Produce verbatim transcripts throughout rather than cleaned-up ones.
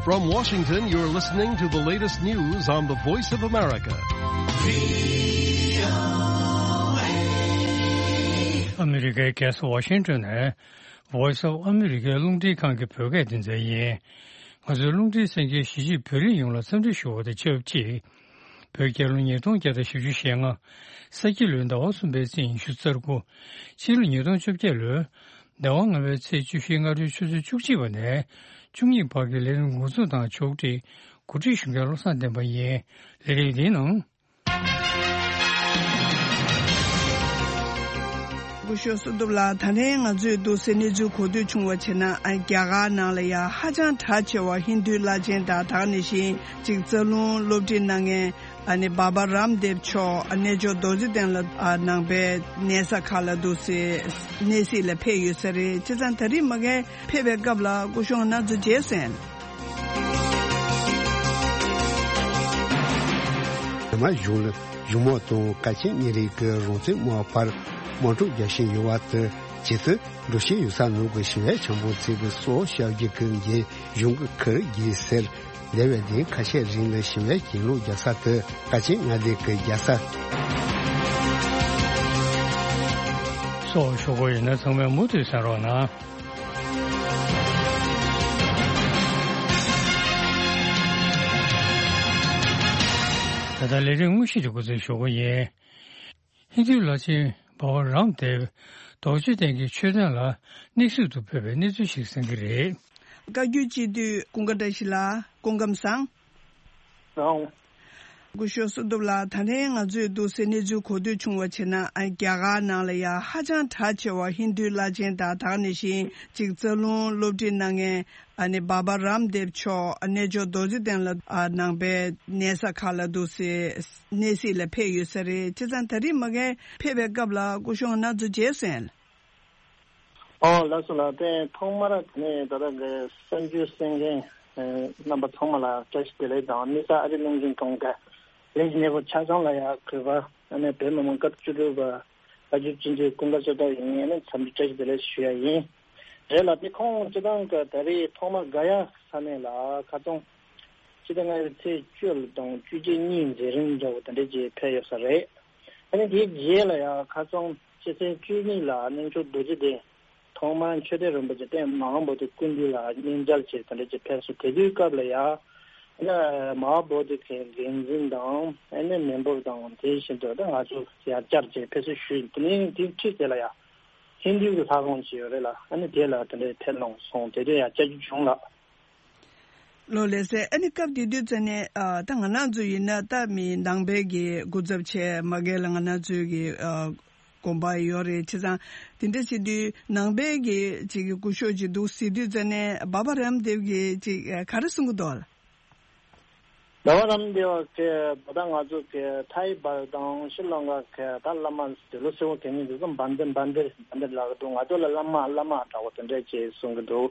From Washington, you're listening to the latest news on the Voice of America. ཨ་མི་རི་ཀའི་རྒྱལ་ས་ཝ་ཤིང་ཏོན་ནས་Voice of America རླུང་འཕྲིན་ཁང་གི་བོད་སྐད་སྡེ་ཚན་ཡིན། ང་ཚོའི་རླུང་འཕྲིན་གསན་མཁན་གཞིས་བྱེས་བོད་རིགས་ཡོངས་ལ་འཚམས་འདྲི་ཞུ་བ་དང་ཆབས་ཅིག་བོད་རྒྱལ་ལོ་ཉིས་སྟོང་བརྒྱ་དང་བཞི་བཅུ་ཞེ་ལྔ། ས་ཁྱི་ལོའི་ཟླ་བ་གསུམ་པའི་ཚེས་ཉི་ཤུ་རྩ་དགུ། ཕྱི་ལོ་ཉིས་སྟོང་བཅོ་བརྒྱད་ལོའི་ཟླ་བ་ལྔ་པའི་ཚེས་བཅུ་བཞི་སྔ་དྲོའི་ཆུ་ཚོད་བཅུ་གཅིག་པ་ནས་བཅུ་གཉིས་བར་གྱི་ལས་རིམ་འགོ་འཛུགས་དང་ཕྱོགས་སྒྲིག་གོ་སྒྲིག་ཞུ་མཁན་བློ་བཟང་བསྟན་པ་ཡིན། ལས་རིམ་འདིའི་ནང་། སྐུ་ཞབས་བསོད་སྟོབས་ལགས། ད་ཐེངས་ང་ཚོས་འདུག་སེ་གནས་ཚུལ་གོ་ཐོས་བྱུང་བ་བྱས་ན། ཨ། རྒྱ་གར་ནང་ལ་ཡང་ཧ་ཅང་གྲགས་ཆེ་བ་ཧིན་རྡུའི་བླ་ཆེན་དང་། ད་ག་ནང་བཞིན་ཅིག་རྩ་རླུང་སློབ་ཁྲིད་གནང་མཁན། ཨ་ནི་བྷ་བྷ་རམ་དེབ་མཆོག་ཨ་གནས་མཆོག་རྡོ་རྗེ་གདན་ལ། ཨ། ནང་པའི་གནས་ས་ཁག་ལ་འདུག་སེ་གནས་གཟིགས་ལ་ཕེབས་ཡོད་ས་རེད། བྱས་ཙང་ད་རེས་མ་གིར་ཕེབས་པའི་སྐབས་ལ་སྐུ་ཞབས་ང་རང་ཚོ་མཇལ་སོང་། རྒྱ་དམར་གཞུང་ལ་གཞུང་མང་དང་གལ་ཆེན་གཉེར་རིགས་ཀྱི་རང་བཙན་དམག་བར་དམག་འཁྲུག་རྒྱག་བཞིན་ཡོད་པ་དང་། ཇེ་མཐོའི་འགྲོ་བཞིན་ཡོད་ས་ནང་གི་ཞི་བའི་བྱང་བུ་ཚིག་གི་སོ་ཤར་རྒྱུད་ཀྱི་འགན་གཞུང་གི་ཁུར་གྱིས་ཟེར། འདས་པའི་ལྡིང་ཁ་ཤས་རིང་ལ་ཞི་བའི་གྱེན་ལོག་རྒྱག་ས་དེ་ཀ་ཆེན་མངའ་སྡེ་གི་རྒྱལ་ས། སོགས་ཞུ་དགོས་ཡིན་ན་ཚང་མས་མུ་མཐུད་གསན་རོགས་གནང་། ད་ལྟ་ལས་རིམ་དངོས་གཞི་དེ་འགོ་འཛུགས་ཞུ་དགོས་ཡིན། ཧིན་རྡུའི་བླ་ཆེན་བྷ་བྷ་རམ་དེབ་རྡོ་རྗེ་གདན་གྱི་མཆོད་རྟེན་ལ་གནས་གཟིགས་དུ་ཕེབས་པའི་གནས་ཚུལ་ཞིག་གསན་གྱི་རེད། བཀའ་བརྒྱུད་སྤྱི་འཐུས་ཀུན་དགའ་བཀྲ་ཤིས་ལགས། སྐུ་ཁམས་བཟང་། བཟང་། སྐུ་ཞབས་བསོད་སྟོབས་ལགས། ད་ཐེངས་ང་ཚོས་འདུག་སེ་གནས་ཚུལ་གོ་ཐོས་བྱུང་བ་བྱས་ན། ཨ། རྒྱ་གར་ནང་ལ་ཡང་ཧ་ཅང་གྲགས་ཆེ་བ་ཧིན་རྡུའི་བླ་ཆེན་དང་། ད་ག་ནང་བཞིན་ཅིག་རྩ་རླུང་སློབ་ཁྲིད་གནང་མཁན། ཨ་ནི་བྷ་བྷ་རམ་དེབ་མཆོག་ཨ་གནས་མཆོག་རྡོ་རྗེ་གདན་ལ། ཨ། ནང་པའི་གནས་ས་ཁག་ལ་འདུག་སེ་གནས་གཟིགས་ལ་ཕེབས་ཡོད་ས་རེད། བྱས་ཙང་ད་རེས་མ་གིར་ཕེབས་པའི་སྐབས་ལ་སྐུ་ཞབས་ང་རང་ཚོ་མཇལ་སོང་། ཨོ་ལགས་སོ་ལགས། དེ་ཐོག་མར་དེ་ནས་ད་ལྟ་གི་གསར་འགྱུར་གསན་མཁན་རྣམ་པ་ཚང་མ་ལ་བཀྲ་ཤིས་བདེ་ལེགས་དང་། དམིགས་བསལ་ཨ་རིའི་རླུང་འཕྲིན་ཁང་གི་ལས་ཀྱི་གནས་བབ་ཆ་ཚང་ལ་ཡང་གུས་པ། ཨ་ནི་བོད་མི་མང་སྐབས་བཅུ་དྲུག་པ་བཀའ་བརྒྱུད་སྤྱི་འཐུས་ཀུན་དགའ་བསོད་ནམས་ཡིན། ཨ་ནི་འཚམས་འདྲི་བཀྲ་ཤིས་བདེ་ལེགས་ཞུ་ཡ་ཡིན། རེད་ལགས། དེ་ཁོང་སྤྱི་བཏང་གི་ད་རེས་ཐོག་མར་ག་ཡ་ས་གནས་ལ་ཁ་སང་སྤྱི་ཟླ་ལྔ་པའི་ཚེས་བཅུ་དང་བཅུ་གཅིག་གཉིས་མཛད་རིམ་འདྲ་བོ་དེ་འདྲ་ཅིག་ཕེབས་ཡོད་ས་རེད། ཨ་ནི་དེའི་རྗེས་ལ་ཡང་ཁ་སང་སྤྱི་ཚེས་བཅུ་གཉིས་ལ་གནས་མཆོག་རྡོ་རྗེ་གདན་ཐོག་མར་མཆོད་རྟེན་རིན་པོ་ཆེ་སྟེང་མ་ཧཱ་བོ་དྷི་སྐུ་མདུན་ལ་གནས་མཇལ་བྱས་དེ་འདྲ་ཅིག་ཕེབས་སོང་། དེ་དུས་སྐབས་ལ་ཡང་། ཨ་ནི་མ་ཧཱ་བོ་དྷི་གི་འགན་འཛིན་དང་། ཨ་ནི་མི་འབོར་དང་དེ་བཞིན་དུ་ད་ང་ཚོ་ཡང་བཅར་བྱས་ཕེབས་བསུ་ཞུས། དེ་ནས་དེའི་འཁྲིས་དེ་ལ་ཡང་ཧིན་རྡུའི་གི་ལྷ་ཁང་ཅིག་ཡོད་རེད་ལགས། ཨ་ནི་དེ་ལ་དེ་འདྲའི་ཕེབས་གནང་སོང་། དེ་དུས་ཡང་བཅར་རྒྱུ་བྱུང་ལགས། ལགས་ལགས་སོ། ཨ་ནི་སྐབས་དེ་དུས་ཙམ་ནས། ཨ། ད་ང་རང་ཚོ་ཡིན་ན་ད་མི་ནང་པའི་གི་སྐུ་ཚབ་བྱས་མ་གིར་ལ་ང་རང་ཚོའི་གི། ཨ། དགོངས་པ་ཡོད་རེད། བྱས་ཙང་དེ་འདྲ་བྱེད་དུས་ནང་པའི་གི་ཅིག་གི་སྐུ་ཞབས་ཅིག་འདུག་ཟེར་དུས་ཙམ་ནས་བྷ་བྷ་རམ་དེབ་ཀྱིས་ཅིག་ག་རེ་གསུང་གི་འདུག་ལགས། བྷ་བྷ་རམ་དེབ་ཀྱིས་ད་ལྟ་ང་ཚོ་གི་ཐའི་བར་དང་ཤྲི་ལང་ཀ་གི་ད་བླ་མ་འདི་ལོ་སེ་བོ་གི་མིང་འདི་ཚོ་བན་དེ་བན་དེ་བན་དེ་ལབ་ཀྱི་འདུག་ང་ཚོ་ལ་བླ་མ་བླ་མ་འདྲ་བོ་དེ་འདྲ་ཅིག་གསུང་གི་འདུག་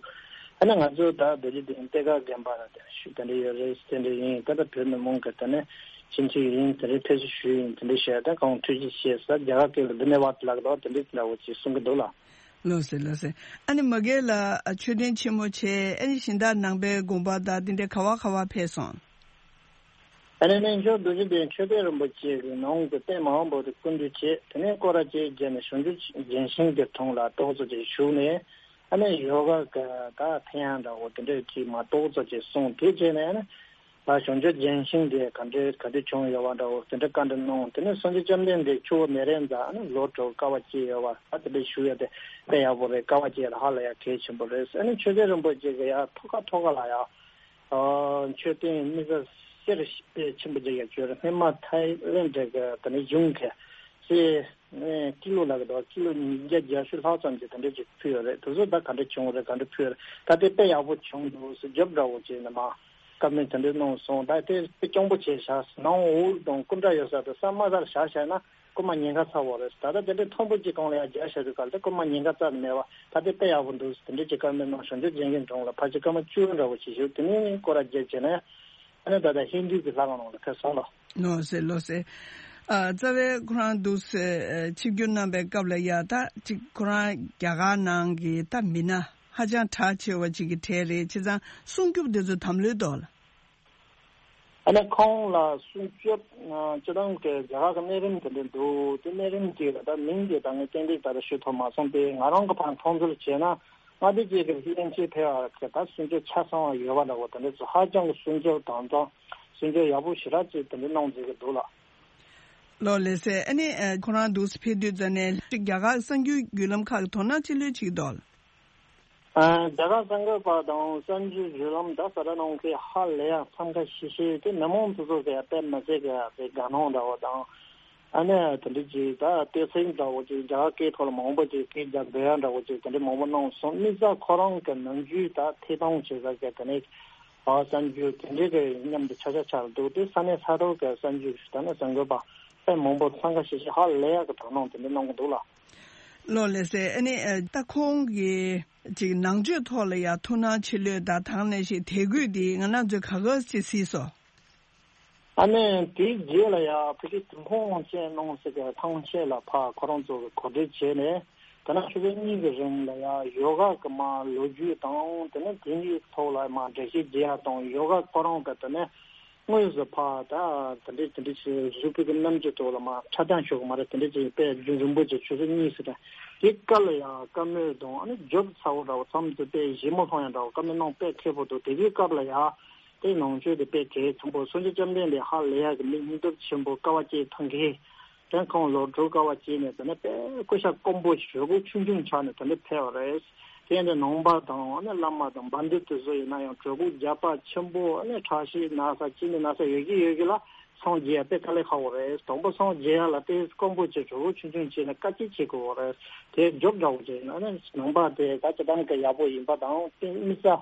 ཨ་ནི་ང་ཚོ་ད་རྡོ་རྗེ་གདན་གཏེར་ཁ་དགོན་པ་ལ་དེ་ཞུ་དེ་འདྲ་ཡོད་རེད། དེ་འདྲ་ཡིན། ད་ལྟ་བོད་མི་མང་གི་དེ་ནས་སྤྱི་འཐུས་ཡིན། དེ་འདྲའི་ཕེབས་བསུ་ཞུས་ཡིན། དེ་འདྲའི་བཤད། ད་གང་ཐུགས་རྗེ་ཆེ་ཟེར། རྒྱ་གར་སྐད་ལ་དྷ་ནི་ཝཱད་ལབ་ཀྱི་འདུག་དེ་འདྲའི་འདྲ་བོ་ཅིག་གསུང་གི་འདུག་ལགས། ལགས་སོ་ལགས་སོ། ཨ་ནི་མ་གིར་ལ་མཆོད་རྟེན་ཆེན་མོ་བྱས། ཨ་ནི་གཞན་དག་ནང་པའི་དགོན་པ་དང་དེ་འདྲའི་ག་བ་ག་བ་ཕེབས་སོང་། ཨ་ནི་གནས་མཆོག་རྡོ་རྗེ་གདན་མཆོད་རྟེན་རིན་པོ་ཆེ་གི་ནང་གི་སྟེང་མ་ཧཱ་བོ་དྷི་སྐུ་མདུན་བྱས། དེ་ནས་སྐོར་ར་བཅས་བརྒྱབ་ནས་བྱང་ཆུབ་རྒྱལ་ཆེན་གྱི་དྲུང་ལ་ཏོག་ཙམ་ཅིག་བཞུགས་ནས། ཨ་ནི་ཡོ་ག་གི་ད་ཕན་ཡོན་འདྲ་བོ་དེ་འདྲ་ཅིག་མར་ཏོག་ཙམ་ཅིག་གསུངས། དེ་བྱས་ནས་ཨ་ནི་ད་བྱང་ཆུབ་རྒྱལ་ཆེན་དེ་ག་འདྲ་ག་དུས་བྱུང་ཡོད་པ་འདྲ་བོ་དེ་འདྲ་བཀའ་འདྲི་གནང་། དེ་ནས་སངས་རྒྱས་བཅོམ་ལྡན་འདས་ཆུ་བོ་མེ་རི་ཡ་ནས་ཨ་ནི་ལོ་དྲུག་དཀའ་བ་སྤྱད་ཡོད་པ། ད་དེ་འདྲ་བཞུགས་ཡ་དེ་དཔེ་ཡག་པོ་རེད། དཀའ་བ་སྤྱད་ཡ་དེ་ཧ་ལས་ཡ་གལ་ཆེན་པོ་རེད། ཨ་ནི་མཆོད་རྟེན་རིན་པོ་ཆེ་གི་ཡ་ཐོག་ཁ་ཐོག་ཁ་ལ་ཡ། ཨ། མཆོད་རྟེན་དམིགས་བསལ་གསེར་དཔེ་ཆེན་པོ་ཅིག་ཡང་བྱོན་རེད། སྔོན་མ་ཐའི་ལེན་ཌི་གི་དེ་ནས་གཞུང་གི་གསེར་ཀི་ལོ་ལབ་ཀྱི་འདུག་ཀི་ལོ་ཉིས་བརྒྱ་བརྒྱད་ཅུ་ལྷག་ཙམ་ཅིག་དེ་འདྲ་ཅིག་ཕུལ་ཡོད་རེད། དེ་ཚོ་ད་ག་འདྲ་བྱུང་རེད། ག་འདྲ་ཕུལ་ཡོད་རེད། ད་དེ་དཔེ་ཡག་པོ་བྱུང་འདུག་ཟེར་རྒྱབ་འདྲ་བོ་ཅིག་ནས་མར་བཀའ་མོལ་དེ་འདྲ་གནང་སོང་། ད་དེ་དཔེ་སྐྱོ་པོ་བྱས་བཞག་ནང་འོག་དང་སྐུ་འདྲ་ཡོད་ས་དེ་ས་དམའ་སར་བཞག་བཞག་ན། རྐུ་མ་ཉེན་ཁ་ཚ་བོ་རེད། ད་ལྟ་དེ་འདྲའི་མཐོན་པོ་གཅིག་སྒང་ལ་ཡང་རྒྱག་བཞག་དུས་སྐབས་དེ་རྐུ་མ་ཉེན་ཁ་རྩ་ནས་མེད་པ། ད་དེ་དཔེ་ཡག་པོ་འདུག་དེ་འདྲའི་ཅིག་བཀའ་མོལ་གནང་། བྱང་ཆུབ་རྒྱལ་མཚན་དྲུང་ལ་ཕལ་ཆེར་སྐར་མ་བཅུ་འདྲ་བོ་ཞིག་བཞུགས། དེ་ནས་སྐོར་ར་བརྒྱབ་བྱས་ནས་ཨ་ནི་ད་ལྟ་ཧིན་རྡུ་གི་ལྷ་ཁང་ནང་ལ་ཕེབས་སོང་ལགས། ལགས་སོ་ལགས་སོ། ཨ། རྩ་བའི་ཁོ་རང་འདུག་སེ་ཆིབས་བསྒྱུར་གནང་པའི་སྐབས་ལ་ཡ་ད་ཅིག་ཁོ་རང་རྒྱ་གར་ནང་གི་ད་མི་སྣ། ཧ་ཅང་གྲགས་ཆེ་བ་ཅིག་གི་གྲས་རེད། བྱས་ཙང་སྲུང་སྐྱོབ་དེ་ཚོ་དམ་ལུས་འདུག་ལ། ཨ་ནི་ཁོང་ལ་སྲུང་སྐྱོབ་ཨ་སྤྱི་བཏང་གི་རྒྱ་གར་གྱི་གནས་རིམ་དེ་འདྲ་འདུག་དེ་གནས་རིམ་གྱི་ད་མིང་གི་ད་ངས་ཏན་ཏིག་ད་ལྟ་ཞུ་ཐུབ་མ་སོང་སྟེ། ང་རང་གི་ཕར་མཐོང་ཚུལ་བྱས་ན། མངའ་སྡེ་གཅིག་གི་དབྱིན་ཇི་ཕེབས་པ་གི་ད་སྲུང་སྐྱོབ་ཆ་ཚང་བ་ཡོད་པ་འདྲ་བོ་དེ་འདྲ་ཚོ་ཧ་ཅང་གི་སྲུང་སྐྱོབ་དམ་དང་སྲུང་སྐྱོབ་ཡག་པོ་ཞེ་དྲག་ཅིག་དེ་འདྲ་གནང་བསྡད་ཀྱི་འདུག་ལ། ལགས་ལགས་སེ། ཨ་ནི་ཨ་ཁོ་རང་འདུག་སེ་ཕེབས་དུས་ཙ་ནས་རྒྱ་གར་གསར་འགྱུར་བརྒྱུད་ལམ་ཁག་གི་དོ་སྣང་ཅི་ལོས་བྱེད་ཀྱི་འདུག་ལ། ཨ་རྒྱ་གར་གསར་འགོད་པ་དང་གསར་འགྱུར་བརྒྱུད་ལམ་ད་གསར་སྒྲ་གནང་མཁན་ཧ་ལས་ཡག་འཚམས་ཁ་ཤས་ཤིག་དེ་མི་མང་དེ་ཚོ་གི་དཔེ་མི་སྲིད་གི་དེ་དགའ་སྣང་འདྲ་བོ་དང་། ཨ་ནི་དེ་འདྲ་ཅིག་ད་བསྟོད་ཚིག་འདྲ་བོ་ཅིག་རྒྱ་གར་སྐད་ཐོག་ལ་མང་པོ་ཅིག་སྐད་རྒྱག་འདོད་ཡག་འདྲ་བོ་ཅིག་དེ་འདྲ་མང་པོ་གནང་སོང་། དམིགས་བསལ་ཁོ་རང་གི་ནམ་རྒྱུན་ད་ཐད་གཏོང་བྱེད་ས་གི་དེ་ནས་ཨ་གསར་འགྱུར་དེ་འདྲའི་གི་མཉམ་དུ་ཆ་ཆ་ཆགས་འདུག་དེ་ས་གནས་ས་ཐོག་གི་གསར་འགྱུར་ད་ནི་གསར་འགོད་པ་དཔེ་མང་པོ་འཚམས་ཁ་ཤས་ཤིག་ཧ་ལས་ཡག་གི་དོ་སྣང་དེ་འདྲ་གནང་གི་འདུག་ལ། ལགས་ལགས་སེ། ཨ་ནི་ཨ་ད་ཁོང་གི་ཅིག་ནང་ཆོས་ཐོག་ལ་ཡང་ཐུགས་སྣང་ཆེ་ལོས་དང་། དེ་ནང་བཞིན་དད་གུས་དེ་ང་རང་ཚོས་ག་ག་ཅིག་གཟིགས་སོང་། ཨ་ནི་དེའི་རྗེས་ལ་ཡང་ཕ་གི་ཏུན་ཧོང་ཅན་གནང་ཟེར་གི་ཐང་ཆེན་ལ་ཕར་ཁོ་རང་ཚོ་གི་གོ་སྒྲིག་བྱས་ནས། དེ་ནས་ཆུ་ཚོད་གཉིས་ཀྱི་རིང་ལ་ཡང་ཡོ་ག་གི་མར་ལོ་རྒྱུས་དང་། དེ་ནས་དེ་གཉིས་ཐོག་ལ་མར་འགྲེལ་བཤད་རྒྱག་ཡག་དང་། ཡོ་ག་ཁོ་རང་གི་དེ་ནས་དངོས་སུ་ཕར་ད་དེ་འདྲས་དེ་འདྲས་ཞིག་གཟུགས་པོ་གི་རྣམ་འགྱུར་ཐོག་ལ་མར་འཁྲབ་སྟོན་ཞུ་གི་མ་རེད། དེ་འདྲས་ཅིག་དཔེ་རྒྱུན་རིང་པོ་ཅིག་ཆུ་ཚོད་གཉིས་ཙམ་རེད། དེ་སྐབས་ལ་ཡང་བཀའ་མོལ་དང་། ཨ་ནི་རྒྱོབ་ཚ་བོ་འདྲ་བོ་མཚམས་སུ་དཔེ་ཞིབ་མོ་ལྷུང་ཡག་འདྲ་བོ་བཀའ་མོལ་གནང་དཔེ་མཁས་པོ་འདུག་དེ་དུས་སྐབས་ལ་ཡང་དེ་ནང་ཆོས་དེ་དཔེ་གལ་ཆེན་པོ། སངས་རྒྱས་བཅོམ་ལྡན་འདས་ཧ་ལས་ཡག་གི་མི་སྙིང་སྟོབས་ཆེན་པོ། དཀའ་བ་སྤྱད་ཐུབ་མཁན། དེ་ཁོང་ལོ་དྲུག་དཀའ་བ་སྤྱད་ནས་དེ་ནས་དཔེ་སྐུ་ཤ་སྐམ་པོ་ཞེ་པོ་ཆུང་ཆུང་ཆགས་ནས་དེ་འདྲ་ཕེབས་པ་རེད། དེ་ཡིན་དུས་ནང་པ་དང་། ཨ་ནི་བླ་མ་དང་བན་དེ་དེ་ཚོ་ཡིན་ན་ཡང་གྲོད་ཁོག་རྒྱགས་པ་ཆེན་པོ། ཨ་ནི་ཁྲག་ཤེད་ན་ཚ་ཅི་ནས་ན་ཚ་ཡོད་ཀྱི་ཡོད་ཀྱི་ལ་སངས་རྒྱས་ཡག་དཔེ་དཀའ་ལས་ཁག་པོ་རེད། དང་པོ་སངས་རྒྱས་ཡག་ལ་དཔེ་སྐམ་པོ་བྱས། གྲོད་ཁོག་ཆུང་ཆུང་བྱས་ནས་དཀའ་སྤྱད་བྱེད་དགོས་པ་རེད། དེ་རྒྱོབ་འདྲ་བོ་བྱས་ན་ནི་ནང་པ་དེ་ད་ཅི་ལྟར་གྱི་ཡག་པོ་ཡིན་པ་དང་། དེ་དམིགས་བསལ་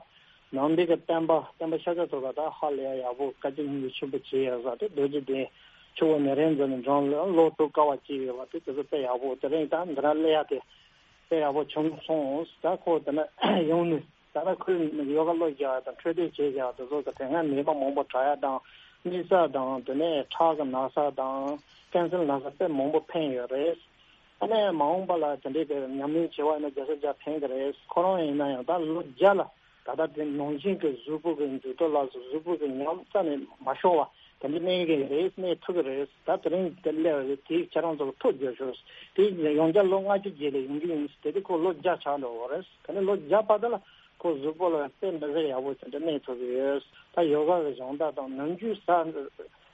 ནང་པའི་གི་བསྟན་པ་བསྟན་པ་ཤ་ཚ་ཚོ་ག་ད་ཧ་ལས་ཡག་པོ་དཀའ་སྤྱད་སྙིང་རྗེ་ཆེན་པོ་བྱས་ཡོད་ས་དེ། རྡོ་རྗེ་གདན་ཆུ་བོ་ནཻ་རཉྫ་ནའི་འགྲམ་ལ་ལོ་དྲུག་དཀའ་བ་སྤྱད་ཡོད་པ་དེ། དེ་ཚོ་དཔེ་ཡག་པོ། དེ་རིང་ད་འདི་ན་སླེབས་ཡག་དེ་དཔེ་ཡག་པོ་བྱུང་སོང་། ད་ཁོ་དེ་ན་ཡོང་ནས་ད་ལྟ་ཁོས་ཡོ་ག་བློ་རྒྱག་ཡག་དང་འཕྲོད་བསྟེན་བྱེད་ཡག་དེ་ཚོ་གི་དེ་སྔ་ནད་པ་མང་པོ་དྲག་ཡག་དང་། གཉིད་སད་དང་། དེ་ནས་ཁྲག་གི་ན་ཚ་དང་ཀན་སར་ན་ཚ་དཔེ་མང་པོ་ཕན་ཡོད་རེད། ཨ་ནི་མ་འོངས་པ་ལ་དེ་འདྲའི་གི་ཉམས་ལེན་བྱེད་པ་ཡིན་ན་བརྒྱ་ཆ་བརྒྱ་ཕན་གི་རེད། ཁོ་རང་ཡིན་ན་ཡང་ད་ལོ་བརྒྱ་ལ་ད་ལྟ་དེ་ནང་བཞིན་གི་གཟུགས་པོ་གི་འགྱུར་ལྡོག་ལ་སོགས། གཟུགས་པོ་གི་ཉམས་རྩ་ནས་མ་ཤོར་བ་དེ་འདྲ་གནས་གི་རེད། གནས་ཐུབ་གི་རེད། ད་དེ་རིང་དེ་སླེབས་རེད། དེ་ཁྱེད་རང་ཚོ་ལ་ཐུགས་རྗེ་ཆེ་ཞུ། དེ་ཡང་བསྐྱར་ལོ་ལྔ་བཅུ་རྗེས་ལ་ཡོང་རྒྱུ་ཡིན། དེ་དུས་ཁོ་ལོ་བརྒྱ་ཆགས་འགྲོ་གི་རེད། དེ་ནས་ལོ་བརྒྱ་བར་དུ་ལ་ཁོ་གཟུགས་པོ་ལ་དཔེ་མི་སྲིད་ཡག་པོ་དེ་འདྲ་གནས་ཐུབ་ཀྱི་ཡོད། ད་ཡོ་ག་གི་སྦྱོང་བརྡར་དང་ནམ་རྒྱུན་ཟ་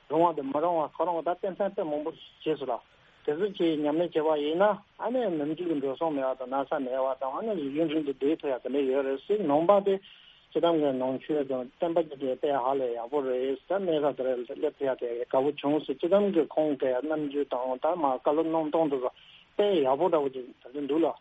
རུང་བ་དང་མི་རུང་བ་ཁོ་རང་ད་ཏན་ཏན་དཔེ་མང་པོ་བྱས་སོང་ལ། དེ་ཚོ་ཅིག་ཉམས་ལེན་བྱས་པ་ཡིན་ན། ཨ་ནི་ནམ་རྒྱུན་གྱི་འགྲོ་སོང་མེད་པ་དང་ན་ཚ་མེད་པ་དང་། ཨ་ནི་ཡུན་རིང་དུ་སྡོད་ཐུབ་ཡག་དེ་འདྲ་ཡོད་རེད་ཟེར། ནང་པ་དེ་སྤྱི་བཏང་གི་ནང་ཆོས་དང་བསྟན་པ་ཅིག་དེ་དཔེ་ཧ་ལས་ཡག་པོ་རེད་ཟེར། གནས་ས་དེ་རེད་སླེབས་ཐུབ་ཡག་དེ་དགའ་པོ་བྱུང་ཟེར། སྤྱི་བཏང་གི་ཁོང་གི་རྣམ་འགྱུར་དང་ད་མར་བཀའ་སློབ་གནང་སྟངས་དེ་ཚོ་དཔེ་ཡག་པོ་འདྲ་བོ་ཅིག་ད་དུང་འདུག་ལ།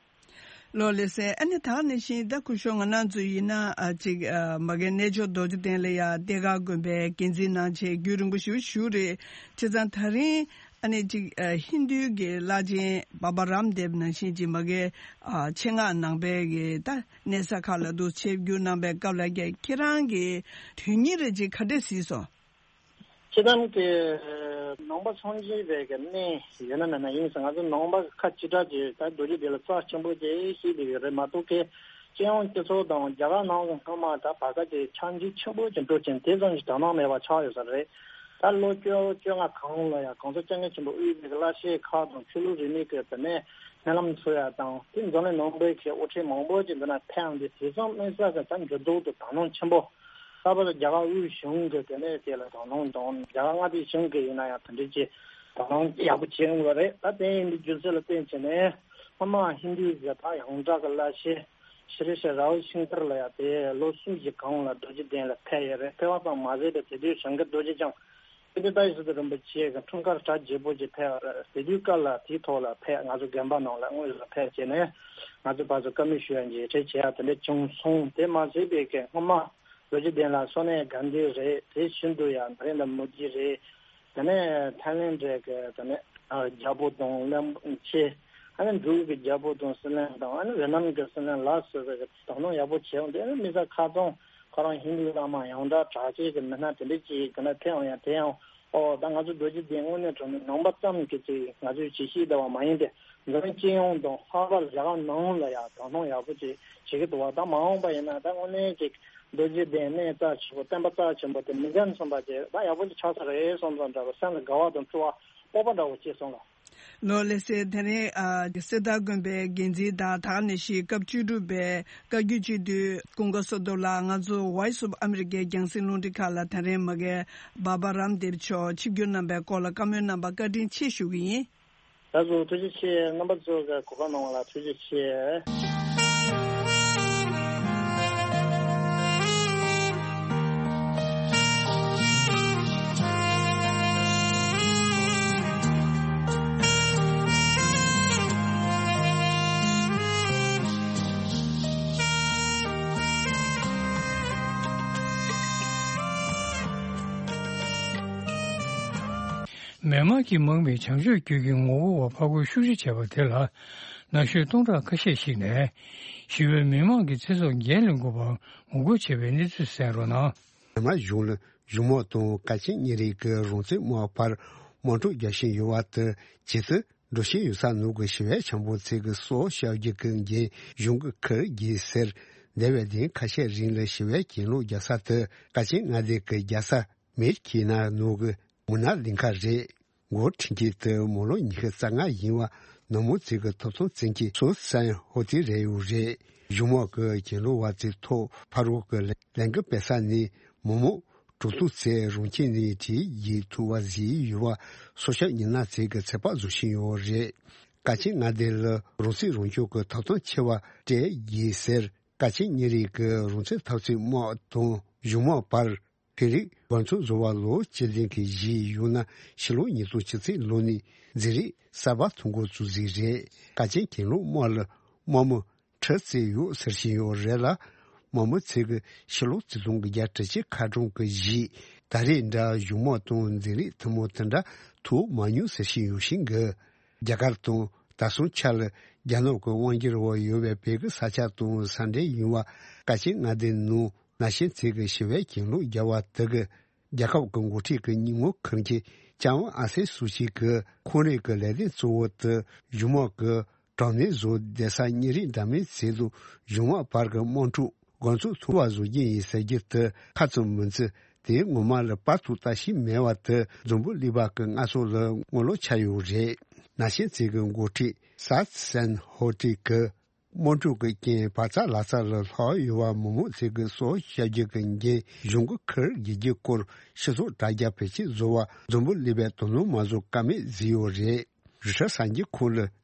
ལགས་ལགས་སེ། ཨ་ནི་ད་ག་ནང་བཞིན་ད་སྐུ་ཞབས་ང་རང་ཚོ་ཡིན་ན་ཨ་ཅིག་ཨ་མ་གི་གནས་མཆོག་རྡོ་རྗེ་གདན་ལ་ཡ་གཏེར་ཁ་དགོན་པའི་འགན་འཛིན་གནང་བྱས་རྒྱུན་རིང་པོ་ཞིག་བཞུགས་རེད། བྱས་ཙང་ད་རིང་ཨ་ནི་ཅིག་ཨ་ཧིན་རྡུའི་གི་བླ་ཆེན་བྷ་བྷ་རམ་དེབ་ནང་བཞིན་ཅིག་མ་གི་ཨ་ཆེད་མངགས་ནང་པའི་གི་ད་གནས་ས་ཁག་ལ་འདུག་ཆིབས་བསྒྱུར་གནང་པའི་སྐབས་ལ་ཁྱེད་རང་གི་དོན་སྙིང་རེ་ཅིག་ག་འདྲས་གཟིགས་སོང་། སྤྱིར་བཏང་གི་ནང་པ་སངས་རྒྱས་པའི་གི་གནས་ཡོད་ན་མེད་ན་ཡིན་ཟེར། ང་ཚོ་ནང་པ་ཁ་ཅིག་ཁྲ་ཅིག་ད་རྡོ་རྗེ་གདན་ལ་རྩ་ཆེན་པོ་ཅིག་བྱེད་བསྡད་ཡོད་རེད་མ་གཏོགས། གི་སྤྱི་ཡོངས་སྤྱི་ཚོགས་དང་རྒྱ་གར་ནང་གི་སྔོན་མ་ད་བར་སྐབས་ཀྱི་ཆགས་འཇིག་ཆེན་པོ་ཅིག་འགྲོ་ཅིང་དེ་ཙམ་ཞིག་དོ་སྣང་མེད་པ་ཆགས་ཡོད་ས་རེད། ད་ལོ་བཅོ་བཅོ་ལྔ་གོང་ལ་ཡང་གོང་ས་སྐྱབས་མགོན་ཆེན་པོ་དབུས་པའི་གི་བླ་ཆེན་ཁག་དང་ཆོས་ལུགས་རིས་མེད་ཀྱི་དེ་ནས་སྨོན་ལམ་འཚོགས་ཡག་དང་། དེ་འཛམ་གླིང་ནང་པའི་གི་དབུ་ཁྲིད་མང་པོ་ཅིག་འདི་ན་ཕེབས་ཡོང་དུས་དེ་ཙམ་དམིགས་བསལ་གྱི་ད་འགྱུར་ལྡོག་དང་དོ་སྣང་ཆེན་པོ། ལྷག་པར་དུ་རྒྱ་གར་དབུས་གཞུང་གི་དེ་ནས་དེ་ལ་དོ་སྣང་དང་། རྒྱ་གར་མངའ་སྡེ་གཞུང་གི་ཡིན་ན་ཡང་དེ་འདྲའི་ཅིག་དོ་སྣང་ཡག་པོ་བྱེད་ཡོང་གི་རེད། ད་དེ་ཡིན་དུས་རྒྱུ་མཚན་ལ་བརྟེན་བྱས་ནས་སྔོན་མ་ཧིན་རྡུའི་གི་ད་ཡོངས་གྲགས་ཀྱི་བླ་ཆེན་ཤྲི་ཤྲི་ར་བི་ཤང་ཀར་ལ་ཡང་དེ་ལོ་གསུམ་གྱི་གོང་ལ་རྡོ་རྗེ་གདན་ལ་ཕེབས་ཡོད་རེད། ཕེབས་པ་ཙམ་མ་ཟད་པའི་དེ་དུས་བྱང་གི་རྡོ་རྗེ་འཆང་ཀིརྟི་ཏ་ཡེ་སི་ཏུ་རིན་པོ་ཆེ་གི་འཁྲུངས་སྐར་གྲ་རྒྱས་པོ་ཅིག་ཕེབས་པ་རེད། དེ་དུས་སྐབས་ལ་དེའི་ཐོག་ལ་ཕེབས། ང་ཚོ་དགོན་པ་ནང་ལ་དངོས་སུ་ཕེབས་བྱས་ནས་ང་ཚོ་ཕར་ཚུར་བཀའ་མོལ་ཞུ་ཡ་མཇལ་འཕྲད་བྱེད་ཡ་དེ་འདྲ་བྱུང་སོང་། དེ་མ་ཟད་པའི་གི་སྔོན་མ་རྡོ་རྗེ་གདན་ལ་སོ་ནའི་གྷན་དྷི་རེད། དེ་བཞིན་དུ་ཡང་ན་རེན་དྲ་མོ་དི་རེད། དེ་ནས་ཐའི་ལེན་ཌི་གི་དེ་ནས་རྒྱལ་པོ་དང་བློན་ཆེན། ཨ་ནི་འབྲུག་གི་རྒྱལ་པོ་དང་སྲིད་བློན་དང་། ཨ་ནི་ཝེ་ནམ་གྱི་སྲིད་བློན་ལ་སོགས་པའི་གི་དོ་སྣང་ཡག་པོ་བྱས་ཡོང་། དེ་ནི་དམིགས་བསལ་ཁ་རྩང་ཁོ་རང་ཧིན་རྡུ་བླ་མ་ཡོངས་གྲགས་གྲགས་ཅན་གྱི་མི་སྣ་དེ་འདྲ་ཅིག་གི་ན་ཕེབས་ཡོང་ཡ་དེ་ཡང་། ཨོ་ད་ང་ཚོ་རྡོ་རྗེ་གདན་དངོས་གནས་དྲང་གནས་ནང་པ་ཙམ་གྱི་ཅིག་ང་ཚོའི་ཅིག་ཤེས་བདེ་བ་མ་ཡིན་ཏེ། འཛམ་གླིང་སྤྱི་ཡོངས་དང་ལྷག་པར་རྒྱ་གར་ནང་ལ་ཡང་དོ་སྣང་ཡག་པོ་ཅིག་བྱེད་ཀྱི་འདུག་བ། ད་མ་འོངས་པ་ཡིན་ན་ད་དངོས་གནས་ཅིག་རྡོ་རྗེ་གདན་གནས་རྩ་ཆེན་པོ་བསྟན་པ་རྩ་ཆེན་པོ་དེ་མི་འགྲན་སོང་བ་ཅིག་ད་ཡག་པོ་ཅིག་ཆགས་ས་རེད་བསམ་ཙང་འདྲ་བ། སེམས་ལ་དགའ་བ་དང་སྤྲོ་བ་སྤོབས་པ་འདྲ་བོ་སྐྱེས་སོང་ལ། ལོ་ལེགས་སེ། དེ་རིང་ཨ་གསེར་རྟ་དགོན་པའི་འགན་འཛིན་དང་ད་ག་ནང་བཞིན་སྐབས་བཅུ་དྲུག་པའི་བཀའ་བརྒྱུད་སྤྱི་འཐུས་ཀུན་དགའ་བསོད་སྟོབས་ལགས། ང་ཚོ་Voice of America རྒྱང་སྲིང་རླུང་འཕྲིན་ཁང་ལ་དེ་རིང་མ་གི་བཱ་བཱ་རམ་དེབ་མཆོག་ཆིབས་བསྒྱུར་གནང་པའི་སྐོར་ལ་བཀའ་མོལ་གནང་བར་བཀའ་དྲིན་ཆེ་ཞུ་གི་ཡིན། ད་གཟོད་ཐུགས་རྗེ་ཆེ། རྣམ་པ་ཚོ་གི་གོ་སྐབས་གནང་བ་ལ་ཐུགས་རྗེ་ཆེ། མི་དམངས་ཀྱིས་མང་བའི་བྱམས་ཆོས་བརྒྱུད་ཀྱི་ངོ་རྒོལ་བ་ཕར་རྒོལ་ཤུགས་ཆེ་བྱས་པ་དེ་ལ། ན་གཞོན་སྟོང་ཕྲག་ཁ་ཤས་ཤིག་ནས་ཞི་བའི་མི་དམངས་ཀྱི་ཚེ་སྲོག་འགན་ལེན་དགོས་པར་ངོ་རྒོལ་བྱས་པའི་གནས་ཚུལ་གསན་རོགས་གནང་། མི་དམངས་གཞུང་ལ་གཞུང་མང་དང་དཀའ་སྤྱད་གཉེར་རིགས་ཀྱི་རང་བཙན་དམག་བར་དམག་འཁྲུག་རྒྱག་བཞིན་ཡོད་པ་དང་། ཇི་ལྟར་འགྲོ་བཞིན་ཡོད་ས་ནང་གི་ཞི་བའི་བྱ་འགུལ་ཚོ་གི་སྲོག་སྐྱབས་རྒྱུ་གི་འགན་གཞུང་གིས་འཁུར་དགོས་ཟེར། འདས་པའི་ལྡིང་ཁ་ཤས་རིང་ལ་ཞི་བའི་གྱེན་ལོག་རྒྱག་ས་དེ་དཀའ་སྤྱད་མངའ་སྡེ་གི་རྒྱལ་ས་མེ་ཁི་ན་ནང་གི་མུ་ན་ལིང་ཁ་རེད། འགོ་ཁྲིད་མཁན་དེ་མི་ལོ་ཉི་ཤུ་རྩ་ལྔ་ཡིན་པ་ནུབ་མོ་ཚོ་གི་ཐོབ་ཐང་བཙན་གྱི་སོ་སན་ཧོ་ཏི་རེད་ཡོད་རེད། གཞུང་མང་གི་གྱེན་ལོག་པ་ཚོའི་ཐོག་ཕར་རྒོལ་གི་ལས་འགུལ་སྤེལ་ས་ནི་མི་མང་དྲུག་སྟོང་ཚོ་རང་ཁྱིམ་ནས་བྲོས་ཡོང་ཐུབ་པ་བཟོས་ཡོད་པ་སྲོག་སྐྱོབ་མི་སྣ་ཚོ་གིས་ཚོད་དཔག་བཟོ་བཞིན་ཡོད་རེད། དཀའ་སྤྱད་མངའ་སྡེ་ལ་རང་སྲིད་རང་སྐྱོང་གི་ཐོབ་ཐང་ཆེ་བ་སྤྲད་ཡོད་ཟེར། དཀའ་སྤྱད་གཉེར་རིགས་ཀྱི་རང་བཙན་འཐབ་རྩོད་དམག་དང་གཞུང་མང་བར་ཤེས་རིག་འགན་འཁྲི་བཟོ་བ་ལོ་བཅུ་བདུན་གྱི་གཞི་ཡོད་ན། ཕྱི་ལོ་ཉིས་སྟོང་བཅུ་གཅིག་ལོ་ནས་འཛིན་རིམ་གསར་པ་ཐོ་འགོད་བཙུགས་ཟིན་རེད། དཀའ་སྤྱད་གྱེན་ལོག་དམག་ལ་དམག་མི་ཁྲི་བརྩེགས་ཡོད་ཟེར་བཞིན་ཡོད་རེད་ལ། དམག་མི་ཚོ་གིས་ཕྱི་ལོ་ཆིག་སྟོང་དགུ་བརྒྱ་དྲུག་ཅུ་ཁ་གྲངས་ཀྱི་གཞི་ད་རེས་འདྲ་གཞུང་མང་དང་འཛིན་རིམ་ཐུན་མོང་དེ་འདྲ་ཐོབ་མ་མྱོང་ཟེར་བཞིན་ཡོད་བཞིན་གི། རྒྱ་གར་དང་ད་སང་ཆ་ལ་རྒྱ་ནག་གི་དབང་སྒྱུར་འོག་ཡོད་པའི་བོད་ཀྱི་ས་ཆ་དང་ས་འབྲེལ་ཡིན་པ་དཀའ་སྤྱད་མངའ་སྡེ་ནང་ན་གཞོན་ཚོ་གིས་ཞི་བའི་གྱེན་ལོག་བརྒྱབ་པ་དེ་གིས། རྒྱལ་ཁབ་ཀྱི་འགོ་ཁྲིད་ཀྱི་ཉིན་མོ་ཁུར་མཁན་ལྕམ་ཨང་སན་སུའུ་ཅི་གིས་ཁོང་རང་གི་ལས་དོན་གཙོ་བོ་དེ་གཞུང་མང་གི་དྲག་གནོན་བཟོ་བསྡད་ས་གཉེར་རིམ་འདྲ་མིན་ཚོ་དང་གཞུང་མང་བར་གྱི་དམག་འཁྲུག་འགོ་ཚུགས་ཐུབ་པ་བཟོ་རྒྱུ་ཡིན་ཟེར་རྒྱུ་དེ་ཁ་ཙམ་མིན་ཚེ། དེའི་ངོ་མ་ལ་བར་དུ་ལྟ་ཞིབ་མེད་པ་དེ་འཛམ་བུ་གླིང་པ་གི་སྔར་སྲོལ་ལ་ངོ་ལོག་ཆགས་ཡོད་རེད། ན་གཞོན་ཚོ་གི་འགོ་ཁྲིད་སཱ་སན་ཧོ་ཏི་གིས། དམག་འཁྲུག་གི་རྐྱེན་བག་ཚ་ལག་ཚ་ལ་ལྷག་ཡོད་པ་མི་མང་ཚོ་གི་སྲོག་སྐྱབས་རྒྱུ་གི་འགན་གཞུང་གིས་འཁུར་དགོས་རྒྱུའི་སྐོར་སྤྱི་ཚོགས་དྲ་རྒྱ་བེད་སྤྱོད་བཟོ་བར་འཛམ་བུ་གླིང་པས་དོ་སྣང་མ་བཟོ་ཀ་མེད་བཟོས་ཡོད་རེད། རུ་ཁྲིད་གསར་འགྱུར་ཁང་ལ་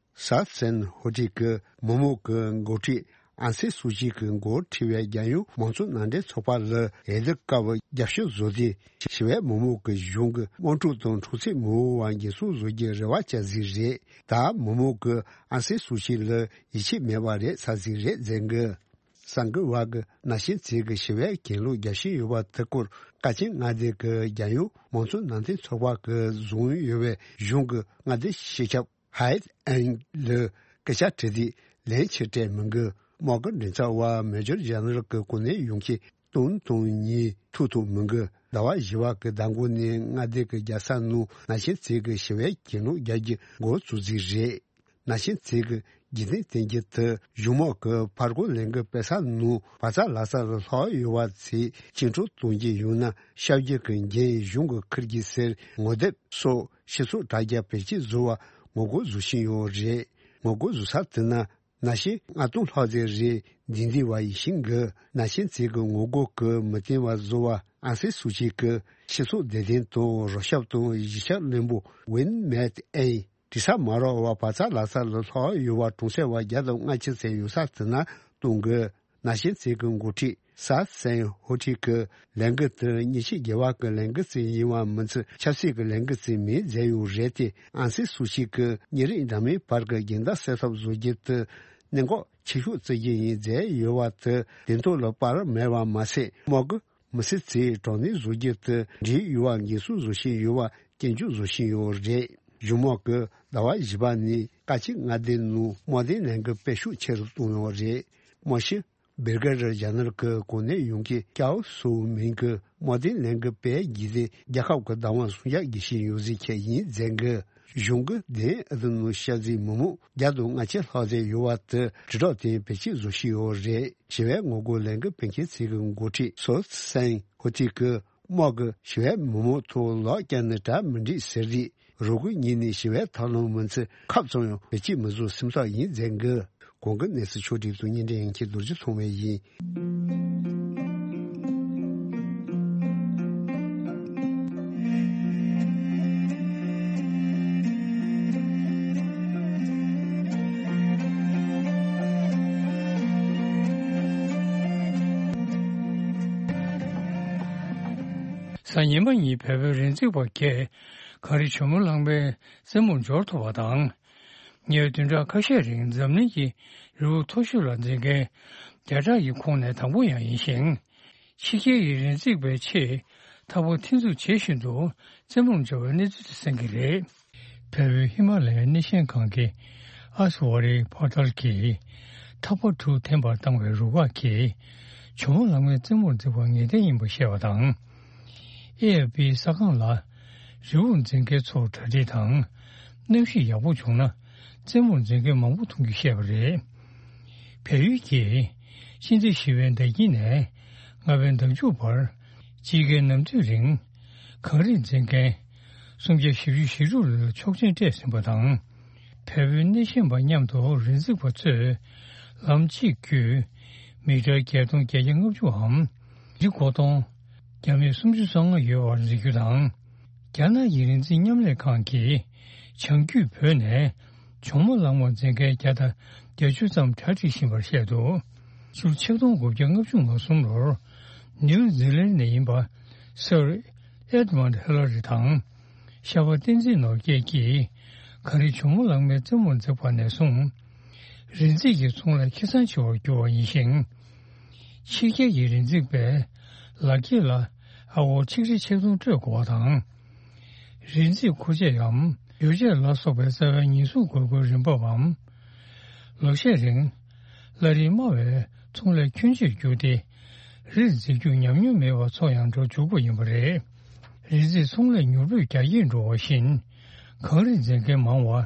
སཱ་སན་ཧོ་ཏི་གིས་མི་མང་གི་འགོ་ཁྲིད་ཨང་སན་སུའུ་ཅི་གི་འགོ་ཁྲིད་པའི་རྒྱལ་ཡོངས་མང་གཙོ་མནའ་འབྲེལ་ཚོགས་པ་ལ་འོས་བསྡུ་སྐབས་རྒྱབ་སྐྱོར་བཟོ་དུས། ཞི་བའི་མི་མང་གིས་གཞུང་གི་དམག་འཁྲུག་དང་འཁྲུག་རྩོད་མི་འོང་བ་འགན་སྲུང་བཟོ་རྒྱུའི་རེ་བ་བཅངས་ཟིག་རེད། ད་མི་མང་གིས་ཨང་སན་སུའུ་ཅི་ལ་ཡིད་ཆེས་མེད་པ་རེད་ཚར་ཟིག་རེད་ཟེར་གི། གསར་འགོད་པ་གིས་ན་གཞོན་ཚོས་གི་ཞི་བའི་གྱེན་ལོག་རྒྱག་བཞིན་ཡོད་པ་དེ་སྐོར་དཀའ་སྤྱད་མངའ་སྡེ་གི་རྒྱལ་ཡོངས་མང་གཙོ་མནའ་འབྲེལ་ཚོགས་པ་གིས་བཟུང་ཡོད་པའི་གཞུང་གི་མངའ་སྡེ་སྤྱི་ཁྱབ་ཧའེ་ཨན་ལ་སྐད་ཆ་དྲིས་དུས་ལན་ཆེ་སྤྲད་མི་འདུག་དམག་གི་མགྲིན་ཚབ་པ་མེ་ཇར་ཇེ་ནེ་རལ་གྱི་གོ་གནས་ཡོང་རྐྱེན་སྟོན་དང་ཉིན་ཐུག་ཐུབ་མི་འདུག་ཟླ་བ་བཞི་པ་གི་ཟླ་མགོ་ནས་མངའ་སྡེ་གི་རྒྱལ་ས་ནང་ན་གཞོན་ཚོས་གི་ཞི་བའི་གྱེན་ལོག་རྒྱག་རྒྱུ་འགོ་བཙུགས་རྩིས་རེད། ན་གཞོན་ཚོས་གི་འཇིག་རྟེན་བསྟན་རྒྱུ་དེ་གཞུང་དམག་གི་ཕར་རྒོལ་ལས་འགུལ་སྤེལ་ས་ནང་བག་ཚ་ལག་ཚ་ལ་ལྷག་ཡོད་པ་ཚོས་སྐྱིན་འགྲུལ་གཏོང་རྒྱུ་ཡོང་ན་སྐྱབས་རྒྱུ་གི་འགན་གཞུང་གིས་འཁུར་རྒྱུ་ཟེར་ངོ་དེབ་སོགས་སྤྱི་ཚོགས་དྲ་རྒྱ་བེད་སྤྱོད་བཟོ་བར་ངོ་རྒོལ་བཟོ་བཞིན་ཡོད་རེད། ངོ་རྒོལ་བཟོ་ས་དེ་ན་ན་གཞོན་ལྔ་སྟོང་ལྷག་ཙམ་རེ་འདུས་འདུས་པ་ཡིན་ཞིང་གི། ན་གཞོན་ཚོས་གི་ངོ་རྒོལ་གི་མི་བརྟན་པ་བཟོ་བར་ཨང་སན་སུའུ་ཅི་གི་སྤྱི་ཚོགས་བདེ་དོན་དང་རོགས་སྐྱོབ་དང་གཞིས་ཆགས་བློན་པོ་ཝིན་མེད་ཨེན་དྲི་ས་མ་རག་པར་བག་ཚ་ལག་ཚ་ལ་ལྷག་ཡོད་པ་གྲོང་གསེབ་པ་བརྒྱ་དང་ལྔ་བཅུ་ཙམ་ཡོད་ས་དེ་ན་གཏོང་དགོས། ན་གཞོན་ཚོས་གི་འགོ་ཁྲིད་སཱ་སན་ཧོ་ཁྲི་གི་ལས་འགུལ་དེ་མཉེན་ཆས་བརྒྱབ་པ་གི་ལས་འགུལ་ཙམ་ཡིན་པ་མིན་ཚུལ་ཆབ་སྲིད་ཀྱི་ལས་འགུལ་ཙམ་མིན་མཛད་ཡོད་རེད་དེ། ཨང་སན་སུའུ་ཅི་གི་གཉིས་རིགས་འདྲ་མིན་བར་གྱི་འགལ་ཟླ་སེལ་ཐབས་བཟོ་རྒྱུ་དེ་གནད་འགག་ཆེ་ཤོས་བརྩི་རྒྱུ་ཡིན་མཛད་ཡོད་པ་དེ་དོན་ཐོག་ལ་པར་མེད་པ་མ་ཟད། དམག་གི་མི་སེར་ཚོས་དྲག་གནོན་བཟོ་རྒྱུ་དེ་འགྲིག་ཡོད་པ་འགན་སྲུང་བཟོ་བཞིན་ཡོད་པ་སྐྱོན་བརྗོད་བཟོ་བཞིན་ཡོད་རེད། གཞུང་དམག་གིས་ཟླ་བ་བཞི་པ་ནས་དཀའ་སྤྱད་མངའ་སྡེ་ནང་དམག་དོན་ལས་འགུལ་སྤེལ་ཤུགས་ཆེ་རུ་བཏང་ཡོད་རེད། དམག་སྤྱི་བེར་ག་རི་ཇ་ནེ་རལ་གྱི་གོ་གནས་ཡོང་མཁན་ཀའོ་སུའུ་མིང་གིས་དམག་དོན་ལས་འགུལ་སྤེལ་རྒྱུ་དེ་རྒྱལ་ཁབ་ཀྱི་བདག་དབང་སྲུང་སྐྱོབ་བྱེད་བཞིན་ཡོད་ཟེར་མཁན་ཡིན་མཛད་འགི། གཞུང་གི་དེ་ཨ་ཏི་ནུ་ཤ་ཛི་མི་མང་བརྒྱ་དང་ལྔ་བཅུ་ལྷག་ཙམ་ཡོད་པ་དེ་དྲིལ་བསྒྲགས་དེ་བེད་སྤྱོད་བཟོ་བཞིན་ཡོད་རེད། ཞི་བའི་ངོ་རྒོལ་ལས་འགུལ་སྤེལ་མཁན་ཚོ་གི་འགོ་ཁྲིད་སོ་སན་ཧོ་ཐི་གིས་དམག་གིས་ཞི་བའི་མི་མང་ཐོག་ལག་བཀྱགས་ནས་གྲ་མི་འགྲིག་ཟེར་དུས། རུ་དགོས་ཉིད་ནས་ཞི་བའི་ཐབས་ལམ་མི་འཚོལ། ཁབ་ཙམ་ཡང་བེད་སྤྱོད་མི་བཟོ་སེམས་ཐག་ཡིན་ཟེར་གི། གོང་གི་གནས་ཚུལ་ཕྱོགས་སྒྲིག་དང་བརྙན་འཕྲིན་ཡན་ཆད་རྡོ་རྗེ་ཐོགས་མེད་ཡིན། གཟའ་ཉི་མ་ཉིན་བལ་པོའི་རི་འཛེག་པ་བརྒྱད་གངས་རི་ཇོ་མོ་གླང་མའི་རྩེ་མོར་འབྱོར་ཐུབ་པ་དང་། ཉེ་བའི་བདུན་ཕྲག་ཁ་ཤས་རིང་འཛམ་གླིང་གི་རི་བོ་མཐོ་ཤོས་ལ་འཛེག་མཁན་བརྒྱ་ཕྲག་གི་ཁོངས་ནས་དང་པོ་ཡང་ཡིན་ཞིང་། ཕྱི་རྒྱལ་གྱི་རི་འཛེག་པའི་ཆེད་ཐག་པ་འཐེན་འཛུགས་བྱེད་བཞིན་དུ་རྩེ་མོར་འབྱོར་བའི་གནས་ཚུལ་དེ་གསན་གྱི་རེད། བལ་པོའི་ཧི་མ་ལ་ཡའི་གནས་ཆེན་སྒང་གི་ཨ་སི་ཝ་རི་པར་ཏལ་གྱིས་ཐག་པ་དྲུག་འཐེན་པར་བཏང་བའི་རུ་ཁག་གིས་ཇོ་མོ་གླང་མའི་རྩེ་མོར་འཛེག་པ་ངེས་གཏན་ཡིན་པ་བཤད་པ་དང་། ཨེ་ཨེཕ་པིའི་གསར་ཁང་ལ་རི་བོར་འཛེག་མཁན་ཚོར་གྲ་སྒྲིག་དང་གནམ་གཤིས་ཡག་པོ་བྱུང་ན་རྩེ་མོར་འཛེག་མཁན་མང་པོ་མཐོང་རྒྱུ་བཤད་པ་རེད། བལ་ཡུལ་གྱིས་སྤྱི་ཟླ་བཞི་པའི་ཟླ་དཀྱིལ་ནས་ལྔ་པའི་ཟླ་མཇུག་བར་དཔྱིད་ཀའི་ནམ་དུས་རིང་གངས་རི་འཛེག་མཁན་སུམ་བརྒྱ་བཞི་བཅུ་ཞེ་དྲུག་ལ་ཆོག་མཆན་སྤྲད་ཟིན་པ་དང་། བལ་པོའི་གནས་ཆེན་པ་མཉམ་དུ་རི་འཛེག་པ་ཚོས་ལམ་གཅིག་བརྒྱུད་མི་ཊར་བརྒྱད་སྟོང་བརྒྱད་བརྒྱ་ལྔ་བཅུའམ་རི་མགོ་སྟོང་བརྒྱ་མེད་སུམ་ཅུ་སོ་ལྔ་ཡོད་པར་འཛེག་རྒྱུ་དང་། རྒྱ་ནག་གི་རི་འཛེག་མཉམ་ལས་ཁང་གིས་བྱང་རྒྱུད་བོད་ནས་ཇོ་མོ་གླང་མ་འཛེག་མཁན་བརྒྱ་དང་བརྒྱད་ཅུ་ཙམ་གྲ་སྒྲིག་བཞིན་པར་བཤད་འདུག་ཕྱི་ལོ་ཆིག་སྟོང་དགུ་བརྒྱ་ལྔ་བཅུ་ང་གསུམ་ལོར་ནིའུ་ཛི་ལན་ནས་ཡིན་པ་སར་ཨེ་ཌི་མོན་ཌི་ཧི་ལ་རི་དང་། ཤར་པ་བསྟན་འཛིན་ནོར་རྒྱས་ཀྱིས་གངས་རི་ཇོ་མོ་གླང་མའི་རྩེ་མོར་འཛེགས་པ་ནས་བཟུང་རི་འཛེག་གི་ཚོང་ལས་ཁེ་བཟང་ཆེ་བར་གྱུར་བ་ཡིན་ཞིང་། ཕྱི་རྒྱལ་གྱི་རི་འཛེག་པས་ལག་འཁྱེར་ལ་ཨ་སྒོར་ཆིག་ཁྲི་ཆིག་སྟོང་སྤྲོད་དགོས་པ་དང་། རི་འཛེག་མཁོ་ཆས་འམ་ཡོ་བྱད་ལ་སོགས་པའི་རྩ་བའི་ཉེན་སྲུང་དགོས་མཁོའི་རིན་འབབ་བམ། ལོ་ཤས་རིང་བླ་རིགས་དམའ་བའི་ཚོང་ལས་ཁྱོན་ཆེར་གྱུར་ཏེ། རིར་འཛེག་རྒྱུ་ཉམས་མྱོང་མེད་པར་ཚོ་ཡང་འགྲོ་འཇུག་པ་ཡིན་པ་རེད། རི་འཛེག་ཚོང་ལས་མྱུར་པོས་རྒྱ་སྐྱེད་འགྲོ་བ་བཞིན། གངས་རི་འཛེག་མཁན་མང་བ།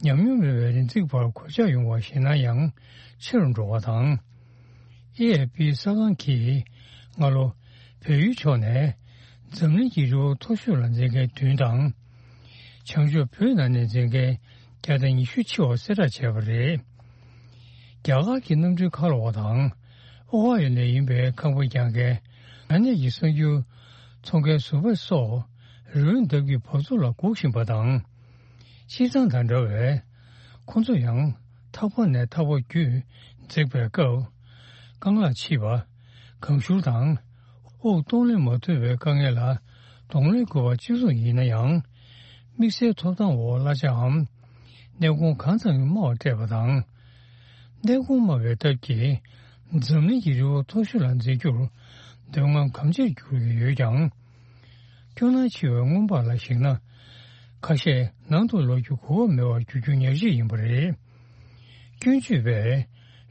ཉམས་མྱོང་མེད་པའི་རི་འཛེག་པར་གོད་ཆག་ཡོང་བ་ཞེད་སྣང་ཡང་ཆེ་རུ་འགྲོ་བ་དང་། ཨེ་ཨེཕ་པིའི་གསར་ཁང་གིས་སྔ་ལོ་བལ་ཡུལ་ཕྱོགས་ནས་འཛམ་གླིང་གི་རི་བོ་མཐོ་ཤོས་ལ་འཛེག་མཁན་བདུན་དང་། བྱང་ཕྱོགས་བོད་ནང་ནས་འཛེག་མཁན་བརྒྱ་དང་ཉི་ཤུ་ཆེ་བ་གསལ་བསྒྲགས་བྱས་པ་རེད། རྒྱ་གར་གྱི་གནམ་གྲུའི་ཁ་ལོ་བ་དང་ཨོ་ཧ་ཡོ་ནས་ཡིན་པའི་ཁང་པ་རྒྱག་མཁན་ཨ་ནེ་ཡི་གསར་འགྱུར་ཚོང་མཁན་ཟུར་པ་སོགས་རི་བོའི་འདབས་ཀྱི་བབས་ཚུགས་ལ་སྒུག་བཞིན་པ་དང་། སྤྱིར་བཏང་དང་འདྲ་བས་ཁོང་ཚོ་ཡང་ཐག་པ་ནས་ཐག་པ་བརྒྱུད་འཛེགས་པའི་སྐབས་རྐང་ལག་ཕྱིས་པ། གང་ཤུར་དང་དབུགས་གཏོང་ལེན་མ་ཐུབ་པའི་དཀའ་ངལ་ལ་གདོང་ལེན་དགོས་པ་གཅིག་མཚུངས་ཡིན་ན་ཡང་། དམིགས་བསལ་ཐོབ་ཐང་འོག་གླ་ཆའམ་གནས་གོང་གང་ཙམ་དམའ་བ་སྤྲད་པ་དང་། གནས་གོང་དམའ་བའི་སྟབས་ཀྱིས་འཛམ་གླིང་གི་རི་བོ་མཐོ་ཤོས་ལ་འཛེག་རྒྱུར་འདོད་རྔམ་གམ་ཆེར་འགྱུར་གྱི་ཡོད་ཀྱང་། སྐྱོ་སྣང་ཆེ་བའི་སྔོན་དཔག་ལ་གཞིགས་ན། ཁ་ཤས་ནང་དུ་ལོག་རྒྱུ་གོ་སྐབས་མེད་པར་འགྱུར་རྒྱུ་ཉག་གཅིག་ཡིན་པ་རེད། སྐྱོན་བརྗོད་པས་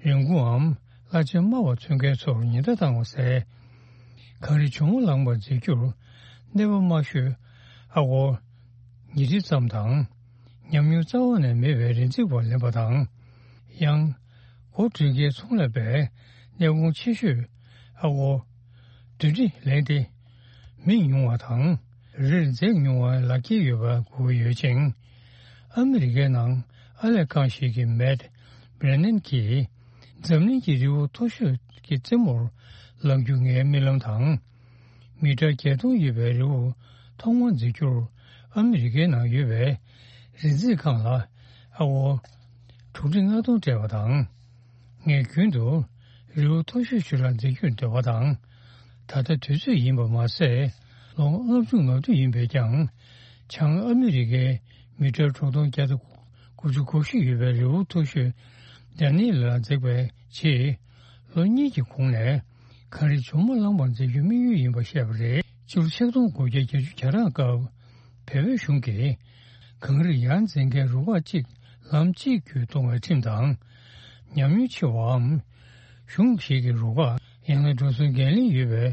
རིན་གོང་འམ་གླ་ཆ་དམའ་བ་འཚོལ་མཁན་ཚོར་ཉེན་བརྡ་བཏང་བ་ཟེར། གངས་རི་ཇོ་མོ་གླང་མར་འཛེག་རྒྱུར་གནས་པ་དམའ་ཤོས་ཨ་སྒོར་ཉིས་ཁྲི་ཙམ་དང་། ཉམས་མྱོང་རྩ་བ་ནས་མེད་པའི་རི་འཛེག་པར་ལེན་པ་དང་། ཡང་། སྒོ་འགྲུལ་སྐྱེལ་ཚོང་ལས་པས་གནས་གོང་ཆེ་ཤོས་ཨ་སྒོར་བདུན་ཁྲི་ལེན་ཏེ། མི་ཉུང་བ་དང་རིར་འཛེག་ཉུང་བའི་ལག་འཁྱེར་ཡོད་པ་དགོས་ཀྱི་ཡོད་ཅིང་། ཨ་མི་རི་ཀའི་ནང་ཨར་ལས་ཁང་ཞིག་གི་མེད་བྷི་རེ་ནན་གྱིས་འཛམ་གླིང་གི་རི་བོ་མཐོ་ཤོས་ཀྱི་རྩེ་མོར་ལངས་རྒྱུ་ངའི་རྨི་ལམ་དང་། མི་ཊར་བརྒྱད་སྟོང་ཡོད་པའི་རི་བོ་ཐོག་མར་འཛེག་རྒྱུར་ཨ་མི་རི་ཀའི་ནང་ཡོད་པའི་རི་འཛེག་ཁང་ལ་ཨ་སྒོར་དྲུག་ཁྲི་ལྔ་སྟོང་སྤྲད་པ་དང་། ངས་རྒྱུན་དུ་རི་བོ་མཐོ་ཤོས་ཤིག་ལ་འཛེག་རྒྱུར་འདོད་པ་དང་། ད་ལྟ་དུས་ཚོད་ཡིན་པ་མ་ཟད། ལོ་ལྔ་བཅུ་ང་བདུན་ཡིན་པས་ཀྱང་། བྱང་ཨ་མི་རི་ཀའི་མི་ཊར་དྲུག་སྟོང་བརྒྱ་དང་དགུ་བཅུ་གོ་བཞི་ཡོད་པའི་རི་བོ་མཐོ་ཤོས་ཌ་ནི་ལ་འཛེགས་པའི་རྗེས། ལོ་གཉིས་ཀྱི་གོང་ནས་གངས་རི་ཇོ་མོ་གླང་མར་འཛེག་རྒྱུའི་དམིགས་ཡུལ་ཡིན་པ་བཤད་པ་རེད། སྤྱི་ལོ་ཆིག་སྟོང་དགུ་བརྒྱ་བརྒྱད་ཅུ་གྱ་གྲངས་སྐབས། བལ་པོའི་གཞུང་གིས་གངས་རི་ཡར་འཛེག་མཁན་རུ་ཁག་གཅིག་ལམ་གཅིག་བརྒྱུད་གཏོང་བའི་ཁྲིམས་དང་། ཉམས་མྱོང་ཆེ་བའམ་གཞུང་ཞིག་གི་རུ་ཁག་ཡང་ན་འགྲོ་སོང་འགན་ལེན་ཡོད་པའི་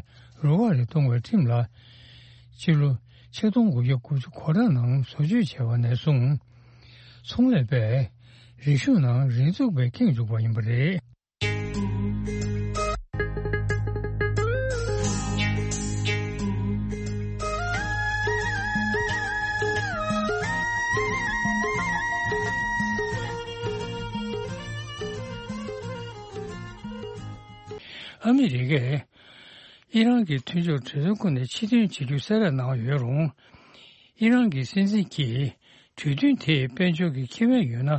རུ་ཁག་རེ་གཏོང་བའི་ཁྲིམས་ལ། སྤྱི་ལོ་ ཆིག་སྟོང་དགུ་བརྒྱ་དགུ་བཅུ་གོ་གྲངས་ནང་བཟོ་བཅོས་བྱས་པ་ནས་བཟུང་། ཚོང་ལས་པས་རིག་ཤུགས་ནང་རིག་མཛུབ་པས་ཁེངས་བཅུག་པ་ཡིན་པ་རེད། ཨ་མི་རི་ཀས་ཨི་རན་གྱི་མཐུན་ཕྱོགས་གྲོས་ཚོགས་ཁོངས་ནས་ཕྱིར་འཐེན་བྱེད་རྒྱུ་གསལ་བསྒྲགས་གནང་ཡོད་རུང་། ཨི་རན་གྱི་སྲིད་འཛིན་གྱིས་གྲོས་མཐུན་དེས་དཔལ་འབྱོར་གྱི་ཁེ་ཕན་ཡོད་ན་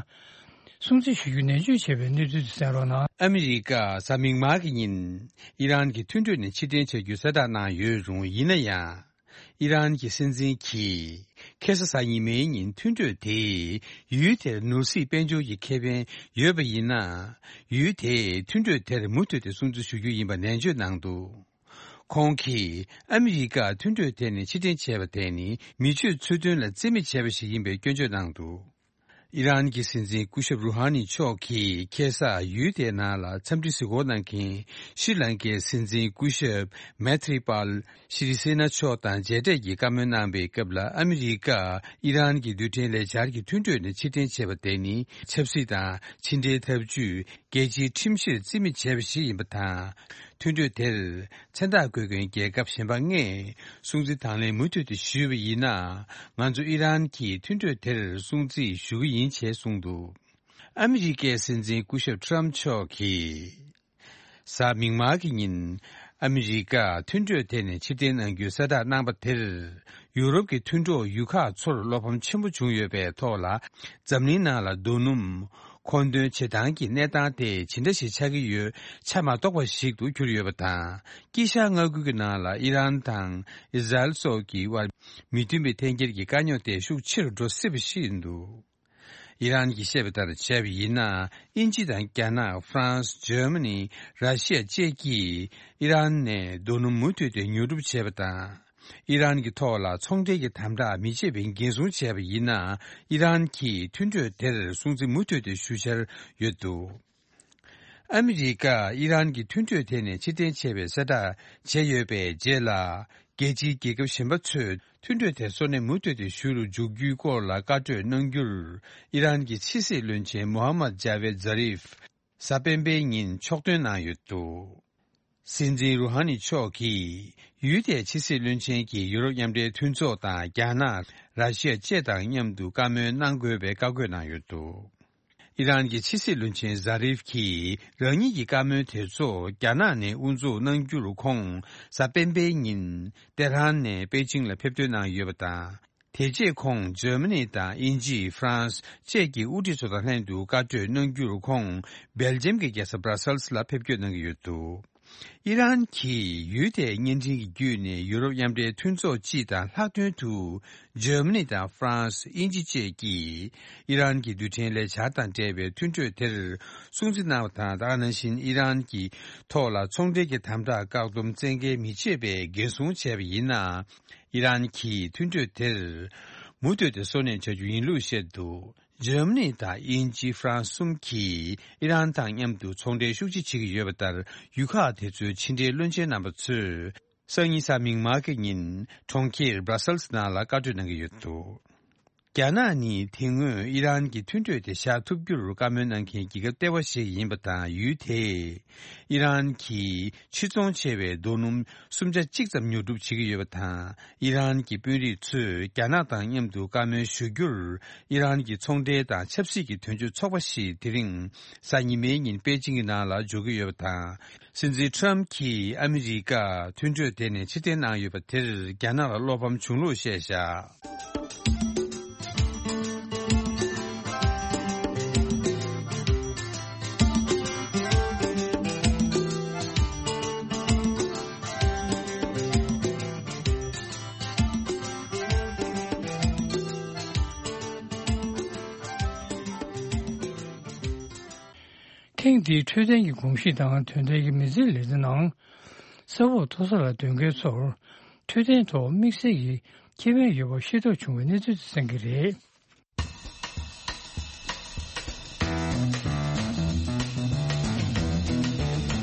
སྲུང་བརྩི་ཞུ་རྒྱུ་ནན་བརྗོད་བྱས་པའི་གནས་ཚུལ་དེ་གསན་རོགས་གནང་། ཨ་མི་རི་ཀ་གཟའ་མིག་དམར་གྱི་ཉིན་ཨི་རན་གྱི་མཐུན་གྲོས་ནས་ཕྱིར་འཐེན་བྱ་རྒྱུ་གསལ་བསྒྲགས་གནང་ཡོད་རུང་། ཡིན་ན་ཡང་། ཨི་རན་གྱི་སྲིད་འཛིན་གྱིས་ཁ་སང་གཟའ་ཉི་མའི་ཉིན་མཐུན་གྲོས་དེས་ཡུལ་དེར་ནོར་སྲིད་དཔལ་འབྱོར་གྱི་ཁེ་ཕན་ཡོད་པ་ཡིན་ན། ཡུལ་དེས་མཐུན་གྲོས་དེར་མུ་མཐུད་དེ་སྲུང་བརྩི་ཞུ་རྒྱུ་ཡིན་པ་ནན་བརྗོད་གནང་འདུག། ཁོང་གིས་ཨ་མི་རི་ཀ་མཐུན་གྲོས་དེ་ནས་ཕྱིར་འཐེན་བྱས་པ་དེ་ནི་མི་ཆོས་ཚུལ་མཐུན་ལ་བརྩི་མེད་བྱས་པ་ཞིག་ཡིན་པའི་སྐྱོན་བརྗོད་གནང་འདུག། ཨི་རན་གྱི་སྲིད་འཛིན་སྐུ་ཞབས་རུ་ཧ་ནི་མཆོག་གིས་ཁ་སང་ཡུལ་དེའི་ནང་ལ་འཚམས་འདྲི་གཟིགས་སྐོར་གནང་མཁན་ཤྲི་ལང་ཀའི་སྲིད་འཛིན་སྐུ་ཞབས་མེ་ཐི་རི་པཱལ་ཤྲི་སེ་ན་མཆོག་དང་མཇལ་འཕྲད་ཀྱིས་བཀའ་མོལ་གནང་པའི་སྐབས་ལ། ཨ་མི་རི་ཀ་ཨི་རན་གྱི་རྡུལ་ཕྲན་ལས་འཆར་གྱི་མཐུན་གྲོས་ནས་ཕྱིར་འཐེན་བྱས་པ་དེ་ནི་ཆབ་སྲིད་དང་ཕྱི་འབྲེལ་འཐབ་ཇུས། རྒྱལ་སྤྱིའི་ཁྲིམས་གཞིར་བརྩི་མེད་བྱས་པ་ཞིག་ཡིན་པ་དང་། མཐུན་གྲོས་དེར་མཚན་རྟགས་འཁོད་མཁན་རྒྱལ་ཁབ་གཞན་པ་ལྔས་སྲུང་བརྩི་དང་ལེན་མུ་མཐུད་དུ་ཞུས་པ་ཡིན་ན། ང་ཚོ་ཨི་རན་གྱིས་མཐུན་གྲོས་དེར་སྲུང་བརྩི་ཞུ་གི་ཡིན་ཅེས་གསུངས་འདུག། ཨ་མི་རི་ཀའི་སྲིད་འཛིན་སྐུ་ཞབས་ཊམ་མཆོག་གིས། གཟའ་མིག་དམར་གྱི་ཉིན་ཨ་མི་རི་ཀ་མཐུན་གྲོས་དེ་ནས་ཕྱིར་འཐེན་གནང་རྒྱུའི་གསལ་བསྒྲགས་གནང་པ་དེར། ཡུ་རོབ་ཀྱི་མཐུན་གྲོགས་ཡུལ་ཁག་ཚོར་བློ་ཕམ་ཆེན་པོ་བྱུང་ཡོད་པའི་ཐོག་ལ། འཛམ་གླིང་ནང་ལ་རྡོ་སྣུམ་མཁོ་འདོན་བྱེད་སྟངས་ཀྱི་གནས་སྟངས་དེ་ཇི་འདྲ་ཞིག་ཆགས་ཀྱི་ཡོད་ཆ་མ་རྟོགས་པ་ཞིག་ཏུ་གྱུར་ཡོད་པ་དང་། དཀྱིལ་ཤར་མངའ་ཁུལ་གྱི་ནང་ལ་ཨི་རན་དང་ཨི་ཟ་རེལ་སོགས་ཀྱི་དབར་མི་མཐུན་པའི་འཐེན་འཁྱེར་གྱི་དཀའ་རྙོག་དེ་ཤུགས་ཆེ་རུ་འགྲོ་སྲིད་པ་ཞིག་ཡིན་འདུག། ཨི་རན་གྱིས་བཤད་པ་ལྟར་བྱས་པ་ཡིན་ན། དབྱིན་ཇི་དང་རྒྱ་ནག། ཧྥ་རན་སི། འཇར་མ་ནི། ར་ཤི་ཡ་བཅས་ཀྱིས་ཨི་རན་ནས་རྡོ་སྣུམ་མུ་མཐུད་དེ་ཉོ་སྒྲུབ་བྱས་པ་དང་། ཨི་རན་གྱི་ཐོག་ལ་ཚོང་འབྲེལ་གྱི་དམ་དྲག་མི་བྱེད་པའི་འགན་སྲུང་བྱས་པ་ཡིན་ན། ཨི་རན་གྱིས་མཐུན་གྲོས་དེར་སྲུང་བརྩི་མུ་མཐུད་དེ་ཞུ་འཆར་ཡོད་འདུག། ཨ་མི་རི་ཀ་ཨི་རན་གྱི་མཐུན་གྲོས་དེ་ནས་ཕྱིར་འཐེན་བྱས་པའི་གསལ་བསྒྲགས་བྱས་ཡོད་པའི་རྗེས་ལ། རྒྱལ་སྤྱིའི་རྒྱལ་ཁབ་གཞན་པ་ཚོས་མཐུན་གྲོས་དེ་སོ་ནས་མུ་མཐུད་དེ་ཞུ་རུ་འཇུག་རྒྱུའི་སྐོར་ལ་བཀའ་གྲོས་གནང་རྒྱུར། ཨི་རན་གྱི་ཕྱི་སྲིད་བློན་ཆེན་མོ་ཧམ་མད་ཇ་ཝེད་ཛ་རིབ། གཟའ་སྤེན་པའི་ཉིན་ཕྱོགས་ཐོན་གནང་ཡོད་འདུག། སྲིད་འཛིན་རུ་ཧ་ནི་མཆོག་གིས་ཡུལ་དེའི་ཕྱི་སྲིད་བློན་ཆེན་གྱིས་ཡུ་རོབ་མཉམ་འབྲེལ་མཐུན་ཚོགས་དང་རྒྱ་ནག། ར་ཤི་ཡ་བཅས་དང་མཉམ་དུ་བཀའ་མོལ་གནང་དགོས་པའི་བཀའ་བཀོད་གནང་ཡོད་འདུག། ཨི་རན་གྱི་ཕྱི་སྲིད་བློན་ཆེན་ཛ་རིབ་ཀྱིས་རང་ཉིད་ཀྱི་བཀའ་མོལ་དེ་ཚོ་རྒྱ་ནག་ནས་དབུ་འཛུགས་གནང་རྒྱུར། ཁོང་གཟའ་སྤེན་པའི་ཉིན་ཏེ་ཧྲན་ནས་པེ་ཅིང་ལ་ཕེབས་ཐོན་གནང་ཡོད་པ་དང་། དེ་རྗེས་ཁོང་འཇར་མ་ནི་དང་དབྱིན་ཇི། ཧྥ་རན་སི་བཅས་ཀྱི་དབུ་ཁྲིད་ཚོ་དང་ལྷན་དུ་བཀའ་གྲོས་གནང་རྒྱུར། ཁོང་སྦེལ་ཇམ་གྱི་རྒྱལ་ས་སྦྲ་སེལ་སི་ལ་ཕེབས་སྐྱོད་གནང་གི་ཡོད་འདུག། ཨི་རན་གྱིས་ཡུལ་དེའི་བརྙན་འཕྲིན་གྱི་བརྒྱུད་ནས་ཡུ་རོབ་མཉམ་འབྲེལ་མཐུན་ཚོགས་སྤྱི་དང་ལྷག་དོན་དུ་འཇར་མ་ནི་དང་ཧྥ་རན་སི། དབྱིན་ཇི་བཅས་ཀྱིས་ཨི་རན་གྱི་རྡུལ་ཕྲན་ལས་འཆར་དང་འབྲེལ་བའི་མཐུན་གྲོས་དེར་སྲུང་བརྩི་གནང་བ་དང་། དེ་ག་ནང་བཞིན་ཨི་རན་གྱི་ཐོག་ལ་ཚོང་འབྲེལ་གྱི་དམ་དྲག་བཀག་སྡོམ་བཙན་འགེལ་མི་བྱེད་པའི་འགན་སྲུང་བྱས་པ་ཡིན་ན། ཨི་རན་གྱིས་མཐུན་གྲོས་དེར་མུ་མཐུད་དེ་སོ་ནས་བྱ་རྒྱུ་ཡིན་ལུགས་བཤད་འདུག། འཇར་མ་ནི་དང་དབྱིན་ཇི། ཧྥ་རན་སི་གསུམ་གྱིས་ཨི་རན་དང་མཉམ་དུ་ཚོང་འབྲེལ་ཤུགས་ཆེ་བྱེད་ཀྱི་ཡོད་པ་ལྟར། ཡུལ་ཁག་དེ་ཚོའི་ཕྱི་འབྲེལ་བློན་ཆེན་རྣམ་པ་ཚོས་སང་ཉིན་གཟའ་མིག་དམར་གྱི་ཉིན་གྲོང་ཁྱེར་སྦྲ་སེལ་སི་ནང་ལ་བཀའ་གྲོས་གནང་གི་ཡོད་འདུག། རྒྱ་ནག་ནི་དེ་སྔོན་ཨི་རན་གྱི་མཐུན་གྲོས་དེ་བཞག་ཐུབ་རྒྱུར་བཀའ་མོལ་གནང་མཁན་རྒྱལ་ཁབ་ལྟེ་བ་ཞིག་ཡིན་པ་དང་། ཡུལ་དེས་ཨི་རན་གྱིས་ཕྱིར་ཚོང་བྱས་པའི་རྡོ་སྣུམ་སུམ་ཆ་གཅིག་ཙམ་ཉོ་སྒྲུབ་བྱེད་ཀྱི་ཡོད་པ་དང་། ཨི་རན་གྱི་དཔོན་རིགས་ཚོས་རྒྱ་ནག་དང་མཉམ་དུ་བཀའ་མོལ་ཞུ་རྒྱུར། ཨི་རན་གྱི་ཚོང་འབྲེལ་དང་ཆབ་སྲིད་ཀྱི་དོན་གཅོད་ཚོགས་པ་ཞིག་དེ་རིང་གཟའ་ཉི་མའི་ཉིན་པེ་ཅིང་གི་ནང་ལ་འབྱོར་གྱི་ཡོད་པ་དང་། སྲིད་འཛིན་ཊམ་གྱིས་ཨ་མི་རི་ཀ་མཐུན་གྲོས་དེ་ནས་ཕྱིར་འཐེན་གནང་ཡོད་པ་དེར་རྒྱ་ནག་ལ་བློ་ཕམ་བྱུང་ལུགས་བཤད་བཞག། ཐེངས་འདིའི་འཕྲོད་བསྟེན་གྱི་གོམས་གཤིས་དང་དོན་ལྡན་གྱི་མི་ཚེའི་ལས་རིམ་ནང་། ས་འོག་མཐོ་ས་ལ་སྡོད་མཁན་ཚོར་འཕྲོད་བསྟེན་ཐོག་དམིགས་བསལ་གྱི་ཁེ་ཕན་ཡོད་པ་ཤེས་རྟོགས་བྱུང་བའི་གནས་ཚུལ་དེ་གསན་གྱི་རེད།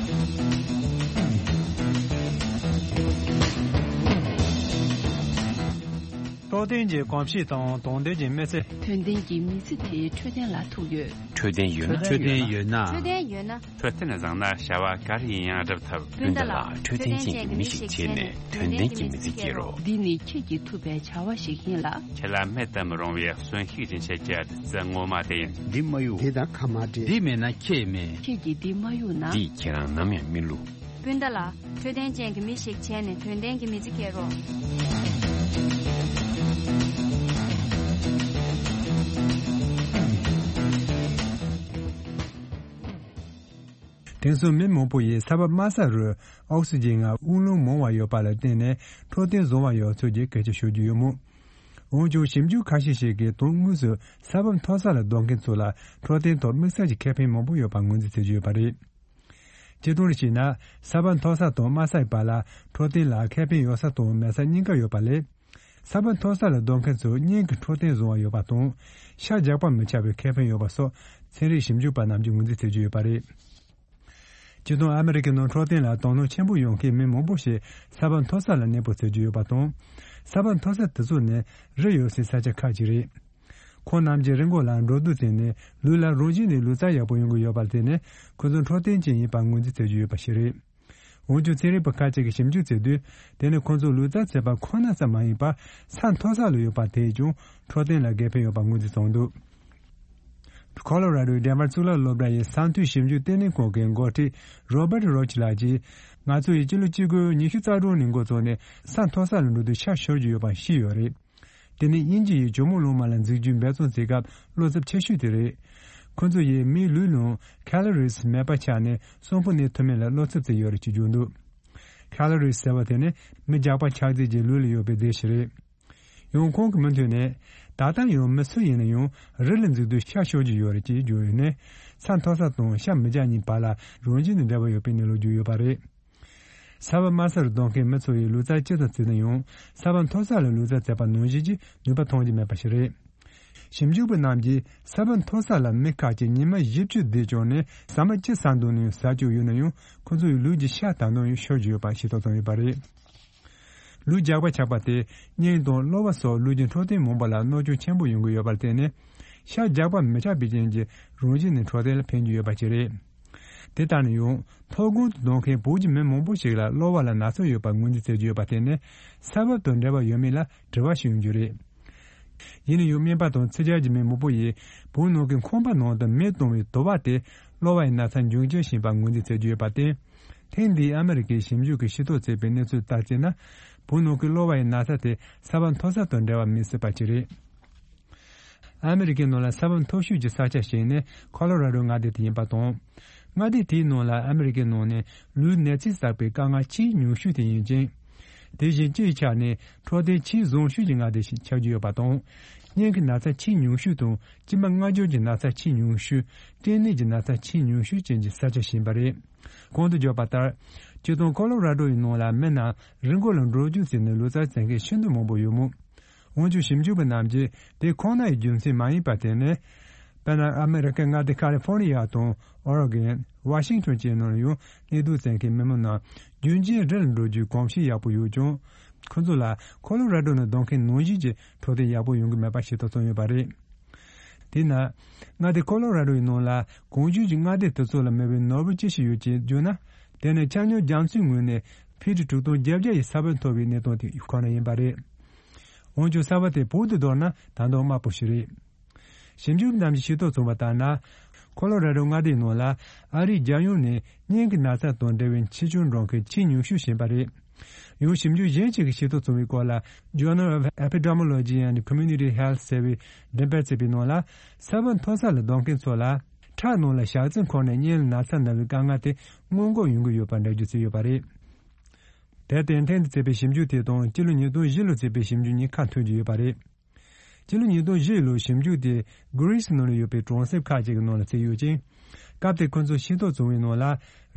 འཕྲོད་བསྟེན་གྱི་གོམས་གཤིས་དང་དོན་ལྡན་གྱི་མི་ཚེ། དོན་ལྡན་གྱི་མི་ཚེ་དེ་འཕྲོད་བསྟེན་ལ་ཐུག་ཡོད། འཕྲོད་བསྟེན་ཡོད་ན། འཕྲོད་བསྟེན་ཡོད་ན། འཕྲོད་བསྟེན་ཡོད་ན། འཕྲོད་བསྟེན་བཟང་ན་བྱ་བ་ག་རེ་ཡིན་ཡང་སྒྲུབ་ཐུབ། སྤུན་ཟླ་ལགས། འཕྲོད་བསྟེན་ཅན་གྱི་མི་ཞིག་བྱས་ནས་དོན་ལྡན་གྱི་མི་ཚེ་སྐྱེལ་རོགས། འདི་ནི་ཁྱེད་ཀྱིས་ཐུབ་པའི་བྱ་བ་ཞིག་ཡིན་ལ། ཁྱེད་ལ་མེད་དུ་མི་རུང་བའི་གསོན་ཤུགས་སྦྱིན་བྱེད་ཀྱི་བདུད་རྩི་ངོ་མ་དེ་ཡིན། འདི་མ་གཡུག་དེ་དང་ཁ་མ་འབྲལ། འདི་མེད་ན་ཁྱེད་མེད། ཁྱེད་ཀྱིས་འདི་མ་གཡུག་ན། འདིས་ཁྱེད་རང་ནམ་ཡང་མི་བསླུ། སྤུན་ཟླ་ལགས། འཕྲོད་བསྟེན་ཅན་གྱི་མི་ཞིག་བྱས་ནས་དོན་ལྡན་གྱི་མི་ཚེ་སྐྱེལ་རོགས། དེང་སང་མི་མང་པོ་ཡིས་ས་བབ་དམའ་ས་རུ་ཨོག་སི་ཇན་ངང་དབུགས་ལམ་མང་བ་ཡོད་པ་ལ་བརྟེན་ནས་འཕྲོད་བསྟེན་བཟང་བ་ཡོད་ཚུལ་གྱི་སྐད་ཆ་ཤོད་ཀྱི་ཡོད་མོད། འོན་ཀྱང་ཞིབ་འཇུག་ཁ་ཤས་ཤིག་གིས་དོན་དངོས་སུ་ས་བབ་མཐོ་ས་ལ་སྡོད་མཁན་ཚོ་ལ་འཕྲོད་བསྟེན་ཐོག་དམིགས་བསལ་གྱི་ཁེ་ཕན་མང་པོ་ཡོད་པ་ངོས་འཛིན་བྱེད་ཀྱི་ཡོད་པ་རེད། སྤྱིར་བཏང་བྱས་ན། ས་བབ་མཐོ་ས་དང་དམའ་སའི་བར་ལ་འཕྲོད་བསྟེན་ལ་ཁེ་ཕན་ཡོད་ས་དང་མེད་ས་གཉིས་ཀ་ཡོད་པ་ལས། ས་བབ་མཐོ་ས་ལ་སྡོད་མཁན་ཚོ་སྙིང་གི་འཕྲོད་བསྟེན་བཟང་བ་ཡོད་པ་དང་། ཤ་རྒྱགས་པ་མི་ཆགས་པའི་ཁེ་ཕན་ཡོད་པ་སོགས་ཚན་རིག་ཞིབ་འཇུག་པ་རྣམས་ཀྱིས་ངོས་འཛིན་བྱེད་ཀྱི་ཡོད་པ་རེད། སྤྱིར་བཏང་ཨ་མི་རི་ཀའི་ནང་འཕྲོད་བསྟེན་ལ་དོ་སྣང་ཆེན་པོ་ཡོད་མཁན་མི་མང་པོ་ཞིག་ས་བབ་མཐོ་ས་ལ་གནས་སྤོ་བྱེད་ཀྱི་ཡོད་པ་དང་། ས་བབ་མཐོ་ས་དེ་ཚོ་ནི་རི་ཡོད་སའི་ས་ཆ་ཁག་ཅིག་རེད། ཁོང་རྣམས་ཀྱིས་རི་མགོ་ལ་འགྲོ་འདུག་བྱས་ནས་ལུས་ལ་རང་བཞིན་ནས་ལུས་རྩལ་ཡག་པོ་ཡོང་གི་ཡོད་པར་བརྟེན་ནས་ཁོ་ཚོ་འཕྲོད་བསྟེན་ཅན་ཡིན་པར་ངོས་འཛིན་བྱེད་ཀྱི་ཡོད་པ་ཞིག་རེད། འོན་ཀྱང་ཚན་རིག་པ་ཁ་ཅིག་གིས་ཞིབ་འཇུག་བྱེད་དུས། དེ་ནི་ཁོ་ཚོ་ལུས་རྩལ་རྩེད་པ་ཁོ་ན་ཙམ་མ་ཡིན་པར་ས་མཐོ་ས་ལ་ཡོད་པ་དེས་ཀྱང་འཕྲོད་བསྟེན་ལ་དགེ་ཕན་ཡོད་པ་ངོས་འཛིན་བྱུང་འདུག། ཁོ་ལོ་ར་ཌོའི་ཌེན་ཝར་གཙུག་ལག་སློབ་གྲྭ་ཡི་ས་མཐོའི་ཞིབ་འཇུག་ལྟེ་གནས་ཁང་གི་འགོ་ཁྲིད་རོ་བར་རོ་ཆི་ལགས་ཀྱིས། ང་ཚོ་ཡིས་སྤྱི་ལོ་གཅིག་དགུ་ཉི་ཤུ་རྩ་གྲངས་ནས་འགོ་བཙུགས་ནས་ས་མཐོ་ས་ལ་འགྲོ་དུས་ཤ་ཤོར་གྱི་ཡོད་པ་ཤེས་ཡོད་རེད། དེ་ནི་དབྱིན་ཇི་ཡིས་ཇོ་མོ་གླང་མ་ལ་འཛེགས་རྒྱུའི་འབད་བརྩོན་བྱེད་སྐབས་བློ་འཚབ་ཆེ་ཤོས་དེ་རེད། ཁོ་ཚོ་ཡིས་མིའི་ལུས་ནང་ཁ་ལོ་རིས་མེད་པ་ཆགས་ནས་གསོན་པོ་གནས་ཐུབ་མིན་ལ་བློ་འཚབ་བྱས་ཡོད་རེད་ཅེས་བརྗོད་འདུག། ཁ་ལོ་རིས་ཟེར་བ་དེ་ནི་མི་རྒྱགས་པ་ཆགས་རྫས་ཀྱི་ལུས་ལ་ཡོད་པའི་རྫས་ཤིག་རེད། ཡང་ཁོང་གི་མུ་མཐུད་ནས། ད་ལྟ་ཡང་མི་སུ་ཡིན་ན་ཡང་རི་ལ་འཛེགས་དུས་ཤ་ཤོར་གྱི་ཡོད་རེད་ཅེས་བརྗོད་ཡོད་ནས། ས་མཐོ་ས་དང་ཤ་མི་རྒྱགས་གཉིས་བར་ལ་རང་བཞིན་ནས་འབྲེལ་བ་ཡོད་པའི་གནས་ལུགས་བརྗོད་ཡོད་པ་རེད། ས་བབ་དམའ་ས་རུ་སྡོད་མཁན་མི་ཚོ་ཡིས་ལུས་རྩལ་ཅི་ཙམ་རྩེད་ན་ཡང་ས་བབ་མཐོ་ས་ལ་ལུས་རྩལ་རྩེད་པ་ནང་བཞིན་གྱི་ནུས་པ་ཐོན་གྱི་མེད་པ་ཞིག་རེད། ཞིབ་འཇུག་པ་རྣམས་ཀྱིས་ས་བབ་མཐོ་ས་ལ་མི་ཁག་ཅིག་ཉི་མ་བཞི་བཅུ་བསྡད་ཀྱང་ནས་ཟ་མ་ཅི་ཟ་འདོད་ནའང་ཟ་བཅུག་ཡོད་ན་ཡང་ཁོ་ཚོ་ཡི་ལུས་ཀྱི་ཤ་ད་དུང་ཡང་ཤོར་གྱི་ཡོད་པ་ཤེས་རྟོགས་བྱུང་ཡོད་པ་རེད། ལུས་རྒྱགས་པ་ཆགས་པ་དེ་སྙིང་དང་གློ་བ་སོགས་ལུས་ཀྱི་འཕྲོད་བསྟེན་མང་པོ་ལ་གནོད་སྐྱོན་ཆེན་པོ་ཡོང་གི་ཡོད་པར་བརྟེན་ནས། ཤ་རྒྱགས་པ་མི་ཆགས་པའི་རྐྱེན་གྱིས་རང་བཞིན་ནས་འཕྲོད་བསྟེན་ལ་ཕན་གྱི་ཡོད་པ་ཞིག་རེད། དེ་ལྟར་ན་ཡང་མཐོ་སྒང་དུ་སྡོད་མཁན་བོད་ཀྱི་མི་མང་པོ་ཞིག་ལ་གློ་བ་ལ་ན་ཚ་ཡོད་པར་ངོས་འཛིན་བྱེད་ཀྱི་ཡོད་པར་བརྟེན་ནས་ས་བབ་དང་འབྲེལ་བ་ཡོད་མེད་ལ་དྲི་བ་ཞིག་ཡོང་རྒྱུ་རེད། ཡིན་ན་ཡང་སྨན་པ་དང་ཚིག་ཇ་གྱི་མི་མང་པོ་ཡིས་བོད་ནང་གི་ཁང་པ་ནང་དུ་མེ་གཏོང་བའི་དུ་བ་དེ་གློ་བ་ཡི་ན་ཚ་འབྱུང་རྐྱེན་ཞིག་ཡིན་པར་ངོས་འཛིན་བྱེད་ཀྱི་ཡོད་པར་བརྟེན། ཐེངས་འདིའི་ཨ་མི་རི་ཀའི་ཞིབ་འཇུག་གིས་ཤེས་རྟོགས་བྱས་པའི་གནས་ཚུལ་ལྟར་བྱས་ན། བོད་ནང་གི་གློ་བ་ཡི་ན་ཚ་དེ་ས་བབ་མཐོ་ས་དང་འབྲེལ་བ་མེད་སྲིད་པ་ཅིག་རེད། ཨ་མི་རི་ཀའི་ནང་ལ་ས་བབ་མཐོ་ཤོས་ཀྱི་ས་ཆ་ཞིག་ནི་ཁོ་ལོ་ར་ཌོ་མངའ་སྡེ་དེ་ཡིན་པ་དང་། མངའ་སྡེ་དེའི་ནང་ལ་ཨ་མི་རི་ཀའི་ནང་ནས་ལུས་ནད་རྫས་བསགས་པའི་དཀའ་ངལ་ཆེས་ཉུང་ཤོས་དེ་ཡིན་ཅིང་། དེ་བཞིན་སྤྱིའི་ཆ་ནས་འཕྲོད་བསྟེན་ཆེས་བཟང་ཤོས་ཀྱི་མངའ་སྡེ་ཞིག་ཆགས་ཀྱི་ཡོད་པ་དང་། སྙིང་གི་ན་ཚ་ཆེས་ཉུང་ཤོས་དང་། མཆིལ་མ་མངར་སྦྱོར་གྱི་ན་ཚ་ཆེས་ཉུང་ཤོས། སྐྲན་ནད་ཀྱི་ན་ཚ་ཆེས་ཉུང་ཤོས་ཅན་གྱི་ས་ཆ་ཞིག་ཡིན་པ་རེད། གོང་དུ་བརྗོད་པ་ལྟར། སྤྱིར་བཏང་ཁོ་ལོ་ར་ཌོ་ཡི་ནང་ལ་མི་རྣམས་རི་མགོ་ལ་འགྲོ་རྒྱུག་བྱས་ནས་ལུས་རྩལ་རྩེད་མཁན་ཤིན་ཏུ་མང་པོ་ཡོད་མོད། འོན་ཀྱང་ཞིབ་འཇུག་པ་རྣམས་ཀྱིས་དེ་ཁོ་ན་ཡི་རྒྱུ་མཚན་མ་ཡིན་པར་བརྟེན་ནས། དཔེར་ན་ཨ་མི་རི་ཀའི་མངའ་སྡེ་ཁ་ལི་ཧྥོར་ནི་ཡ་དང་ཨོ་རེ་གོན། ཝ་ཤིང་ཊོན་བཅས་ནང་ལ་ཡང་གནས་སྡོད་བྱེད་མཁན་མི་མང་རྣམས་རྒྱུན་གཅིག་རི་ལ་འགྲོ་རྒྱུའི་གོམས་གཤིས་ཡག་པོ་ཡོད་ཀྱང་། ཁོ་ཚོ་ལ་ཁོ་ལོ་ར་ཌོ་ནང་སྡོད་མཁན་ནང་བཞིན་གྱི་འཕྲོད་བསྟེན་ཡག་པོ་ཡོང་གི་མེད་པ་ཤེས་རྟོགས་བྱུང་ཡོད་པ་རེད། དེས་ན། མངའ་སྡེ་ཁོ་ལོ་ར་ཌོ་ཡི་ནང་ལ་གོང་བརྗོད་ཀྱི་མངའ་སྡེ་དེ་ཚོ་ལ་མེད་པའི་ནོར་བུ་ཅི་ཞིག་ཡོད་ཅེས་བརྗོད་ན། དེ་ནི་ཆ་སྙོམས་རྒྱ་མཚོའི་ངོས་ནས་ཕི་ཊི་དྲུག་སྟོང་བརྒྱད་བརྒྱ་ཡི་ས་བབ་མཐོ་བའི་གནས་སྟངས་དེ་ཁོ་ན་ཡིན་པ་རེད། འོན་ཀྱང་ས་བབ་དེ་བོད་དུ་བསྡུར་ན་ད་དུང་དམའ་པོ་ཞིག་རེད། ཞིབ་འཇུག་རྣམས་ཀྱིས་ཤེས་རྟོགས་བྱུང་བ་ལྟར་ན། ཁོ་ལོ་ར་ཌོ་མངའ་སྡེའི་ནང་ལ་ཨ་རིའི་རྒྱལ་ཡོངས་ནས་སྙིང་གི་ན་ཚ་དང་འབྲེལ་བའི་འཆི་སྐྱོན་འགྲོ་མཁན་ཆེས་ཉུང་ཤོས་ཡིན་པ་རེད། ཡང་ཞིབ་འཇུག་གཞན་ཞིག་གིས་ཤེས་རྟོགས་བྱུང་བའི་སྐོར་ལ། Journal of Epidemiology and Community Health ཟེར་བའི་འགྲེམས་སྤེལ་བྱས་པའི་ནང་ལ། ས་བབ་མཐོ་ས་ལ་སྡོད་མཁན་ཚོ་ལ། ཁྲག་ནང་ལ་ཞག་རྩི་འཁོར་ནས་སྙིང་ལ་ན་ཚ་ན་བའི་དཀའ་ངལ་དེ་སྔོན་འགོག་ཡོང་གི་ཡོད་པར་འགྲེལ་བརྗོད་བྱས་ཡོད་པ་རེད། དེར་བརྟེན་ཐེངས་འདིར་བྱས་པའི་ཞིབ་འཇུག་དེ་དང་སྤྱི་ལོ་ཉིས་སྟོང་བཞི་ལོར་བྱས་པའི་ཞིབ་འཇུག་གཉིས་ཁ་མཐུན་གྱི་ཡོད་པ་རེད། སྤྱི་ལོ་ཉིས་སྟོང་བཞི་ལོའི་ཞིབ་འཇུག་དེ་གྷི་རི་སི་ནང་ལ་ཡོད་པའི་གྲོང་གསེབ་ཁག་ཅིག་གི་ནང་ལ་བྱས་ཡོད་ཅིང་། སྐབས་དེར་ཁོ་ཚོས་ཤེས་རྟོགས་བྱུང་བའི་ནང་ལ།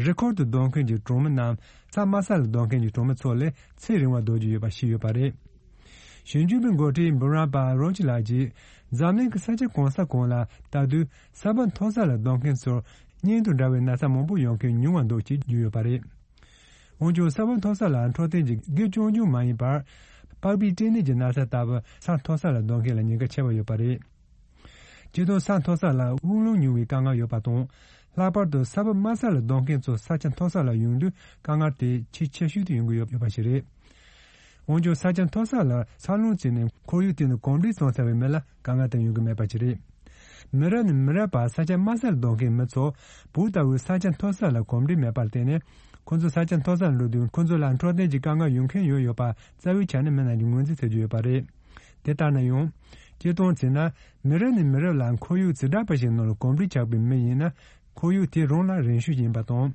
རི་ཁུལ་དུ་སྡོད་མཁན་གྱི་གྲོང་མི་རྣམས་ས་དམའ་ས་ལ་སྡོད་མཁན་གྱི་གྲོང་མི་ཚོ་ལས་ཚེ་རིང་བ་སྡོད་ཀྱི་ཡོད་པ་ཤེས་ཡོད་པ་རེད། ཞིབ་འཇུག་པའི་འགོ་ཁྲིད་བུ་རན་པ་རོ་ཅི་ལགས་ཀྱིས་འཛམ་གླིང་གི་ས་ཆ་གང་ས་གང་ལ་ལྟ་དུས་ས་བབ་མཐོ་ས་ལ་སྡོད་མཁན་ཚོར་སྙིང་དང་འདྲ་བའི་ན་ཚ་མང་པོ་ཡོང་མཁན་ཉུང་བ་འདུག་ཅེས་བརྗོད་ཡོད་པ་རེད། འོན་ཀྱང་ས་བབ་མཐོ་ས་ལ་འཕྲོད་བསྟེན་གྱི་དགེ་སྐྱོན་ཅུང་མ་ཡིན་པར། པགས་པའི་སྐྲན་ནད་ཀྱི་ན་ཚ་ལྟ་བུ་ས་མཐོ་ས་ལ་སྡོད་མཁན་ལ་ཉེན་ཁ་ཆེ་བ་ཡོད་པ་རེད། སྤྱིར་བཏང་ས་མཐོ་ས་ལ་དབུགས་རླུང་ཉུང་བའི་དཀའ་ངལ་ཡོད་པ་དང་། ལྷག་པར་དུ་ས་བབ་དམའ་ས་ལ་སྡོད་མཁན་ཚོ་ས་ཆ་མཐོ་ས་ལ་ཡོང་དུས་དཀའ་ངལ་དེ་ཆེས་ཆེ་ཤོས་དུ་ཡོང་གི་ཡོད་ཡོད་པ་ཞིག་རེད། འོན་ཀྱང་ས་ཆ་མཐོ་ས་ལ་ས་རླུང་བཙུགས་ནས་ཁོར་ཡུག་དེ་ནི་གོམས་འདྲིས་བཟོ་ཚར་བའི་མི་ལ་དཀའ་ངལ་དེ་ཡོང་གི་མེད་པ་ཞིག་རེད། མི་རབས་ནས་མི་རབས་བར་ས་ཆ་དམའ་ས་ལ་སྡོད་མཁན་མི་ཚོ་བོད་ལྟ་བུའི་ས་ཆ་མཐོ་ས་ལ་གོམས་འདྲིས་མེད་པར་བརྟེན་ནས་ཁོ་ཚོ་ས་ཆ་མཐོ་ས་ལ་འགྲོ་དུས་ཁོ་ཚོ་ལ་འཕྲོད་བསྟེན་གྱི་དཀའ་ངལ་ཡོང་མཁན་ཡོད་ཡོད་པ་རྩ་བའི་ཆ་ནས་མི་རྣམས་ཀྱིས་ངོས་འཛིན་བྱེད་ཀྱི་ཡོད་པ་རེད། དེ་ལྟར་ན་ཡང་། སྤྱིར་བཏང་བྱས་ན་མི་རབས་ནས་མི་རབས་ལ་ཁོར་ཡུག་འཛིན་གྲྭ་པ་ཞིག་ནང་ལ་གོམས་འདྲིས་ཆགས་པའི་མི་ཡིན་ན་ཁོར་ཡུག་དེ་རང་ལ་རན་ཤོས་ཡིན་པ་དང་།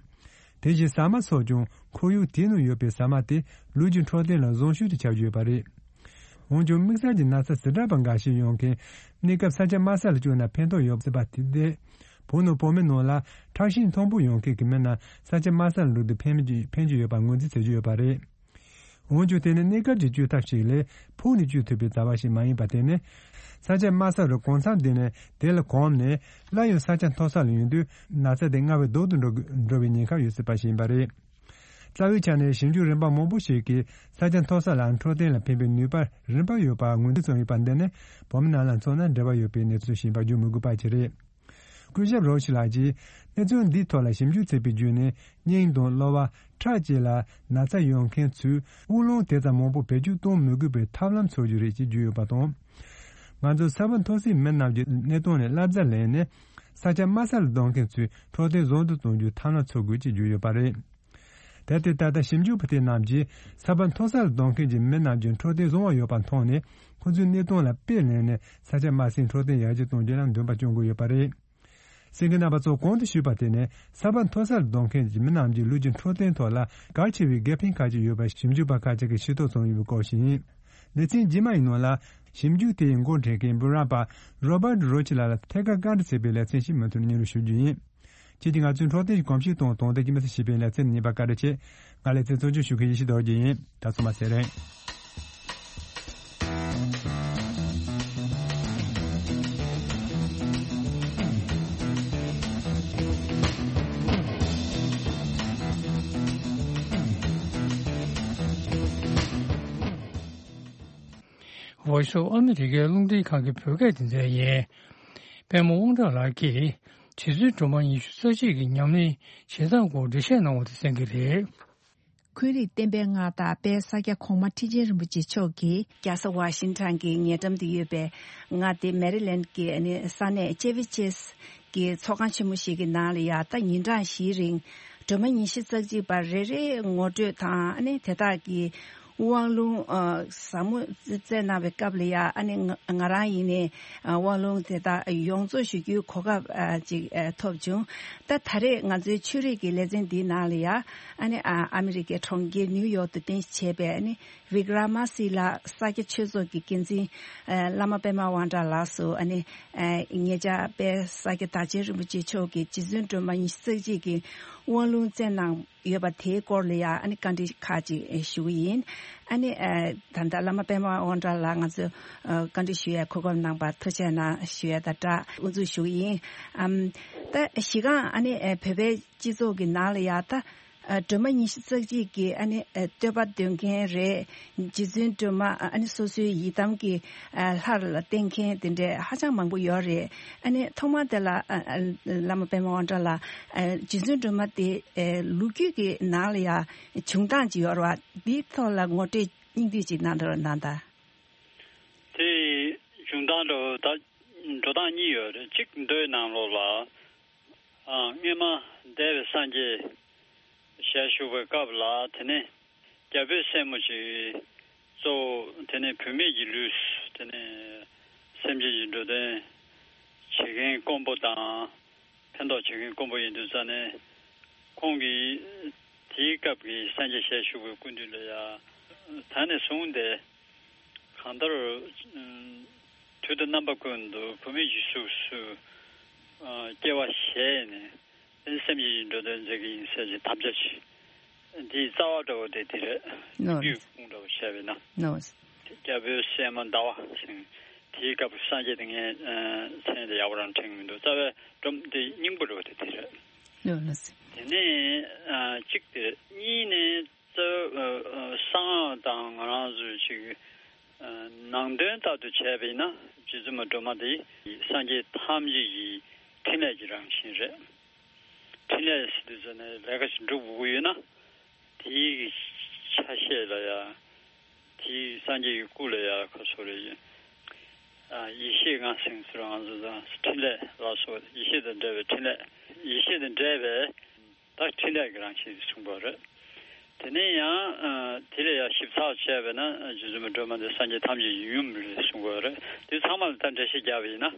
དེ་བཞིན་ཟ་མ་སོགས་ཀྱང་ཁོར་ཡུག་དེའི་ནང་ཡོད་པའི་ཟ་མ་དེ་ལུས་ཀྱི་འཕྲོད་བསྟེན་ལ་བཟང་ཤོས་དེ་ཆགས་ཀྱི་ཡོད་པ་རེད། འོན་ཀྱང་དམིགས་བསལ་གྱི་ན་ཚ་འཛིན་གྲྭ་པ་འགའ་ཞིག་ཡོང་མཁན་གནས་སྐབས་ས་ཆ་དམའ་ས་ལ་བསྐྱོད་ན་ཕན་ཐོགས་ཡོད་སྲིད་པ་དེ་བསྡད། བོད་ནང་བོད་མི་ནང་ལ་ཁྲག་ཤེད་མཐོན་པོ་ཡོང་མཁན་གྱི་མི་རྣམས་ས་ཆ་དམའ་ས་ལ་འགྲོ་དུས་ཕན་གྱི་ཕན་གྱི་ཡོད་པ་ངོས་འཛིན་བྱེད་ཀྱི་ཡོད་པ་རེད། འོན་ཀྱང་དེ་ནི་གནས་སྐབས་ཀྱི་བཅོས་ཐབས་ཤིག་ལས་ཕུགས་ནས་བཅོས་ཐུབ་པའི་བྱ་བ་ཞིག་མ་ཡིན་པར་བརྟེན་ནས། ས་ཆ་དམའ་ས་རུ་གང་འཚམ་བསྡད་ནས་དེ་ལ་གོམས་ནས་སླར་ཡང་ས་ཆ་མཐོ་ས་ལ་ཡོང་དུས་ན་ཚ་དེ་སྔར་བས་སྡུག་ཏུ་འགྲོ་འགྲོ་བའི་ཉེན་ཁ་ཡོད་སྲིད་པ་ཞིག་ཡིན་པ་རེད། རྩ་བའི་ཆ་ནས་ཞིབ་འཇུག་རིམ་པ་མང་པོ་ཞིག་གིས་ས་ཆ་མཐོ་ས་ལ་འཕྲོད་བསྟེན་ལ་ཕན་པའི་ནུས་པ་རིམ་པ་ཡོད་པ་ངོས་འཛིན་བྱུང་ཡོད་པ་འདི་ནི་བོད་མི་རྣམས་ལ་མཚོན་ན་འབྲེལ་བ་ཡོད་པའི་གནས་ཚུལ་ཞིག་ཡིན་པ་བརྗོད་མི་དགོས་པ་ཞིག་རེད། སྐུ་ཞབས་རོ་ཤི་ལགས་ཀྱིས་གནས་ཚུལ་འདིའི་ཐོག་ལ་ཞིབ་འཇུག་བྱས་པའི་བརྒྱུད་ནས་སྙིང་དང་གློ་བ། ཁྲག་བཅས་ལ་ན་ཚ་ཡོད་མཁན་ཚོས་དབུགས་རླུང་དེ་ཙམ་མང་པོ་བེད་སྤྱོད་གཏོང་མི་དགོས་པའི་ཐབས་ལམ་འཚོལ་རྒྱུ་རེད་ཅེས་བརྗོད་ཡོད་པ་དང་། ང་ཚོ་ས་བབ་མཐོ་སའི་མི་རྣམས་ཀྱི་གནས་སྟངས་ནས་བསླབ་བྱ་ལེན་ནས་ས་ཆ་དམའ་ས་ལ་སྡོད་མཁན་ཚོའི་འཕྲོད་བསྟེན་བཟང་དུ་གཏོང་རྒྱུའི་ཐབས་ལམ་འཚོལ་དགོས་ཅེས་བརྗོད་ཡོད་པ་རེད། དེར་བརྟེན་ད་ལྟ་ཞིབ་འཇུག་པ་དེ་རྣམས་ཀྱིས་ས་བབ་མཐོ་ས་ལ་སྡོད་མཁན་གྱི་མི་རྣམས་ཀྱི་འཕྲོད་བསྟེན་བཟང་བ་ཡོད་པ་མཐོང་ནས་ཁོ་ཚོའི་གནས་སྟངས་ལ་དཔེ་ལེན་ནས་ས་ཆ་དམའ་སའི་འཕྲོད་བསྟེན་ཡར་རྒྱས་གཏོང་རྒྱུ་ལ་འདུན་པ་སྐྱོང་གི་ཡོད་པ་རེད། གསན་མཁན་རྣམ་པ་ཚོ་གོང་དུ་ཞུས་པ་དེ་ནི་ས་བབ་མཐོ་ས་ལ་སྡོད་མཁན་གྱི་མི་རྣམས་ཀྱི་ལུས་ཀྱི་འཕྲོད་བསྟེན་ཐོག་ལ་གལ་ཆེ་བའི་དགེ་ཕན་ཁག་ཅིག་ཡོད་པ་ཞིབ་འཇུག་པ་ཁག་ཅིག་གིས་ཤེས་རྟོགས་བྱུང་ཡོད་པའི་སྐོར་ཞིག་ཡིན། ལེ་ཚན་རྗེས་མ་ཡི་ནང་ལ་ཞིབ་འཇུག་དེ་ཡི་འགོ་འཁྲིད་མཁན་འབུམ་རམས་པ་རོ་བར་རོ་ཆི་ལགས་ལ་ཐད་ཀར་བཀའ་འདྲི་བྱས་པའི་ལེ་ཚན་ཞིག་མུ་མཐུད་སྙན་སྒྲོན་ཞུ་རྒྱུ་ཡིན། ཁྱེད་ཀྱིས་ང་ཚོའི་འཕྲོད་བསྟེན་གྱི་གོམས་གཤིས་དང་དོན་དག་གི་མི་སེར་ཞེས་པའི་ལེ་ཚན་གཉིས་པ་བཀའ་འདྲི་བྱས། ང་ལེ་ཚན་གཙོ་སྐྱོང་ཞུ་མཁན་ཡེ་ཤེས་རྡོ་རྗེ་ཡིན། ད་སོ་མ་ཟེར་རེད། ཝོ་ཤི་ཨ་མི་རི་ཀའི་རླུང་འཕྲིན་ཁང་གི་བོད་སྐད་སྡེ་ཚན་ཡིན། པད་མ་དབང་གྲགས་ལགས་ཀྱིས་རྗེ་བཙུན་སྒྲོལ་མ་ཉི་ཤུ་རྩ་གཅིག་གི་ཉམས་ལེན་བྱེད་སྟངས་སྐོར་འགྲེལ་བཤད་གནང་བ་དེ་གསན་གྱི་རེད། འཁོན་རིགས་བསྟན་པའི་སྔགས་བདག་དཔལ་ས་སྐྱ་གོང་མ་ཁྲི་ཆེན་རིན་པོ་ཆེ་མཆོག་གིས། རྒྱལ་ས་ཝ་ཤིང་ཊོན་གྱི་ཉེ་འགྲམ་དུ་ཡོད་པའི་མངའ་སྡེ་མེ་རི་ལེན་གྱི་ཨ་ནི་ས་གནས་ཅེ་ཝི་ཅེས་ཀྱི་ཚོགས་ཁང་ཆེན་མོ་ཞིག་གི་ནང་ལ་ཡ་ད་ཉིན་གྲངས་བཞིའི་རིང་སྒྲོལ་མ་ཉི་ཤུ་རྩ་གཅིག་པ་རེ་རེའི་ངོ་སྤྲོད་དང་ཨ་ནི་དེ་དག་གི་དབང་ལུང་ཨ་ཟབ་མོ་བསྩལ་གནང་བའི་སྐབས་ལ་ཡ་ཨ་ནི་ང་ང་རང་ཡིན་ནའི་ཨ་དབང་ལུང་དེ་དག་ཡོངས་རྫོགས་ཞུ་རྒྱུའི་གོ་སྐབས་ཨ་ཅིག་ཨ་ཐོབ་བྱུང་། ད་ད་རེས་ང་ཚོའི་ཆོས་རིག་གི་ལེ་ཚན་འདིའི་ནང་ལ་ཡ་ཨ་ནི་ཨ་ཨ་མི་རི་ཀའི་གྲོང་ཁྱེར་ནིའུ་ཡོག་ཏུ་རྟེན་གཞི་བྱས་པའི་ཨ་ནི་བི་ཀྲ་མ་སི་ལ་ས་སྐྱ་ཆོས་ཚོགས་ཀྱི་འགན་འཛིན་ཨ་བླ་མ་པད་མ་དབང་གྲགས་ལགས་སུ་ཨ་ནི་ཨ་ངེད་ཅག་དཔལ་ས་སྐྱ་བདག་ཆེན་རིན་པོ་ཆེ་མཆོག་གིས་རྗེ་བཙུན་སྒྲོལ་མ་ཉི་ཤུ་རྩ་གཅིག་གི་དབང་ལུང་བསྩལ་གནང་ཡོད་པ་དེའི་སྐོར་ལ་ཡང་ཨ་ནི་བཀའ་འདྲི་ཁག་ཅིག་ཞུ་གི་ཡིན། ཨ་ནི་ཨ་ད་ལྟ་བླ་མ་པད་མ་དབང་གྲགས་ལགས་ང་ཚོ་ཨ་བཀའ་འདྲི་ཞུ་ཡའི་གོ་སྐབས་གནང་བར་ཐུགས་རྗེ་གནང་ཞུ་ཡ་དང་སྦྲགས་དབུ་འཛུགས་ཞུ་གི་ཡིན། ཨམ་ད་གཞི་རྐང་ཨ་ནི་ཨ་བོད་པའི་སྤྱི་ཚོགས་ཀྱི་ནང་ལ་ཡ་ད་ཨ་སྒྲོལ་མ་ཉི་ཤུ་རྩ་གཅིག་གི་ཨ་ནི་ཨ་བསྟོད་པ་འདོན་མཁན་རེད། རྗེ་བཙུན་སྒྲོལ་མ་ཨ་ནི་སོ་སོའི་ཡི་དམ་གྱི་ཨ་ལྷ་ལ་བསྟེན་མཁན་དེ་འདྲའི་ཧ་ཅང་མང་པོ་ཡོད་རེད། ཨ་ནི་ཐོག་མར་དེ་ལ་ཨ་ཨ་བླ་མ་པད་མ་དབང་གྲགས་ལགས་ཨ་རྗེ་བཙུན་སྒྲོལ་མ་དེ་ཨ་ལོ་རྒྱུས་ཀྱི་ནང་ལ་ཡ་བྱུང་སྟངས་ཅིག་ཡོད་རེད་བ། འདིའི་ཐོག་ལ་ངོ་སྤྲོད་སྙིང་བསྡུས་ཅིག་གནང་དང་གནང་དང་། དེ་བྱུང་སྟངས་འགྲོ་ད་འགྲོ་སྟངས་གཉིས་ཡོད་རེད། གཅིག་མདོའི་ནང་ལོགས་ལ། ཨ་སྔོན་མ་འདས་པའི་སངས་རྒྱས་ཞལ་བཞུགས་པའི་སྐབས་ལ་དེ་ནས་རྒྱ་བོད་སྲས་མོ་ཅིག་གཙོ་བོ་དེ་ནས་བུད་མེད་ཀྱི་ལུས་དེ་ནས་སེམས་ཅན་གྱི་འགྲོ་དོན་བྱེད་མཁན་དཀོན་པོ་དང་ཕན་ཐོགས་བྱེད་མཁན་དཀོན་པོ་ཡིན་དུས་ཙང་ནས་ཁོང་གིས་དེའི་སྐབས་ཀྱི་སངས་རྒྱས་ཞལ་བཞུགས་པའི་སྐུ་མདུན་ལ་ཡ་ད་ནས་བཟུང་སྟེ། གང་ལྟར། ཨ་དུས་དང་རྣམ་པ་ཀུན་ཏུ་བུད་མེད་ཀྱི་གཟུགས་སུ་ཨ་སྐྱེ་བ་བཞེས་ནས་སེམས་ཅན་གྱི་འགྲོ་དོན་མཛད་ཀྱི་ཡིན་ཟེར་གྱི་དམ་བཅའ་ཅིག་འདིའི་རྩ་བ་འདྲ་བོ་དེ་དེ་རེད། ནོ། རྒྱུད་ཁུངས་འདྲ་བོ་བྱས་པས་ན། ནོ། རྒྱ་བོད་སྲས་མོ་ཟླ་བ་ཟེར། དེའི་སྐབས་སངས་རྒྱས་དེ་ངའི་ཨ་མཚན་དེ་ཡག་པོ་རང་དྲན་གྱི་མི་འདུག་རྩ་བའི་སྒྲོམ་དེ་སྙིང་པོ་འདྲ་བོ་དེ་དེ་རེད། ནོ་ནོ། དེ་ནས་ཨ་གཅིག་དེ་རེད། གཉིས་ནས། གསང་སྔགས་དང་ང་རང་ཚོའི་ཅིག་ ནང་དོན་ལྟར་དུ་བྱས་པ་ཡིན་ན་རྗེ་བཙུན་མ་སྒྲོལ་མ་དེ་སངས་རྒྱས་ཐམས་ཅད་ཀྱི་འཕྲིན་ལས་ཀྱི་རང་བཞིན་རེད། འཕྲིན་ལས་ཟེར་དུས་ཙམ་ནས་ལས་ཀ་ཞིག་སྒྲུབ་དགོས་ཀྱི་ཡོད་ན། དེའི་ཆ་ཤས་ལ་ཡང་། དེའི་སངས་རྒྱས་ཀྱི་སྐུ་ལ་ཡང་ཁོ་སོ་རེ་ཡིན། ཨ། ཡེ་ཤེས་ལྔ་ཟེར་སྲོལ་ང་ཚོ་དང་འཕྲིན་ལས་ལ་སོགས་ཡེ་ཤེས་དང་འབྲེལ་བའི་འཕྲིན་ལས། ཡེ་ཤེས་དང་འབྲེལ་བའི་ད་འཕྲིན་ལས་ཀྱི་རང་བཞིན་གསུངས་པ་རེད། དེ་ནས་ཡང་། ཨ། དེ་ལས་ཡང་ཞིབ་ཚགས་བྱས་པས་ན་རྗེ་བཙུན་མ་སྒྲོལ་མ་འདི་སངས་རྒྱས་ཐམས་ཅད་ཀྱི་ཡུམ་རེད་གསུངས་པ་རེད། དེ་ཚང་མ་ལ་ད་འགྲེལ་བཤད་རྒྱག་པ་ཡིན་ན།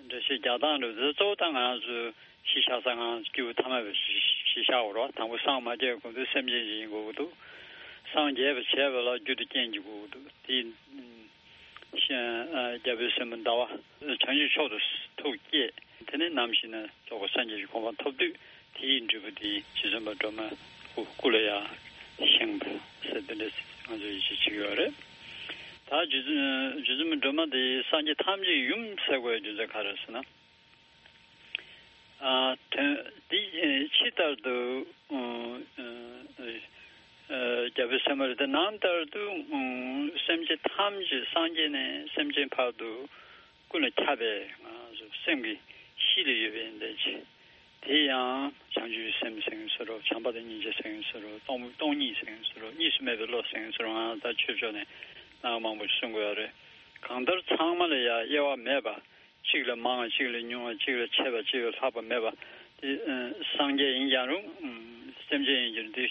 འགྲེལ་བཤད་རྒྱག་སྟངས་རེད། དེ་གཙོ་བོ་ད་ང་རང་ཚོས་གཞི་བཞག་ས་ང་རང་ཚོ་སྐྱེས་བུ་ཐ་མལ་པའི་གཞི་བཞག་དགོས་རེད་བ། དང་པོ་སངས་མ་རྒྱས་གོང་དུ་སེམས་ཅན་ཞིག་ཡིན་དགོས་ཀྱི་འདུག་སངས་རྒྱས་པ་བྱས་པ་ལ་རྒྱུ་དང་རྐྱེན་གྱིས་གོ་དགོས་འདུག་དེ། ཨ། རྒྱལ་པོའི་སྲས་མོ་ཟླ་བ་བྱང་ཆུབ་མཆོག་ཏུ་ཐུགས་བསྐྱེད། དེ་ནས་ནམ་ཞིག་ན་རྫོགས་པའི་སངས་རྒྱས་ཀྱི་གོ་འཕང་ཐོབ་དུས་དེའི་འབྲས་བུ་དེ་རྗེ་བཙུན་མ་སྒྲོལ་མ་སྐུ་སྐུ་ལ་ཡང་བཞེངས་པ་ཟེར་དེ་འདྲ་ང་ཚོ་ཡིད་ཆེས་བྱེད་ཀྱི་ཡོད་རེད། ད་རྗེ་བཙུན་རྗེ་བཙུན་མ་སྒྲོལ་མ་དེ་སངས་རྒྱས་ཐམས་ཅད་ཡུམ་ཟེར་དགོས་རྒྱུ་མཚན་ག་རེ་ཟེར་ན། ཨ། དོན་འདི་ཕྱི་ལྟར་དུ། ཨ། རྒྱལ་པོའི་སྲས་མོ་རེད་དེ། ནང་ལྟར་དུ། ཨ། སེམས་ཅན་ཐམས་ཅད་སངས་རྒྱས་ནས་སེམས་ཅན་བར་དུ་ཀུན་ལ་ཁྱབ་པའི་ང་ཚོ་སེམས་ཀྱི་གཤིས་ལ་ཡོད་པའི་ཡོན་ཏན་ཅན། དེ་ཡང་བྱང་ཆུབ་སེམས་ཟེར་ཡང་ཟེར་རོ། བྱམས་པ་དང་སྙིང་རྗེ་ཟེར་ཡང་ཟེར་རོ། སྟོང་སྟོང་ཉིད་ཟེར་ཡང་ཟེར་རོ། གཉིས་སུ་མེད་པའི་བློ་ཟེར་ཡང་ཟེར་རོ། ང་ད་ཆོས་ཕྱོགས་ནས་སྣང་བ་མང་པོ་ཞིག་གསུང་དགོས་རེད། གང་ལྟར་ཚང་མ་ལ་ཡང་དབྱེ་བ་མེད་པ། གཅིག་ལ་མང་བ་གཅིག་ལ་ཉུང་བ། གཅིག་ལ་ཆེ་བ་གཅིག་ལ་ལྷག་པ་མེད་པ། དེ། ཨ། སངས་རྒྱས་ཡིན་ཀྱང་རུང་། ཨ། སེམས་ཅན་ཡིན་ཀྱང་རུང་དེ་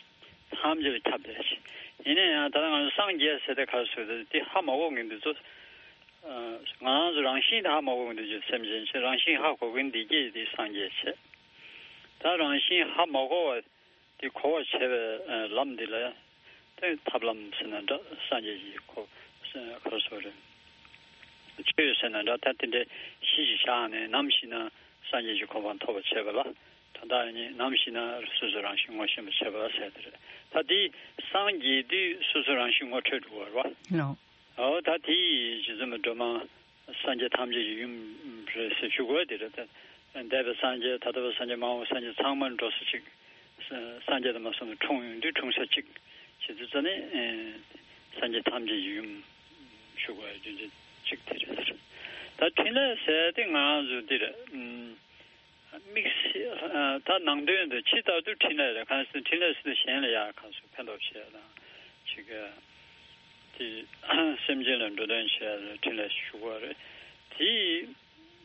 ཐམས་ཅད་ལ་ཁྱབ་བསྡད་ཅིང་། ཡིན་ན་ཡང་ད་ལྟ་ང་ཚོ་སངས་རྒྱས་ཟེར་དེ་ག་རེ་ཟེར་དེ་དེ་ཧ་མ་གོ་མཁན་འདི་ཚོ། ཨ། ང་རང་ཚོ་རང་བཞིན་དེ་ཧ་མ་གོ་མཁན་འདི་ཚོ་སེམས་ཅན་ཆེ། རང་བཞིན་ཧ་གོ་མཁན་འདི་གྱད་དེ་སངས་རྒྱས་བྱས། ད་རང་བཞིན་ཧ་མ་གོ་བ། དེ་གོ་བར་བྱེད་པའི་ལམ་འདི་ལ་དེ་ཐབས་ལམ་ཟེར་ན་འདྲ། སངས་རྒྱས་ཀྱི་གོ་ག་རེ་ཟེར་རེད། ཆོས་ཟེར་ན་འདྲ། ད་དེ་འདྲའི་གཞི་ཞིག་བཞག་ནས་ནམ་ཞིག་ན་སངས་རྒྱས་ཀྱི་གོ་འཕང་ཐོབ་པར་བྱེད་པ་ལ། ད་ལྟ་ནི་ནམ་ཞིག་ན་སོ་སོའི་རང་བཞིན་ངོ་ཤེས་པར་བྱེད་པ་ཟེར་དེ་རེད། ད་དེ་སངས་རྒྱས་དུས་སོ་སོའི་རང་བཞིན་ངོ་འཕྲོད་འགྲོ་བ་རེད་བ། ལགས། འོ་ད་དེ་ཡི་རྗེ་བཙུན་མ་སྒྲོལ་མ། སངས་རྒྱས་ཐམས་ཅད་ཀྱི་ཡུམ་རེད་ཟེར་ཞུ་དགོས་དེ་རེད། ད་འདས་པའི་སངས་རྒྱས། ད་ལྟ་བའི་སངས་རྒྱས། མ་འོངས་པའི་སངས་རྒྱས་ཚང་མ་འགྲོ་ས་གཅིག་སངས་རྒྱས་དང་མ་སོང་ནས་འཁྲུངས་ཡོང་དུས་འཁྲུངས་ས་གཅིག་བྱེད་དུས་ཙ་ནས། ཨེ། སངས་རྒྱས་ཐམས་ཅད་ཀྱི་ཡུམ་ཞུ་དགོས་རྒྱུ་མཚན་གཅིག་དེ་རེད། ད་འཕྲིན་ལས་ཟེར་དེ་ང་རང་ཚོ་འདི་རེད། ཨུམ། དམིགས་བསལ། ཨ། ད་ནང་དོན་དུ་ཕྱི་ལྟར་དུ་འཕྲིན་ལས་རེད། གང་ཟེར་འཕྲིན་ལས་ཟེར་དུས་གཞན་ལ་ཡང་གང་ཟེར་ཕན་ཐོགས་བྱེད་ཡ་དང་། ཅིག་དེ་སེམས་ཅན་ལ་འགྲོ་དོན་བྱེད་ཡ་ལ་འཕྲིན་ལས་ཞུ་དགོས་རེད། དེ་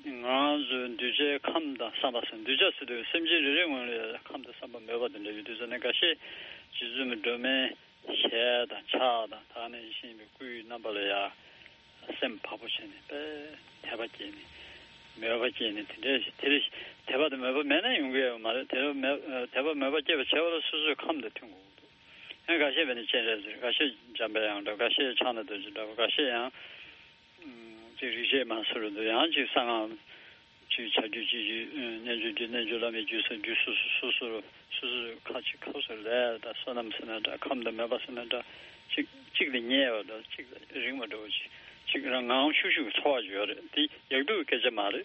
ང་རང་ཚོའི་གདུལ་བྱའི་ཁམས་དང་བསམ་པ་ཟེར། གདུལ་བྱ་ཟེར་དུས་སེམས་ཅན་རེ་རེ་ངོས་ལ་ཡང་ཁམས་དང་བསམ་པ་མོས་པ་དང་འབྲེལ་བའི་དུས་ཚོད་ནས་འགའ་ཤས་རྗེ་བཙུན་མའི་སྒྲོན་མེ། ཞལ་དང་ཕྱག་དང་། ད་ནི་ཡིད་བཞིན་པའི་སྐུའི་རྣམ་པ་ལ་ཡང་སེམས་བག་པོ་བྱས་ནས་དཔེ་དད་པ་སྐྱེས་ནས། མོས་པ་སྐྱེས་ནས། དེ་འདྲའི་དེ་རེ་དད་པ་དང་མོས་པ་མེད་ན་ཡོང་གི་ཡོད་མ་རེད། དད་པ་མོས་དད་པ་མོས་པ་སྐྱེས་པ་བྱས་པ་ལ་སོ་སོའི་ཁམས་དེ་མཐུན་དགོས་ཀྱི་འདུག་ཡང་འགའ་ཤས་བས་ནི་སྤྱན་རས་གཟིགས། འགའ་ཤས་འཇམ་པའི་དབྱངས་འདྲ། འགའ་ཤས་ཕྱག་ན་རྡོ་རྗེ་འདྲ་བ། འགའ་ཤས་ཡང་། ཨུམ། ཅིག་རིག་བྱེད་མ་སུ་རུ་འདུག་ཡང་ཅིག་གསང་སྔགས་ཅིག་བྱ་རྒྱུ་ཅིག་རྒྱུ། ཨུམ། རྣལ་འབྱོར་རྒྱུ། རྣལ་འབྱོར་བླ་མའི་རྒྱུ་ཟེར། རྒྱུ་སོ་སོ་སོ་སོ་སོ་སོ་ཁ་ཅིག་ཁ་སོ་ལས་ད་བསོད་ནམས་ཟེར་ན་འདྲ། ཁམས་དང་མོས་པ་ཟེར་ན་འདྲ། ཅིག་ཅིག་ལ་ཉེ་བ་འདྲ། ཅིག་ལ་རིང་བ་འདྲ་བོ་ཅིག་ཅིག་རང་ངམ་ཤུགས་ཤུགས་ཚོར་བ་ཅིག་ཡོད་རེད། འདི་ཡག་སྡུག་གི་སྐད་ཆ་མ་རེད།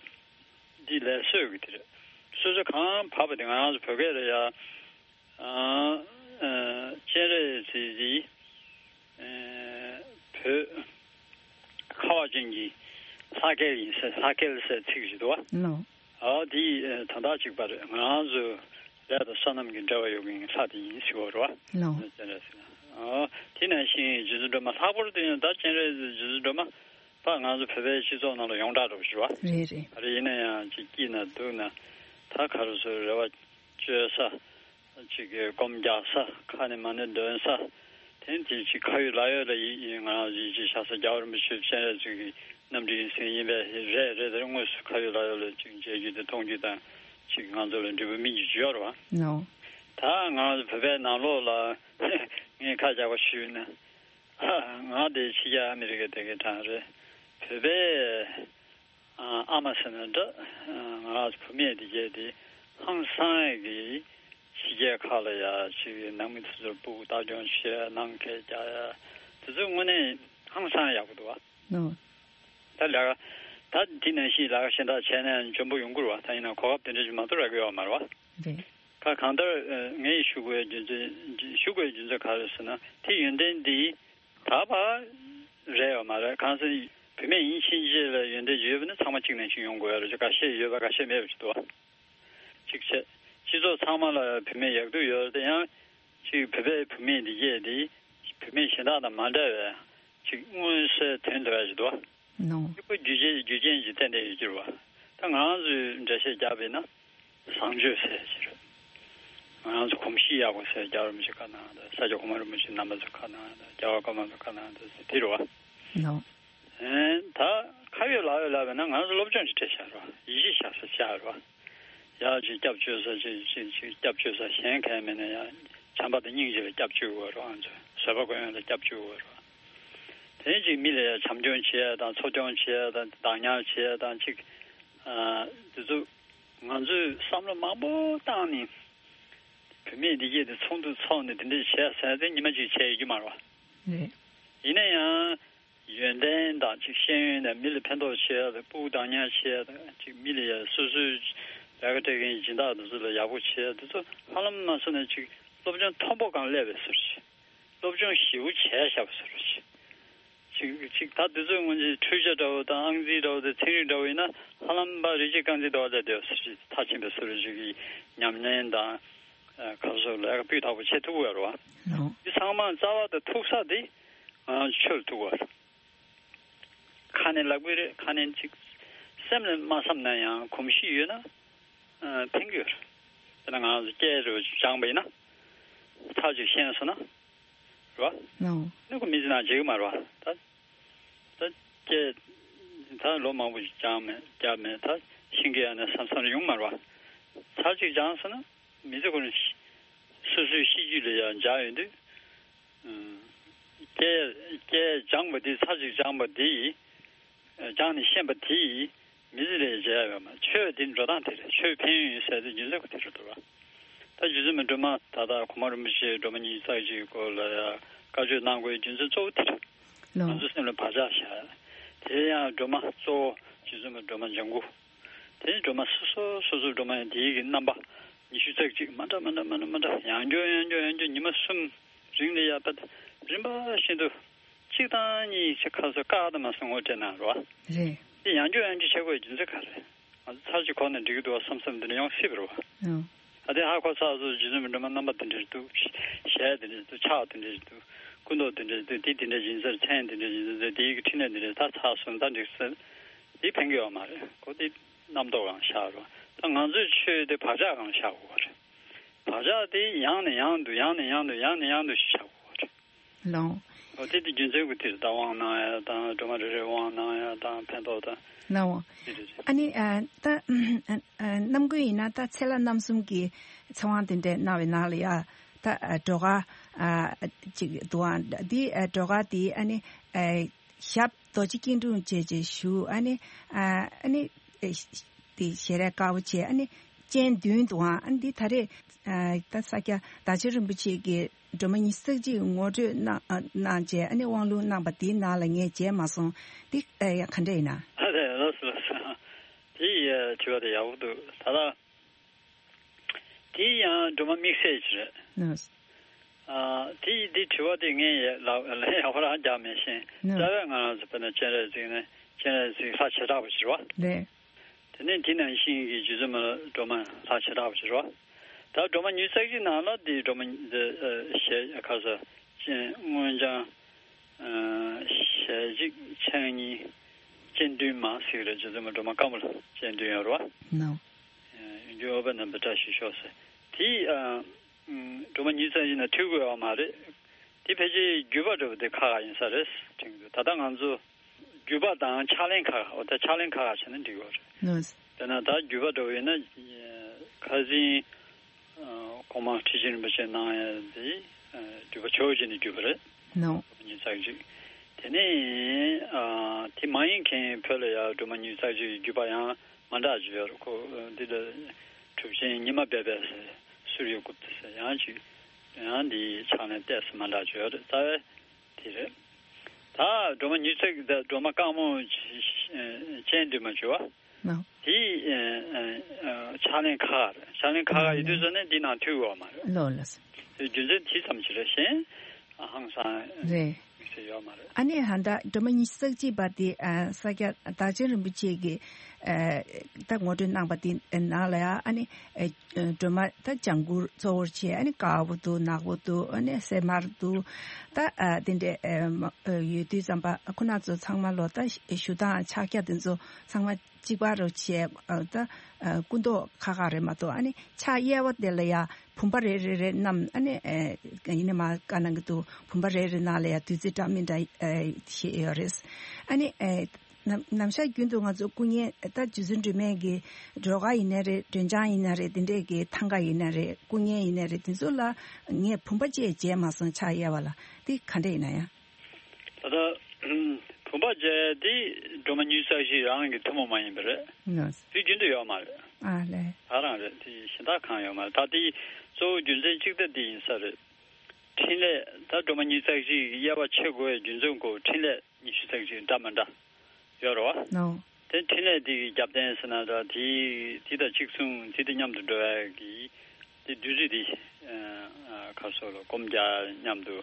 འདི་ལས་བསོད་ཀྱི་དེ་རེད། སོ་སོ་གང་བབ་པ་དེ། ང་རང་ཚོ་བོད་སྐད་ལ་ཡ། ཨ། ཨ། སྤྱན་རས་གཟིགས་འདི། ཨ། བོད་ཁ་བ་ཅན་གྱི་ལྷ་སྐལ་ཡིན་ཟེར། ལྷ་སྐལ་ཟེར་ཚིག་ཞིག་འདུག་བ། ལགས། ཨ། འདི་ད་ལྟ་གཅིག་པ་རེད། ང་རང་ཚོ་ལས་དང་བསོད་ནམས་ཀྱི་འབྲེལ་བ་ཡོད་མཁན་གྱི་ལྷ་དེ་ཡིན་ཟེར་བ་རེད་བ། ལགས། སྤྱན་རས་གཟིགས། ཨ། དེ་ནང་བཞིན་རྗེ་བཙུན་སྒྲོལ་མ། ལྷག་པར་དུ་ཡང་ད་སྤྱན་རས་གཟིགས་རྗེ་བཙུན་སྒྲོལ་མ་ད་ང་ཚོ་བོད་པའི་སྤྱི་ཚོགས་ནང་ལ་ཡོངས་གྲགས་འདྲ་བོ་ཞིག་རེད་བ། རེད་རེད། ག་རེ་ཡིན་ན་ཡང་ཅིག་སྐྱིད་ན་སྡུག་ན། ད་ག་རེ་ཟེར། རེ་བ་བཅོལ་ས། ཅིག་གི་སྒོམ་རྒྱག་ས། ཁ་ནས་མ་ཎི་འདོན་ས། དེ་དེ་ཅིག་ཁ་ཡོད་ལག་ཡོད་ལ་ཡིད། ཡིད། ང་རང་ཡིད་ཆེས་བྱ་ས་རྒྱལ་བ་རིན་པོ་ཆེ་སྤྱན་རས་གཟིགས་ཀྱི་རྣམ་སྤྲུལ་ཡིན་ཟེར་ཡིན་པས། རེད་རེད། དེར་དངོས་སུ་ཁ་ཡོད་ལག་ཡོད་ལ་ཅིག་མཇལ་རྒྱུ་དང་མཐོང་རྒྱུ་དང་། ཅིག་ང་ཚོ་ལ་འབྲས་བུ་སྨིན་རྒྱུ་ཅིག་ཡོད་རེད་བ། ལགས། ད་ང་རང་ཚོ་བོད་པའི་ནང་ལོགས་ལ་ངས་ཁ་རྒྱག་པ་ཞུས་ན། ང་དེ་ཕྱི་རྒྱལ་ཨ་མི་རི་ཀ་བསྡད་མཁན་གྲས་རེད། བོད་པའི་ཨ་མ་ཟེར་ན་འདྲ། ང་བུད་མེད་དེ་གྱད་དེ་ཧང་སང་གི་ཕྱི་རྒྱལ་ཁག་ལ་ཡ་ཅིག་ནང་མི་དེ་ཚོར་སྤུ་གུ་ལྟ་སྐྱོང་བྱེད་ཡ། ནང་སྐད་རྒྱག་ཡ། དེ་ཚོ་དངོས་གནས་ཧང་སང་ཡག་པོ་འདུག་བ། ནོ། ད་ལས་ཀ་ད་འདི་ནང་བཞིན་ལས་ཀ་གཞན་དག་བྱས་ན་འཇོན་པོ་ཡོང་གི་རེད་བ། ད་ཡིན་ན་གོ་སྐབས་དེ་འདྲ་ཞིག་མ་གཏོགས་རག་གི་ཡོད་མ་རེད་བ། རེད། ཁ་གང་ལྟར་ངས་ཞུ་དགོས་རྒྱུ་མཚན། ཞུ་དགོས་རྒྱུ་མཚན་ག་རེ་ཟེར་ན། དེ་ཡོན་ཏན་འདི་ད་བར་ རེད་ཡོད་མ་རེད། གང་ཟེར་བུད་མེད་ཡིན་ཕྱིན་ཆད་ལ་ཡོན་ཏན་ཡོད་པ་ནི་ཚང་མ་གཅིག་ནང་བཞིན་ཡོང་དགོས་ཡ་རེད། ཁ་ཤས་ཡོད་པ་ཁ་ཤས་མེད་པ་ཅིག་འདུག་བ། གཅིག་བྱས། སྤྱི་ཚོགས་ཚང་མ་ལ་བུད་མེད་ཡག་སྡུག་ཡོད་རེད་དེ་ཡང་། གཅིག་བོད་པའི་བུད་མེད་འདི་གས་དེ་བུད་མེད་གཞན་དག་དང་མ་འདྲ་བའི་གཅིག་མངོན་གསལ་དོན་དུ་བ་ཞིག་འདུག་བ། ནོ། གཅིག་པ་རྒྱུ་རྐྱེན་རྒྱུ་རྐྱེན་གྱིས་ཏན་ཏན་ཡོད་ཀྱི་རེད་བ། ད་ང་རང་ཚོས་འགྲེལ་བཤད་བརྒྱབ་པ་ཡིན་ན། བཟང་སྤྱོད་ཟེར་གྱི་རེད། ང་རང་ཚོ་གོམས་གཤིས་ཡག་པོ་ཟེར། རྒྱལ་བ་རིན་པོ་ཆེ་ཁ་ནང་དང་ས་སྐྱ་གོང་མ་རིན་པོ་ཆེ་རྣམ་པ་ཚོ་ཁ་ནང་དང་རྒྱལ་བ་ཀརྨ་ཚོ་ཁ་ནང་དང་དེ་རེད་བ། ནོ། ཨེ། ད་ཁ་ཡོད་ལག་ཡོད་ལབ་པ་ན་ང་ཚོ་སློབ་སྦྱོང་ཅིག་སྤྲད་བཞག་རོགས། ཡིད་ཆེས་བཞག་ས་བཞག་རོགས། ཡག་ཅིག་སྐྱབས་བཅོལ་ས་ཅིག་ཅིག་ཅིག་སྐྱབས་བཅོལ་ས་གཞན་གང་མེད་ན་ཡང་བྱམས་པ་དང་སྙིང་རྗེ་ལ་སྐྱབས་བཅོལ་དགོས་རོགས། ང་ཚོ་བཟོད་པ་སྒོམ་ཡོད་ལ་སྐྱབས་བཅོལ་དགོས་རོགས། དེ་ཅིག་མི་ལ་ཡང་བྱམས་སྐྱོང་བྱེད་ཡ་དང་འཚོ་སྐྱོང་བྱེད་ཡ་དང་བདག་ཉར་བྱེད་ཡ་དང་ཅིག་ཨ། དེ་ཚོ་ང་ཚོས་བསམ་བློ་མང་པོ་བཏང་ནས་བུད་མེད་འདི་གས་དེ་ཚོགས་འདུ་ཚོགས་ནས་དེ་འདྲས་བྱས་ཟེར་ཏེ་ཉི་མ་གཅིག་བྱས་ཡོད་རྒྱུ་མ་རེད་བ། རེད། ཡིན་ན་ཡང་། ཡོན་ཏན་དང་ཅིག་ཤེས་ཡོན་དང་མི་ལ་ཕན་ཐོགས་བྱེད་ཡ་དང་སྤུ་གུ་བདག་ཉར་བྱེད་ཡ་དང་ཅིག་མི་ལ་ཡ་སོ་སོའི་ལས་ཀ་སྤྲད་མཁན་སྦྱིན་བདག་དེ་ཚོ་ལ་ཡག་པོ་བྱེད་ཡ་དེ་ཚོ་ཧ་ལམ་མ་སོང་ན་ཅིག་སློབ་སྦྱོང་མཐོན་པོ་སྒང་སླེབས་པའི་བཟོ་འདྲ་ཅིག་སློབ་སྦྱོང་ཞེ་པོ་བྱས་བཞག་པའི་བཟོ་འདྲ་ཅིག་ཅིག་ཅིག་ད་དེ་ཚོའི་སྔོན་ཆད་འཕྲུལ་ཆས་འདྲ་བོ་དང་ཨང་རྩིས་འདྲ་བོ་དང་ཚན་རིག་འདྲ་བོ་ཡིན་ན་ཧ་ལམ་པ་རིག་བྱེད་རྐང་རྩེད་འདྲ་བོ་ལས་བསྡད་པའི་བཟོ་འདྲ་ཅིག་མཐར་ཕྱིན་པའི་བཟོ་འདྲ་ཅིག་གི་ཉམས་ལེན་དང་། ཨ། ག་རེ་ཟེར་ལས་ཀ་སྤུས་དག་པོ་བྱེད་ཐུབ་ཀྱི་ཡོད་རེད་བ། ལགས། འདི་ཚང་མ་རྩ་བ་དང་ཐུག་ས་དེ་ང་ཚོ་ཆོས་ལ་ཐུག་པ་རེད། ཁ་ནས་ལབ་ཀྱི་རེད། ཁ་ནས་ཅིག་སེམས་ལ་མ་བསམ་ན་ཡང་གོམས་གཤིས་ཡོད་ན་ཨ་ཕན་གྱི་ཡོད་རེད། དཔེར་ན་ང་ཚོ་སྐད་རེ་སྦྱངས་པ་ཡིན་ན་ཚར་གཅིག་ཤེས་སོང་ན་རེད་བ། ལགས། ཨ་ནི་ཁོ་མི་ཚེ་ནང་བརྗེད་ཀྱི་མ་རེད་བ། ད་ད་སྐད་ད་ལོ་མང་པོ་ཞིག་སྦྱངས་མེད་བརྒྱབ་མེད། ད་ཤེས་ཀྱི་ཡོད་ན་བསམ་བསམ་ཡོང་མ་རེད་བ། ཚར་གཅིག་སྦྱངས་སོང་ན་མི་ཚེ་ཁོ་ན་སོ་སོའི་གཤིས་རྒྱུད་ལ་ཡང་འཇགས་ཡོང་དུས། སྐད་སྐད་སྦྱངས་པ་དེ་ཚར་གཅིག་སྦྱངས་པ་དེ་ཡིས། སྦྱངས་ནས་ཤེས་པ་དེ་ཡིས་མི་ཚེ་ལ་མཇལ་ཡོད་མ། ཆོས་དེ་འགྲོ་སྟངས་དེ་རེད། ཆོས་ཕན་ཡོན་ཡོད་ཟེར་དེ་རྒྱུ་མཚན་ཁོ་དེ་རེད་འདུག་བ། ད་རྗེ་བཙུན་མའི་སྒྲོལ་མ་ད་ལྟ་གོང་མ་རིན་པོ་ཆེའི་སྒྲོལ་མ་ཉི་ཤུ་རྩ་གཅིག་གི་སྐོར་ལ་ཡང་བཀའ་ཆོས་གནང་དགོས་རྒྱུ་མཚན་གཙོ་བོ་དེ་རེད། ལགས། ང་ཚོ་སེམས་ལ་བག་ཆགས་བཞག་དེ་ཡང་སྒྲོལ་མ་གཙོ་བོ་རྗེ་བཙུན་མའི་སྒྲོལ་མ་ལྗང་གུ། དེ་སྒྲོལ་མ་སོ་སོ་སོ་སོའི་སྒྲོལ་མ་ཡང་དེའི་གི་རྣམ་པ་ཉི་ཤུ་རྩ་གཅིག་མ་འདྲ་མ་འདྲ་མ་འདྲ་མ་འདྲ་ཡང་བསྐྱར་ཡང་བསྐྱར་ཡང་བསྐྱར་ཉི་མ་གསུམ་རིང་ལ་ཡར་ཕར་རིམ་པ་བཞིན་དུ་གཅིག་དང་གཉིས་ཆ་ཁ་སོ་ཀ་དང་མ་སོང་ངོ་སྤྲད་གནང་རོགས། རེད། དེ་ཡང་བསྐྱར་ཡང་བསྐྱར་བྱེད་དགོས་རྒྱུ་མཚན་ག་རེ། ང་ཚོ་ཚར་གཅིག་གོ་ན་འགྲིག་གི་འདུག་བསམ་བསམ་འདི་འདྲ་ཡོང་སྲིད་པ་རེད་བ། ཨང་། ད་དེ་ཧ་གོ་ཚར་སོང་། རྗེ་བཙུན་མའི་སྒྲོལ་མ་རྣམ་པ་དེ་འདྲ་འདུག་ཞལ་དེ་འདྲ་འདུག་ཕྱག་དེ་འདྲ་འདུག་སྐུ་མདོག་དེ་འདྲ་འདུག་དེ་དེ་འདྲ་ཡིན་ཟེར། མཚན་དེ་འདྲ་ཡིན་ཟེར། དེའི་གི་ཕྲིན་ལས་འདི་འདྲ་ད་ཚར་སོང་། ད་འགྲིག་ཟེར། དེ་ཕན་གི་ཡོད་མ་རེད། ཁོ་དེ་རྣམ་རྟོག་སྒང་བཞག་རོགས། ད་ང་ཚོའི་ཆོས་དེ་བག་ཆགས་སྒང་བཞག་དགོས་པ་རེད། བག་ཆགས་དེ་ཡང་ནས་ཡང་དུ་ཡང་ནས་ཡང་དུ་ཡང་ནས་ཡང་དུ་ཞིག་བཞག་དགོས་པ་རེད། ལགས། འོ་དེ་དེ་རྒྱུ་མཚན་གྱིས་དེ་ད་དབང་གནང་ཡ་དང་སྒྲོལ་མ་རེ་རེ་དབང་གནང་ཡ་དང་ཕན་ཐོགས་དང་། ལགས། དེ་རེད། ཨ་ནི་ཨ་ད་ཨ་ཨ་རྣམ་ཀུན་ཡིན་ན་ད་ཚེ་ལྷ་རྣམ་གསུམ་གྱི་ཚེ་དབང་དེ་འདྲ་གནང་བའི་ནང་ལ་ཡ་ད་ཨ་སྒྲོལ་དཀར་ཨ་ཅིག་འདུག་ཨ། འདི་ཨ་སྒྲོལ་དཀར་དེ་ཨ་ནི་ཨ་ཞབས་རྡོ་རྗེ་སྐྱིལ་ཀྲུང་བཅས་བཅས་བཞུགས། ཨ་ནི་ཨ་ཨ་ནི་ཨ་དེ་ཞལ་རས་དཀར་པོ་བྱས། ཨ་ནི་སྤྱན་བདུན་འདུག་ཨ། ཨ་ནི་འདི་ད་རེས་ཨ་ད་ས་སྐྱ་བདག་ཆེན་རིན་པོ་ཆེ་གིས་སྒྲོལ་མ་ཉི་ཤུ་རྩ་གཅིག་ངོ་སྤྲོད་གནང་ཨ་གནང་བྱས། ཨ་ནི་དབང་ལུང་གནང་པ་དེའི་ནང་ལ་ངས་མཇལ་མ་སོང་། འདི་ཨ་ག་འདྲ་ཡིན་ན། ཨ་རེད། ལགས་སོ་ལགས་སོ། དེ་ཡི་དྲི་བ་དེ་ཡག་པོ་འདུག་ད་ལྟ། དེ་ཡང་སྒྲོལ་མ་དམིགས་བསལ་ཅིག་རེད། ནོ། ཨ་དེ་ཡི་དེ་དྲི་བ་དེ་ངས་ཡ་ལ་ལན་ཡག་པོ་རང་རྒྱག་མེད་ཤིང་། ནོ། རྩ་བའི་ང་རང་ཚོ་དཔེར་ན་སྤྱན་རས་གཟིགས་ནི་སྤྱན་རས་གཟིགས་ལྷ་བྱེ་བྲག་པ་ཅིག་རེད་བ། རེད། དེ་ནས་དེ་ནང་བཞིན་གྱི་རྗེ་བཙུན་མ་སྒྲོལ་མ་ལྷ་བྱེ་བྲག་པ་ཅིག་རེད་བ། ད་སྒྲོལ་མ་ཉི་ཤུ་རྩ་གཅིག་ནང་ལ་དེ་སྒྲོལ་མ་འདི་ཨ་ཞལ་ཁ་ས་སྤྱན་སྔོ་ལྗང་། ཨ་ཞལ་གཅིག་ཕྱག་གཉིས་སྤྱན་བདུན་མ་ཟེར་གྱི་རེད། རྗེ་བཙུན་མ་སྒྲོལ་མ་དཀར་མོ་ལ་སྤྱན་བདུན་ཡོད་རེད་བ། ནོ། ཡོན་གྱི་ཨུཏྤལ་རྣམ་པའི་བཀྲ་ཤིས་ཤོག་ཟེར། དེ་ཨ་སྒྲོལ་མ་ཉི་ཤུ་རྩ་གཅིག་ན་ཐུག་དགོས་པ་མ་རེད། དེ་ཕལ་ཆེར་བརྒྱུད་པ་འདྲ་བོ་དེ་ཁག་ཁག་ཡིན་ས་རེད་དྲན་གྱི་འདུག་ད་ལྟ་ང་ཚོ་བརྒྱུད་པ་དང་ཕྱག་ལེན་ཁག་ཁག་འོ་ད་ཕྱག་ལེན་ཁག་ཁག་བྱས་ན་འགྲིག་གི་རེད། ལགས། དེ་ན་ད་བརྒྱུད་པ་འདྲ་བོ་ཡིན་ན་ཁ་སང་ཨ་གོང་མ་ཁྲི་ཆེན་རིན་པོ་ཆེ་གནང་ཡ་དེ་ཨ་བརྒྱུད་པ་ཇོ་བོ་རྗེ་ནས་བརྒྱུད་པ་རེད། ནོ། ཉི་ཤུ་རྩ་གཅིག་དེ་ནས་ཨ་དེ་མ་ཡིན་མཁན་བོད་ལ་ཡ་སྒྲོལ་མ་ཉི་ཤུ་རྩ་གཅིག་བརྒྱུད་པ་ཡང་མ་འདྲ་ཅིག་ཡོད་རེད། ཁོ་འདི་ལ་གྲུབ་ཆེན་ཉི་མ་སྦས་པའི་ཟེར་སུརྱ་གུཔྟ་ཟེར་ཡང་ཅིག་ཡང་འདི་ཕྱག་ལེན་ཏོག་ཙམ་མ་འདྲ་ཅིག་ཡོད་རེད། རྩ་བའི་དེ་རེད། ད་སྒྲོལ་མ་ཉི་ཤུ་རྩ་གཅིག་ད་སྒྲོལ་མ་དཀར་མོ་སྤྱན་བདུན་མ་བརྗོད་པ། ནོ། དེ་ཕྱག་ལེན་ཁག་རེད། ཕྱག་ལེན་ཁག་ཡོད་དུས་ཙམ་ནས་འདི་ནང་ཐུག་ཡོད་མ་རེད། ལོ་ལོ། རྒྱུ་མཚན་དེ་ཙམ་ཞིག་རེད། གཞན་ཧང་སང་རེད། ཞེས་ཡོད་མ་རེད། ཨ་ནི་ཧ་ད་སྒྲོལ་མ་ཉི་ཤུ་རྩ་གཅིག་པ་དེ་ཨ་ས་སྐྱ་བདག་ཆེན་རིན་པོ་ཆེ་གིས་ཨ་ད་ངོ་སྤྲོད་གནང་པ་དེ་ནང་ལ་ཡང་ཨ་ནི་ཨ་སྒྲོལ་མ་ད་ལྗང་གུ་གཙོ་བོར་བྱས། ཨ་ནི་དཀར་པོ་འདུག་ནག་པོ་འདུག་ཨ་ནི་སེར་དམར་འདུག་ད་ཨ་དེ་འདྲས་ཨ་མ་ཨ་ཡོད་དུས་ཙམ་པ་ཁོ་ན་ཚོ་ཚང་མ་ལོ་ད་ཞུ་སྟངས་ཕྱག་རྒྱ་དེ་ཚོ་ཚང་མ་གཅིག་པ་རུ་བྱས། ཨ་ད་ཨ་སྐུ་མདོག་ཁ་ཁ་རེད་མ་གཏོགས། ཨ་ནི་ཕྱག་གཡས་པ་དེ་ལ་ཡ་བུམ་པ་རེ་རེ་རེ་བསྣམས། ཨ་ནི་ཨ་ཡིན་ནའི་མར་བཀའ་གནང་གི་འདུག་བུམ་པ་རེ་རེ་ནང་ལ་ཡ་བདུད་རྩི་འདྲ་མི་འདྲ་ཨ་བཞེས་ཡོད་རེད། ཨ་ནི་ཨ་ནམ་ནམ་ཞག་རྒྱུན་དུ་ང་ཚོ་སྐུ་བརྙན་ད་རྗེ་བཙུན་སྒྲོལ་མའི་གི་སྒྲོལ་དཀར་ཡིན་ན་རེད། སྒྲོལ་ལྗང་ཡིན་ན་རེད། དེ་འདྲས་གི་ཐང་ག་ཡིན་ན་རེད། སྐུ་བརྙན་ཡིན་ན་རེད། དེ་ཚོ་ལ་ངས་བུམ་པ་བཅས་མཇལ་མ་སོང་ཕྱག་གཡས་པ་ལ། དེ་ག་འདྲས་ཡིན་ན་ཡང་། ད་ལྟ་བུམ་པ་བཅས་དེ་སྒྲོལ་མ་ཉི་ཤུ་རྩ་བཞི་རང་གི་ཐུན་མོང་མ་ཡིན་པ་རེད། ནོ། དུས་རྒྱུན་དུ་ཡོད་མ་རེད། ཨ་ལས། ད་རང་རེད། དེ་གཞན་དག་གང་ཡོད་མ་རེད། ད་དེ་གཙོ་བོ་རྒྱུ་མཚན་གཅིག་ད་དེ་ཡིན་ས་རེད། འཕྲིན་ལས་ད་སྒྲོལ་མ་ཉི་ཤུ་རྩ་བཞི་གི་དབྱེ་བ་ཕྱེ་དགོས་པའི་རྒྱུ་མཚན་གོ། འཕྲིན་ལས་ཉི་ཤུ་རྩ་བཞི་འདྲ་མི་འདྲ་ཡོད་རེད་བ། ནོ། དེ་འཕྲིན་ལས་དེ་གི་རྒྱབ་རྟེན་ཟེར་ན་ད་དེ་དེ་དང་གཅིག་མཚུངས། དེ་དང་མཉམ་དུ་འགྲོ་བའི་གི་དེ་བདུད་རྩི་དེ་ཨ་ཨ་ཁ་སོ་ལ་སྒོམ་རྒྱག་མཉམ་དུ་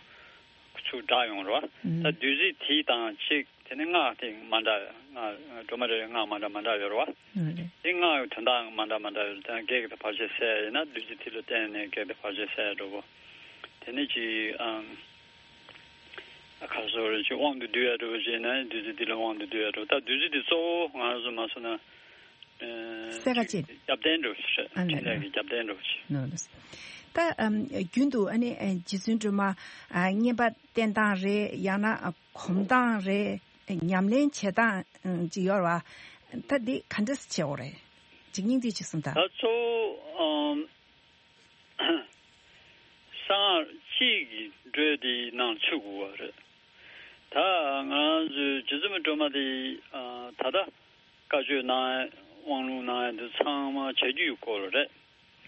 ཚུར་བསྒྲགས་ཡོང་རེད་བ། ད་ཨུམ། བདུད་རྩི་དེ་དང་གཅིག་དེ་ནི་སྔགས་དེ་མ་འདྲ། སྔགས་སྒྲོལ་མ་རེ་རེ་སྔགས་མ་འདྲ་མ་འདྲ་ཡོད་རེད་བ། ཨ་རེད། དེ་སྔགས་དོན་དག་མ་འདྲ་མ་འདྲ་ཡོད་རེད། དེ་ནི་བགེགས་དང་བར་ཆད་སེལ་ཡིན་ན་བདུད་རྩི་དེ་ལ་བརྟེན་ནས་བགེགས་དང་བར་ཆད་སེལ་འགྲོ་གོ། དེ་ནི་ཅི་ཨམ་ཁ་སོ་རེ་ཅི་དབང་དུ་བསྡུ་ཡ་འགྲོ་བ་བྱས་ན་བདུད་རྩི་འདི་ལ་དབང་དུ་བསྡུ་ཡ་འགྲོ། ད་བདུད་རྩི་འདི་གཙོ་བོ་ང་རང་ཚོ་མ་སོང་ན་ཨ་སེ་ག་ཅིག་རྒྱབ་རྟེན་འགྲོ་ཞེས། ཨ་ནི་འཕྲིན་ལས་ཀྱི་རྒྱབ་རྟེན་འགྲོ་ཞེས། ནོ་ནོ། ད་ཨམ་རྒྱུན་དུ་ཨ་ནི་ཨ་རྗེ་བཙུན་སྒྲོལ་མ་ཨ་བསྙེན་པ་བསྟེན་སྟངས་རེད། ཡང་ན་ཨ་སྒོམ་སྟངས་རེད། ཉམས་ལེན་བྱེད་སྟངས་ཨ་ཅིག་ཡོད་རེད་བ། ད་འདི་ག་འདྲས་བྱེད་དགོས་རེད། ཅིག་སྙིང་བསྡུས་ཅིག་གསུངས་དང་། ད་གཙོ་བོ་ཨམ། གསང་སྔགས་སྤྱི་གི་འགྲོས་དེའི་ནང་ཚུད་དགོས་པ་རེད། ད་ང་རང་ཚོའི་རྗེ་བཙུན་མའི་སྒྲོལ་མ་དེ་ཨ་ད་ལྟ་བཀའ་ཆོས་གནང་ཡ་དབང་ལུང་གནང་ཡ་འདི་ཚང་མ་བྱ་རྒྱུད་སྐོར་རེད།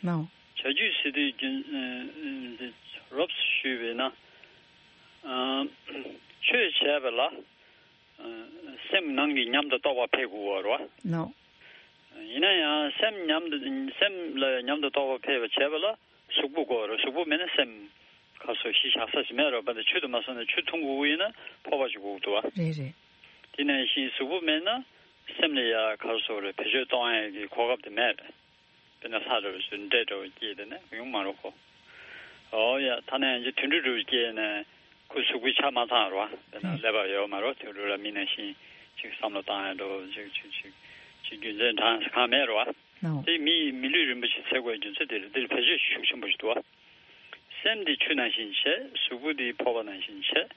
ལའོ། བྱ་རྒྱུད་ཟེར་དུས་རྒྱུན་ཨ་ཨ་འདི་རོབ་ཙམ་ཞུས་པས་ན་ཨ་ཆོས་བྱས་པ་ལ་ཨ་སེམས་ནང་གི་ཉམས་དང་རྟོགས་པ་འཕེལ་དགོས་པ་རེད་བ། ལའོ། ཡིན་ན་ཡང་སེམས་ཉམས་དུ་སེམས་ལ་ཉམས་དང་རྟོགས་པ་འཕེལ་བ་བྱས་པ་ལ་གཟུགས་པོ་དགོས་རེད། གཟུགས་པོ་མེད་ན་སེམས་ཁ་སོ་གཞི་བཞག་ས་ཞིག་མེད་རེད་བ། དེ་ཆོས་དུ་མ་སོང་ན་ཆོས་འཐུང་དགོས་ཀྱི་ཡིན་ན་འཕོ་བ་ཞིག་དགོས་འདུག་བ། རེད་རེད། དེ་ནང་བཞིན་གཟུགས་པོ་མེད་ན་སེམས་ལ་ཡ་ཁ་སོ་རེད། བེད་སྤྱོད་གཏོང་ཡ་གི་གོ་སྐབས་དེ་མེད་རེད། དཔེར་ན་ལྷ་འདྲ་བོ་ཞིག་འདྲེ་འདྲ་བོ་སྐྱེས་དེ་ནས་ཡོང་མ་རེད་ཁོ། ཨོ་ཡ། ཐ་ན་ཡང་ཅིག་དུད་འགྲོ་འདྲ་བོ་སྐྱེས་ནས་ཁོ་གཟུགས་པོའི་ཆ་མ་ཚང་རེད་བ། དཔེར་ན་ཀླད་པ་ཡོད་མ་རེད་བ། དུད་འགྲོ་ལ་མི་ནང་བཞིན་ཅིག་བསམ་བློ་བཏང་ཡ་འདྲ་བོ་ཅིག་ཅིག་ཅིག་ཅིག་རྒྱུ་མཚན་དྲང་གང་མེད་རེད་བ། ལའོ། དེ་མི་མི་ལུས་རིན་པོ་ཆེ་ཟེར་དགོས་རྒྱུ་མཚན་དེ་རེད། འདིར་བེད་སྤྱོད་ཤུགས་ཆེན་པོ་ཞིག་འདུག་བ། སེམས་འདི་ཆུ་ནང་བཞིན་བྱས། གཟུགས་པོ་འདི་ཕོར་པ་ནང་བཞིན་བྱས།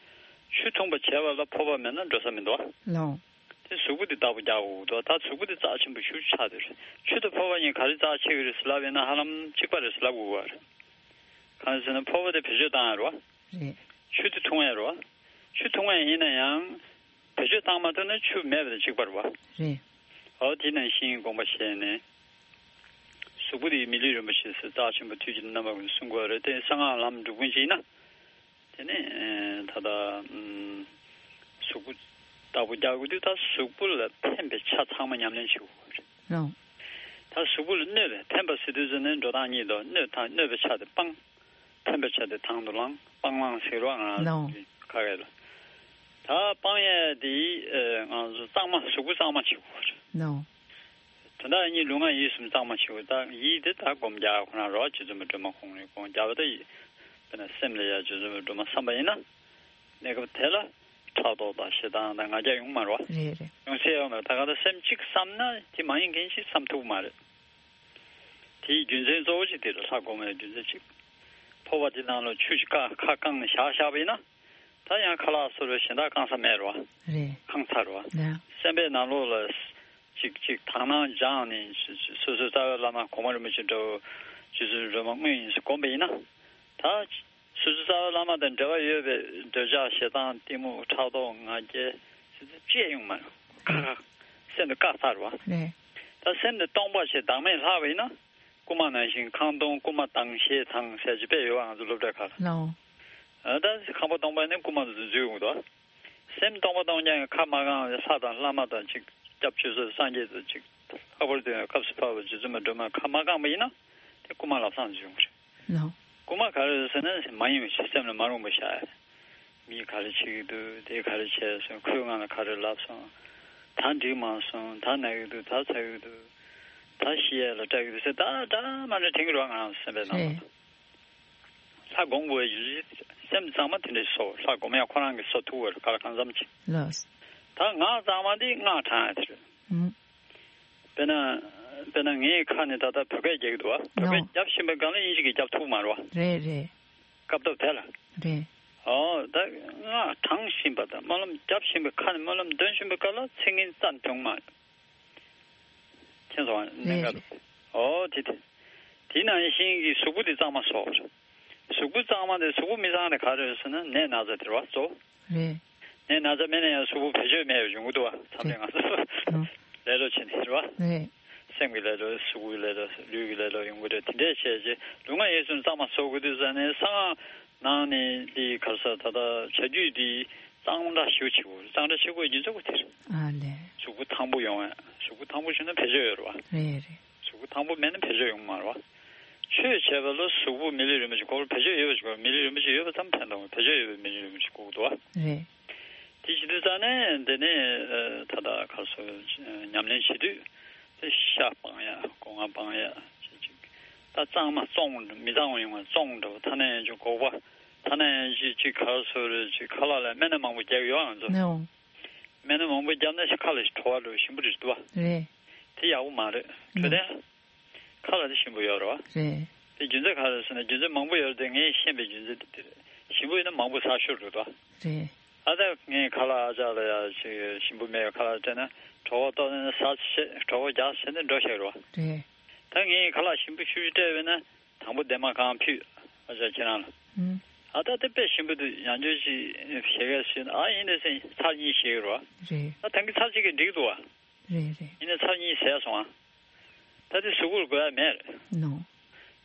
ཆུ་འཐུང་བ་བྱས་པ་ལ་ཕོར་པ་མེད་ན་འགྲོ་ས་མི་འདུག་བ། ལའོ། དེ་གཟུགས་པོ་འདི་བདག་པོ་རྒྱག་དགོས་འདུག་ད་གཟུགས་པོ་འདི་རྩ་ཆེན་པོ་ཞེ་པོ་ཆགས་བསྡད་རེད། ཆུ་དང་ཕོར་པ་གཉིས་ག་རེ་རྩ་ཆེ་གི་རེད་ཟེར་ལབ་ཡིན་ན་ཧ་ལམ་གཅིག་པ་རེད་ཟེར་ལབ་དགོས་པ་རེད། གང་ཟེར་ན་ཕོར་པ་དེ་བེད་སྤྱོད་བཏང་ཡ་རེད་བ། རེད། ཆུ་དེ་འཐུང་ཡ་རེད་བ། ཆུ་འཐུང་ཡ་ཡིན་ན་ཡང་བེད་སྤྱོད་བཏང་མ་ཐུབ་ན་ཆུ་མེད་པ་དང་གཅིག་པ་རེད་བ། རེད། འོ་དེ་ནང་བཞིན་དགོངས་པ་བཞེས་ནས་གཟུགས་པོ་དེ་མི་ལུས་རིན་པོ་ཆེ་ཟེར་རྩ་ཆེན་པོ་དུས་ཀྱི་རྣམ་པ་ཀུན་གསུང་དགོས་རེད། དེ་གསང་སྔགས་ལམ་འགྲོ་ཀུན་གྱིས་ན། དེ་ནས་ད་ལྟ་ཨུམ་གཟུགས་པོ་བདག་པོ་རྒྱག་དགོས་དུས་ད་གཟུགས་པོ་ལ་ཕན་པའི་ཆ་ཚང་མ་ཉམས་ལེན་བྱེད་དགོས་རེད། ལའོ། ད་གཟུགས་པོ་ལ་གནོད་པའི་ཕན་པ་ཟེར་དུས་ཙམ་ནས་འགྲོ་སྟངས་གཉིས་འདུག་གནོད་དང་གནོད་པའི་ཆ་དེ་སྤང་། ཕན་པའི་ཆ་དེ་དང་དུ་བླང་། སྤང་བླང་ཟེར་བ་ང་ལའོ། ཁ་སྐད་ལ། ད་སྤང་ཡས་དེ་ཨེ་ང་ཚོ་གཙང་མ་གཟུགས་པོ་གཙང་མ་བྱེད་དགོས་རེད། ལའོ། དོན་དག་གཉིས་ལུས་ངག་ཡིད་གསུམ་གཙང་མ་བྱེད་དགོས། ད་ཡིད་དེ་ད་སྒོམ་རྒྱག་ཁོ་ན་རེད་བ། རྗེ་བཙུན་མའི་སྒྲོལ་མ་ཁོང་རེད། སྒོམ་རྒྱག་པ་ད་ཡིད། དཔེར་ན་སེམས་ལ་ཡ་རྗེ་བཙུན་མའི་སྒྲོལ་མ་བསམ་པ་ཡིན་ན། གནས་སྐབས་དེ་ལ་ཕྲག་དོག་དང་ཞེ་སྡང་དང་ང་རྒྱལ་ཡོང་མ་རེད་བ། རེད་རེད། ཡོང་སྲིད་ཡོད་མ་རེད། ད་ག་ད་སེམས་གཅིག་བསམ་ན་དེ་མ་ཡིན་མཁན་ཞིག་བསམ་ཐུབ་མ་རེད། དེའི་རྒྱུ་མཚན་གཙོ་བོ་གཅིག་དེ་རེད། ལྷ་སྒོམ་པའི་རྒྱུ་མཚན་གཅིག་ཕོར་པ་དེ་ནང་ལ་ཆུ་ཞིག་བཀག་ཁ་བཀང་ནས་བཞག་བཞག་པ་ཡིན་ན། ད་ཡང་ཁ་ལག་སོར་བའི་གཞན་དག་བཀང་ས་མེད་རེད་བ། རེད། བཀང་ཚར་རེད་བ། ལགས། སེམས་པའི་ནང་ལོགས་ལ་ཅིག་ཅིག་དག་སྣང་སྦྱངས་ནས་སོ་སོའི་རྩ་བའི་བླ་མ་གོང་མ་རིན་པོ་ཆེ་འདྲ་བོ་རྗེ་བཙུན་སྒྲོལ་མ་དངོས་ཡིན་ཟེར་སྒོམ་པ་ཡིན་ན། ད་སོ་སོའི་རྩ་བའི་བླ་མ་དང་འབྲེལ་བ་ཡོད་པའི་འདོད་ཆགས་ཞེ་སྡང་གཏི་མུག་ཕྲག་དོག་ང་རྒྱལ་ཟེར་ཚུལ་ཅི་ཡང་ཡོང་མ་རེད། ཁ་ཁ་སེམས་དེ་བཀག་ཚར་བ། རེད། ད་སེམས་དེ་སྟོང་པ་ཞིག་བདག་མེད་ལྷག་པ་ཡིན་ན། རྐུན་མ་ནང་བཞིན་ཁང་སྟོང་རྐུན་མ་དང་ཞེས་དང་ཟེར་གྱི་དཔེ་ཡོད་བ། ང་ཚོ་སློབ་གྲྭའི་ཁ་ལ། ལའོ། ཨ་ད་ཁང་པ་སྟོང་པ་ནི་རྐུན་མ་ཚོ་འཛུལ་ཡོང་གི་འདུག་སེམས་སྟོང་པ་སྟོང་རྐྱང་གི་ཁ་མ་བཀང་བའི་ལྷ་དང་བླ་མ་དང་ཅིག་སྐྱབས་ཆོས་སྲུང་སངས་རྒྱས་དང་ཅིག་ལྷག་པར་དུ་སྐབས་སུ་བབས་པ་རྗེ་བཙུན་མའི་སྒྲོལ་མ་ཁ་མ་བཀང་བ་ཡིན་ན་དེ་རྐུན་མ་ལམ་སང་འཛུལ་ཡོང་གི་རེད། ལའོ། རྐུན་མ་ག་རེ་རེད་ཟེར་ན་མ་ཡིན་པའི་ཕྱིར་སེམས་ལ་མ་རུངས་པ་བཞག་ཡ། མིས་ག་རེ་བྱེད་ཀྱི་འདུག་དེས་ག་རེ་བྱས་སོང་། ཁོས་ང་ལ་ག་རེ་ལབ་སོང་། ད་འགྲིག་མ་སོང་། ད་ན་གི་འདུག་ད་ཚ་གི་འདུག་ད་ཤི་ཡས་ལ་སྐྲག་གི་འདུག་ཟེར་ད་འདྲ་མ་འདྲ་དྲན་གྱི་རེད་བ། ང་རང་སེམས་པའི་ནང་ལ། ལྷ་སྒོམ་དགོས་ཡ་ཡོད་ཅི། སེམས་གཙང་མ་དེ་འདྲས་སོ། ལྷ་སྒོམ་ཡ་ཁོ་རང་གི་སོ་ཐུག་བར་ག་ལ་གང་འཚམ་ཅིག་ལགས། ད་ངག་གཙང་མ་འདི་སྔགས་བགྲང་ཡ་དེ་རེད། ཨུམ། དཔེར་ན། དཔེར་ན་ངའི་ཁ་ནས་ད་ལྟ་བོད་སྐད་རྒྱག་གི་འདུག་བ། བོད་སྐད་ནོ། རྒྱབ་བཞིན་པའི་སྒང་ལ་དབྱིན་ཇི་གིས་རྒྱབ་ཐུབ་མ་རེད་བ། རེད་རེད། སྐབས་ཐོབ་དེ་ལ། རེད། ཨོ་ད་སྔགས་བགྲང་བཞིན་པ་དང་སྨོན་ལམ་རྒྱབ་བཞིན་པའི་ཁ་ནས་སྨོན་ལམ་འདོན་བཞིན་པའི་སྐབས་ལ་ཚིག་ངན་རྩ་ནས་འབྱུང་མ་རེད། མཁྱེན་སོང་ང་། གནད་འགག་རེད། ཨོ་དེ་དེ། དེ་ནང་བཞིན་གྱི་གཟུགས་པོ་དེ་གཙང་མ་བཟོ་དགོས་རེད། གཟུགས་པོ་གཙང་མ་དེ་གཟུགས་པོ་མི་གཙང་དེ་ག་རེ་རེད་ཟེར་ན་ནད་ན་ཚ་དེ་རེད་བ་གཙོ་བོ། རེད། ནད་ན་ཚ་མེད་ན་ཡང་གཟུགས་པོ་བེད་སྤྱོད་མེད་པ་ཡོང་གི་འདུག་བ། མཚམས་རེ་ང་ཚོ་ཨོ། ལས་སླ་པོ་བྱས་ནས་རེད་བ། རེད། སེམས་ཀྱི་ལས་སླ་པོ། གཟུགས་ཀྱི་ལས་སླ་པོ། ལུས་ཀྱི་ལས་སླ་པོ་ཡོང་གི་རེད། དེ་འདྲས་བྱས་རྗེས་ལུས་ངག་ཡིད་གསུམ་གཙང་མ་བཟོ་དགོས་དུས་ཙ་ནས་གསང་སྔགས་ནང་ནས་འདི་ག་རེ་ཟེར། ད་ལྟ་བྱ་རྒྱུད་འདི་གཙང་སྦྲ་ཞེ་པོ་བྱེད་དགོས། གཙང་སྦྲ་བྱེད་དགོས་རྒྱུ་མཚན་ཁོ་དེ་རེད། ཨ་ལས། གཟུགས་པོ་ཐང་པོ་ཡོང་བ། གཟུགས་པོ་ཐང་པོ་བྱུང་ན་བེད་སྤྱོད་ཡོད་རེད་བ། རེད་རེད། གཟུགས་པོ་ཐང་པོ་མེད་ན་བེད་སྤྱོད་ཡོང་མ་རེད་བ། ཆོས་བྱེད་པ་ལ་གཟུགས་པོ་མི་ལུས་རིན་པོ་ཆེ་དགོས། བེད་སྤྱོད་ཡོད་པ་ཞིག་དགོས། མི་ལུས་རིན་པོ་ཆེ་ཡོད་པ་ཙམ་ཕན་ཐོགས། བེད་སྤྱོད་ཡོད་པའི་མི་ལུས་རིན་པོ་ཆེ་དགོས་འདུག་བ། རེད། དེ་བྱེད་དུས་ཙ་ནས་འདི་ནི་ཨ་ད་ལྟ་ག་རེ་ཟེར། ཉམས་ལེན་བྱེད་དུས་དེ་ཤ་སྤང་ཡ། སྒོ་ང་སྤང་ཡ། ཅིག་ཅིག་ད་གཙང་མ་བཙོང་། མི་གཙང་བ་ཡོང་བ་བཙོང་འགྲོ། ཐ་ན་ཡང་ཅིག་སྒོག་པ། ཐ་ན་ཡང་ཅིག་ཅིག་ག་རེ་ཟེར་རེད། ཅིག་ཁ་ལག་ལ་སྨན་སྣ་མང་པོ་རྒྱག་ཡོད། ང་ཚོ་ནོ། སྨན་སྣ་མང་པོ་བརྒྱབ་ན་ཞིག་ཁ་ལ་ཞིག་བྲོ་བ་འགྲོ། ཞིམ་པོ་རེད་འདུག་བ། རེད། དེ་ཡག་པོ་མ་རེད། འཕྲོད་བསྟེན་ལ་ཁ་ལ་དེ་ཞིམ་པོ་ཡོད་རེད་བ། རེད། དེ་རྒྱུ་མཚན་ག་རེ་ཟེར་ན་རྒྱུ་མཚན་མང་པོ་ཡོད་རེད་དེ། ངས་ཤེས་པའི་རྒྱུ་མཚན་དེ་དེ་རེད། ཞིམ་པོ་ཡིན་ན་མང་པོ་ཟ་ཤོར་འགྲོ་འདུག་བ། རེད། ཨ་ད་ངས་ཁ་ལག་ཨ་ཅག་ལ་ཡ་ཅིག་ཞིམ་པོ་མེད་པའི་ཁ་ལག་སྤྲད་ན་བྲོ་བ་ཏོག་ཙམ་ཟ་བྱས། བྲོ་བ་རྒྱག་བྱས་ནས་འགྲོ་ཤེས་རེད་བ། རེད། ད་ངས་ཁ་ལག་ཞིམ་པོ་ཤུ་ཤུ་སྤྲད་པས་ན། དང་པོ་འདན་མ་གང་ཕུད། ཨ་ཅག་ཁྱེད་རང་ལ། ཨུམ། ཨ་ད་དེ་དཔེ་ཞིམ་པོ་འདུག་ཡང་བསྐྱར་ཅིག་བཞེས་གས་ཞུས་ན། ཨ་ཡིན་དེ་ཟེར་ཚར་གཉིས་བཞེས་ཀྱི་རེད་བ། རེད། ད་ད་གིན་ཚར་གཅིག་གིས་འགྲིག་འདུག་བ། རེད་རེད། ཡིན་ནའི་ཚར་གཉིས་ཟས་སོང་ཨ། ད་དེ་གཟུགས་པོར་དགོས་ཡ་མེད་རེད། ནོ།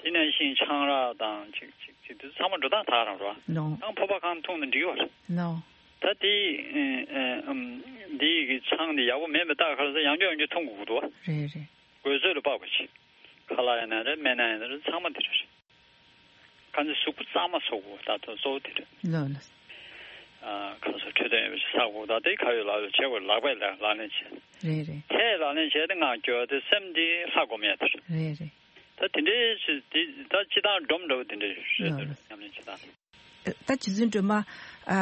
དེ་ནང་བཞིན་ཆང་རག་དང་ཅིག་ཅིག་ཅིག་དེ་ཚང་མ་འགྲོ་སྟངས་ད་ག་རང་རེད་བ། ནོ། ཡང་ཕོར་པ་གང་འཐུང་ན་འགྲིག་གི་རེད། ནོ། ད་དེ་ཨ་ཨ་ཨམ་འདི་གི་ཆང་འདི་ཡག་པོ་མེད་པའི་རྟགས་ག་རེ་ཟེར། ཡང་བསྐྱར་ཡང་བསྐྱར་འཐུང་དགོས་ཀྱི་འདུག་བ། རེད་རེད། དགོས་ཚོད་ལ་དཔག་པ་ཅིག་ཁ་ལག་ཡིན་ན་རེད། སྨན་སྣ་ཡིན་ན་རེད། ཚང་མ་དེ་འདྲ་རེད། གང་ཚེ་གཟུགས་པོ་གཙང་མ་བཟོ་དགོས། ད་ལྟ་གཙོ་བོ་དེ་རེད། ལགས་ལགས། ཨ་གང་ཚེ་འཕྲོད་བསྟེན་ཡོད་པ་ཞིག་ཟ་དགོས། ད་དེ་ག་ཡོད་ལག་ཡོད་བྱེད་དགོས། ལག་པས་ལག་ལག་ལེན་བྱེད། རེད་རེད། ལྷས་ལག་ལེན་བྱས་ཏེ་ངག་སྐྱོར་བ་དེ། སེམས་དེ་ལྷ་སྒོམ་ཡ་དེ་རེད། རེད་རེད། ད་དེ་འདྲའི་ཅི་དེ་ད་སྤྱི་བཏང་སྒྲོམ་འདྲ་བོ་དེ་འདྲ་རེད། ལགས་ལགས། ཉམས་ལེན་བྱེད་སྟངས། ད་རྗེ་བཙུན་སྒྲོལ་མ་ཨ་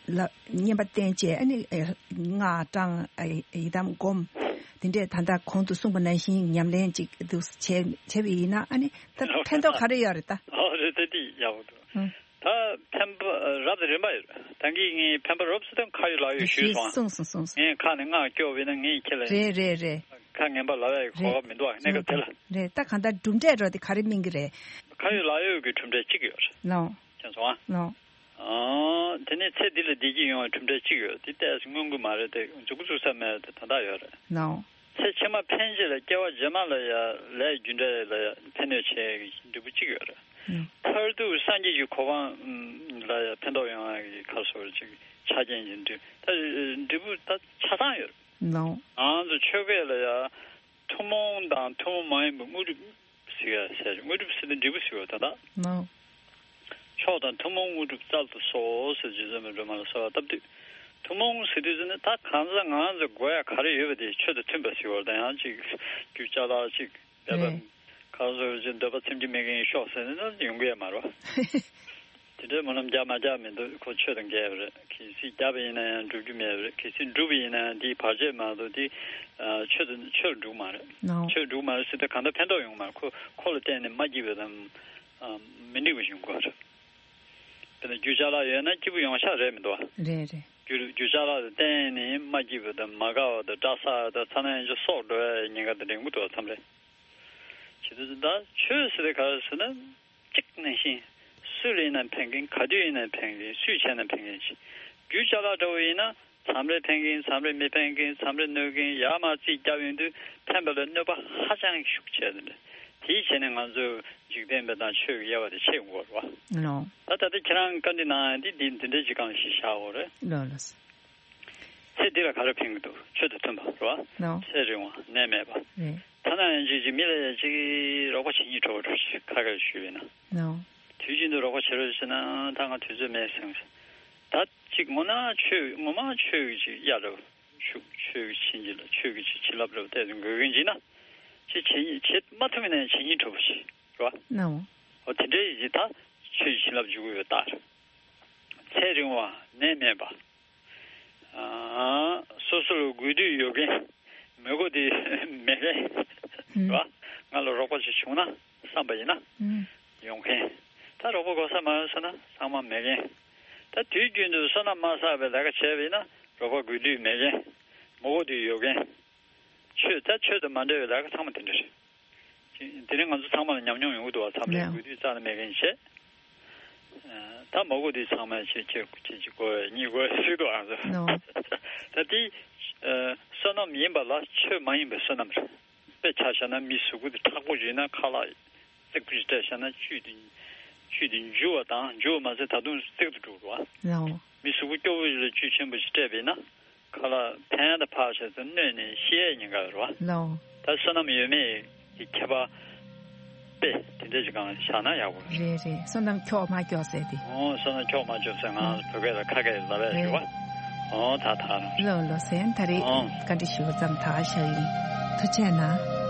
ལ་བསྙེན་པ་བསྟེན་བྱས། ཨ་ནི་ཨ་སྔགས་བགྲང་། ཨ་ཡི་དམ་སྒོམ། དེ་འདྲས་ད་ལྟ་གོང་དུ་གསུངས་པ་ནང་བཞིན་ཉམས་ལེན་ཅིག་འདུག་བྱས་བྱས་པ་ཡིན་ན། ཨ་ནི་ད་ཕན་ཐོགས་ག་རེ་ཡོད་རེད་ད། ཨོ་རེད། ད་དེ་ཡག་པོ་འདུག་ཨང་། ད་ཕན་པ་རབ་དང་རིམ་པ་ཡོད་རེད། ད་གིན་ངས་ཕན་པ་རབ་ཟེར་དུས་ཁ་ཡོད་ལག་ཡོད་ཞུས་སོང་ཨ། གསུངས་སོང་གསུངས་སོང་། ངས་ཁ་ནས་ངག་སྐྱོར་བ་ཡིན་ན་ངས་ཁྱེད་ལ། རེད་རེད་རེད། ཁ་ངན་པ་ལབ་ཡ་གི་གོ་སྐབས་མི་འདུག་ཨ། གནས་སྐབས་དེ་ལ། རེད། ད་གང་ལྟར་གྲུབ་འབྲས་འགྲོ་དེ་ག་རེ་སྨིན་གི་རེད། ཁ་ཡོད་ལག་ཡོད་ཀྱི་གྲུབ་འབྲས་གཅིག་ཡོད་རེད། ལགས། མཁྱེན་སོང་ཨ། ལགས། ཨ་དེ་ནས་ཚེ་འདི་ལ་བདེ་སྐྱིད་ཡོང་བའི་གྲུབ་འབྲས་གཅིག་ཡོད། དེ་ཏོག་ཙམ་མངོན་གྱི་མ་རེད་དེ། མཇུག་གི་བཙུགས་ས་མེད་དེ་དོན་དག་ཡོད་རེད། ལགས། ཚེ་ཕྱི་མ་ཕན་ཆེད་ལ་སྐྱེ་བ་རྗེས་མ་ལ་ཡ་ལས་རྒྱུ་འབྲས་ལ་ཡ་ཕན་གནོད་བྱེད་ཀྱི་འབྲས་བུ་གཅིག་ཡོད་རེད། ལགས། མཐར་ཐུག་སངས་རྒྱས་ཀྱི་གོ་འཕང་ལ་ཡ་ཕན་ཐོགས་ཡོང་བ་གི་ག་རེ་ཟེར་ཅིག་ཆ་རྐྱེན་གྱི་འབྲས་ད་འབྲས་བུ་ད་ཆ་ཚང་ཡོད་རེད། ལགས། ང་ཚོ་ཆོས་སྐད་ལ་ཡ་ཐུན་མོང་དང་ཐུན་མོང་མ་ཡིན་པའི་དངོས་གྲུབ་ཟེར་ཡ་ཟེར། དངོས་གྲུབ་ཟེར་དུས་འབྲས་བུ་ཟེར་བ་དེ་དག་ནོ། མཆོག་དང་ཐུན་མོང་དངོས་གྲུབ་སྩལ་དུ་གསོལ་ཟེར་རྗེ་བཙུན་མའི་སྒྲོལ་མ་ལ་གསོལ་བ་བཏབ་དུས། ཐུན་མོང་ཟེར་དུས་ཟེར་ནས་ད་གང་ཟག་ང་ཚོ་དགོས་ཡ་ག་རེ་ཡོད་པ་དེ་ཆོས་དང་མཐུན་པ་ཟེར་བ་དང་། ཡང་ཅིག་རྒྱུ་ཅ་ལག་ཅིག་འབད་པ། རེད། གང་ཟེར་ཅིག་འདོད་པ་ཚིམ་གྱི་མི་གིན་ཤོག་ཟེར་ནས་ན་ཡོང་གི་ཡ་མ་རེད། དེ་འདྲའི་སྨོན་ལམ་རྒྱག་མ་རྒྱག་མི་འདུག་ཁོ་ཆོས་དང་འགལ་བ་རེད། གལ་སྲིད་རྒྱབ་པ་ཡིན་ན་ཡང་འགྲུབ་རྒྱུ་མེད་པ་རེད། གལ་སྲིད་འགྲུབ་པ་ཡིན་ན་ཡང་དེའི་བར་ཆད་མ་གཏོགས་དེ་ཨ་ཆོས་དང་ཆོས་འགྲུབ་མ་རེད། ནོ། ཆོས་འགྲུབ་མ་རེད་ཟེར་དུས་གང་ལྟར་ཕན་ཐོགས་ཡོང་མ་རེད། ཁོ་ཁོ་ལ་བརྟེན་ནས་མ་སྐྱིད་པ་དང་ཨ་མི་འགྲིག་པ་ཞིག་ཡོང་གི་རེད། དཔེར་ན་རྒྱུ་ཅ་ལག་ཡོད་ན་སྐྱིད་པོ་ཡོང་ཤག་རེད་མི་འདུག་བ། རེད་རེད། རྒྱུ་རྒྱུ་ཅ་ལག་ལ་བརྟེན་ནས་མ་སྐྱིད་པ་དང་མ་དགའ་བ་དང་སྐྲག་ས་དང་ཚ་ན་ཡང་ཅིག་སྲོག་འགྲོ་ཡ་ཉེན་ཁ་དེ་རིང་པོ་འདུག་བ། མཚམས་རེ། བྱེད་དུས་ད་ཆོས་ཟེར་དེ་ག་རེ་ཟེར་ན། གཅིག་ནང་བཞིན། སུ་ལ་ཡིན་ན་ཕན་གྱིན། ག་དུས་ཡིན་ན་ཕན་གྱིན། སུས་བྱས་ན་ཕན་གྱིན་ཞིག་རྒྱུ་ཅ་ལག་འདྲ་བོ་ཡིན་ན། མཚམས་རེ་ཕན་གྱིན། མཚམས་རེ་མི་ཕན་གྱིན། མཚམས་རེ་གནོད་གྱིན། ཡར་མར་རྩིས་བརྒྱབ་ཡོང་དུས་ཕན་པ་ལས་གནོད་པ་ཧ་ཅང་ཤུགས་ཆེ་དེ་འདྲ། དེའི་ཆེད་ནས་ང་ཚོས་འཇིག་རྟེན་པའི་དང་ཆོས་ཀྱི་དབྱེ་བ་དེ་ཕྱེ་དགོས་རེད་བ། ལོ། ད་ད་ལྟ་ཁྱེད་རང་བཀའ་འདྲི་གནང་ཡ་འདི་འདི་འདི་འདྲའི་ཅིག་གང་ཞིག་བཞག་དགོས་རེད། ལོ་ལོ། ཚེ་འདི་ལ་ག་རེ་ཕན་གྱི་འདུག་ཆོས་དང་མཐུན་པ་རེད་བ། ལོ། ཚེ་རིང་བ་ནད་མེད་པ། རེད། ཐ་ན་ཡང་ཅིག་ཅིག་མི་ལ་ཡང་ཅིག་རོགས་པ་བྱེད་སྙིང་བྲོ་བ་འདྲ་ཞིག་ཁ་ཁ་ཞུས་པས་ན། ལོ། དུས་རྒྱུན་དུ་རོགས་པ་བྱེད་རོགས་ཟེར་ན་ད་ང་དུས་ཚོད་མེད་ཟེར། ད་ ངོ་ན་ཆོས་ངོ་མ་ཆོས་ཀྱི་ཅིག་ཡ་རབ་ཆོས་ཆོས་ཀྱི་བྱིན་གྱིས་ལ་ཆོས་ཀྱི་ཅིག་བྱིན་རླབས་རབ་བལྟས་ཏེ་འགོད་མཁན་ཅིག་ན་ཅིག་བྱེད་བྱེད་མ་ཐུབ་ན་བྱེད་སྙིང་འདོད་པ་ཞིག་རེད་བ། ནའོ། འོ་དེ་འདྲའི་ཡིན་ད་ཆོས་ཀྱི་བྱིན་རླབས་འཇུག་གི་ཡོད་ད། ཚེ་རིང་བ་ནད་མེད་པ། ཨ། སོ་སོར་དགོས་འདོད་ཡོད་མཁན་མི་དགོས་དེ་མེད་མཁན་ཧུམ། རེད་བ། ང་ལ་རོགས་པ་ཞིག་བྱུང་ན་བསམ་པ་ཡིན་ན་ཧུམ། ཡོང་མཁན། ད་རོགས་པ་དགོས་ས་མ་ཡོང་ཟེར་ན་ཚང་མ་མེད་མཁན། ད་དུས་རྒྱུན་དུ་བསོད་ནམས་མ་བསགས་པའི་ལས་ཀ་བྱས་པ་ཡིན་ན་རོགས་པ་དགོས་འདོད་མེད་མཁན། མི་དགོས་འདོད་ཡོད་མཁན། ཆོས་ད་ཆོས་དང་མ་འབྲེལ་བའི་ལས་ཀ་ཚང་མ་དེ་འདྲ་རེད། དེ་རིང་ང་ཚོ་ཚང་མ་ལ་ཉམས་མྱོང་ཡོང་གི་འདུག་བ། མཚམས་རེ་ཡང་དགོས་དུས་རྩ་ནས་མེད་མཁན་བྱས། ད་མ་དགོས་དུས་ཚང་མ་ཁྱེད་ཁྱེད་ཁྱེད་ཀྱི་དགོས་གཉིས་དགོས་ཟེར་འདུག་ཨང་། ད་དེ་བསོད་ནམས་ཡིན་པ་ལ་ཆོས་མ་ཡིན་པའི་བསོད་ནམས་རེད། དཔེ་ཆ་བཞག་ན་མི་གཟུགས་པོ་དེ་མཁྲེགས་པོ་ཞིག་ཡིན་ན་ཁ་ལག་རྩེག་པོ་ཞིག་སྤྲད་བཞག་ན་བཅུད་དེ་བཅུད་དེ་འཇུ་བ་དང་འཇུ་བ་མ་ཟད་ད་དུང་རྩེག་ཏུ་འགྲོ་གི་རེད་བ། མི་གཟུགས་པོ་སྐྱོ་བོ་ཞིག་ལ་བཅུད་ཆེན་པོ་ཞིག་སྤྲད་པས་ན། ཁ་ལག་ཕན་ཡག་དང་ཕར་བཞག་ཚེ་གནོད་ནས་ཤི་ཡས་ཉེན་ཁ་ཡོད་རེད་བ། ལའོ། ད་བསོད་ནམས་ཡོད་མེད་ཀྱི་ཁྱད་པར་དཔེ་དེ་འདྲ་ཞིག་གང་བཞག་ན་ཡག་པོ་རེད། རེད་རེད། བསོད་ནམས་ཁྱོག་མ་ཁྱོག་ཟེར་ཏེ། ཨོ་བསོད་ནམས་ཁྱོག་མ་ཁྱོག་ཟེར་ང་བོད་སྐད་ལ་ཁ་སྐད་ལབ་ཡག་རེད་བ། ཨོ་ད་ད་རང་། ལོ་ལོ་ཟེར་ད་རེད། ཨོ། བཀའ་འདྲི་ཞུ་བ་ཙམ་ད་བཞག་ཡིན། ཐུགས་རྗེ་གནང་།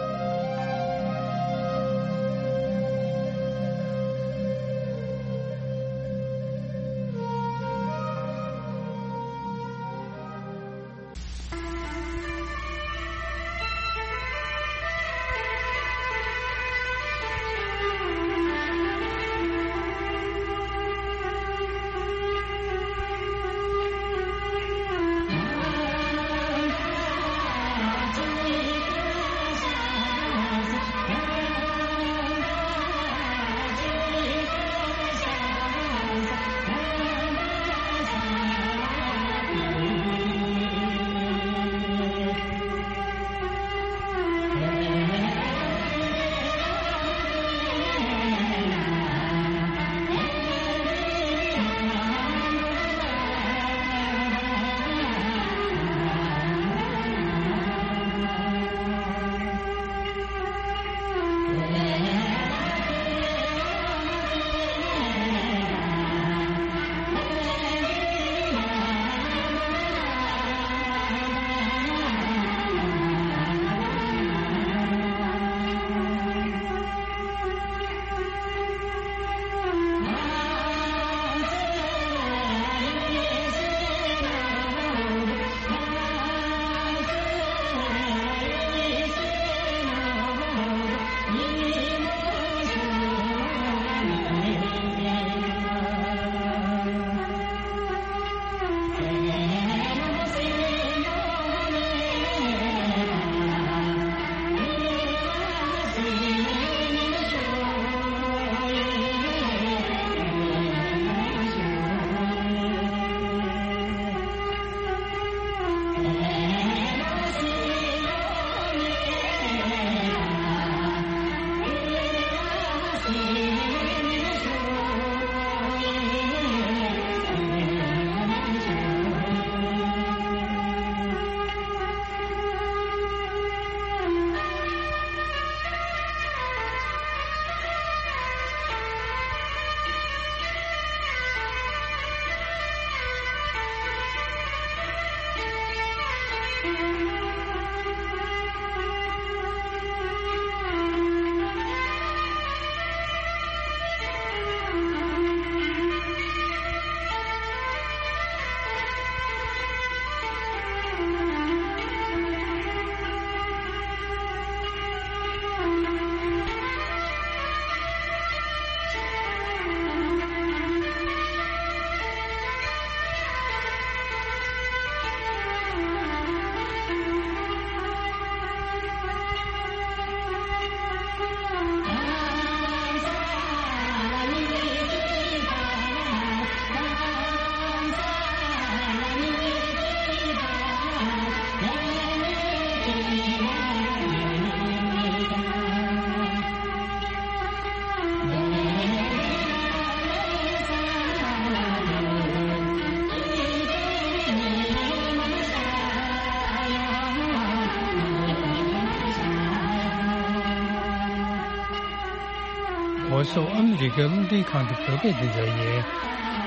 ཝོ་སི་ཨོཕ་ཨ་མི་རི་ཀའི་རླུང་འཕྲིན་ཁང་གི་བོད་སྐད་སྡེ་ཚན་ཡིན།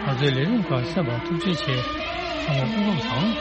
ང་ཚོའི་ལས་རིམ་ཁག་གསན་པར་ཐུགས་རྗེ་ཆེ། ཚང་མ་སྐུ་ཁམས་བཟང་།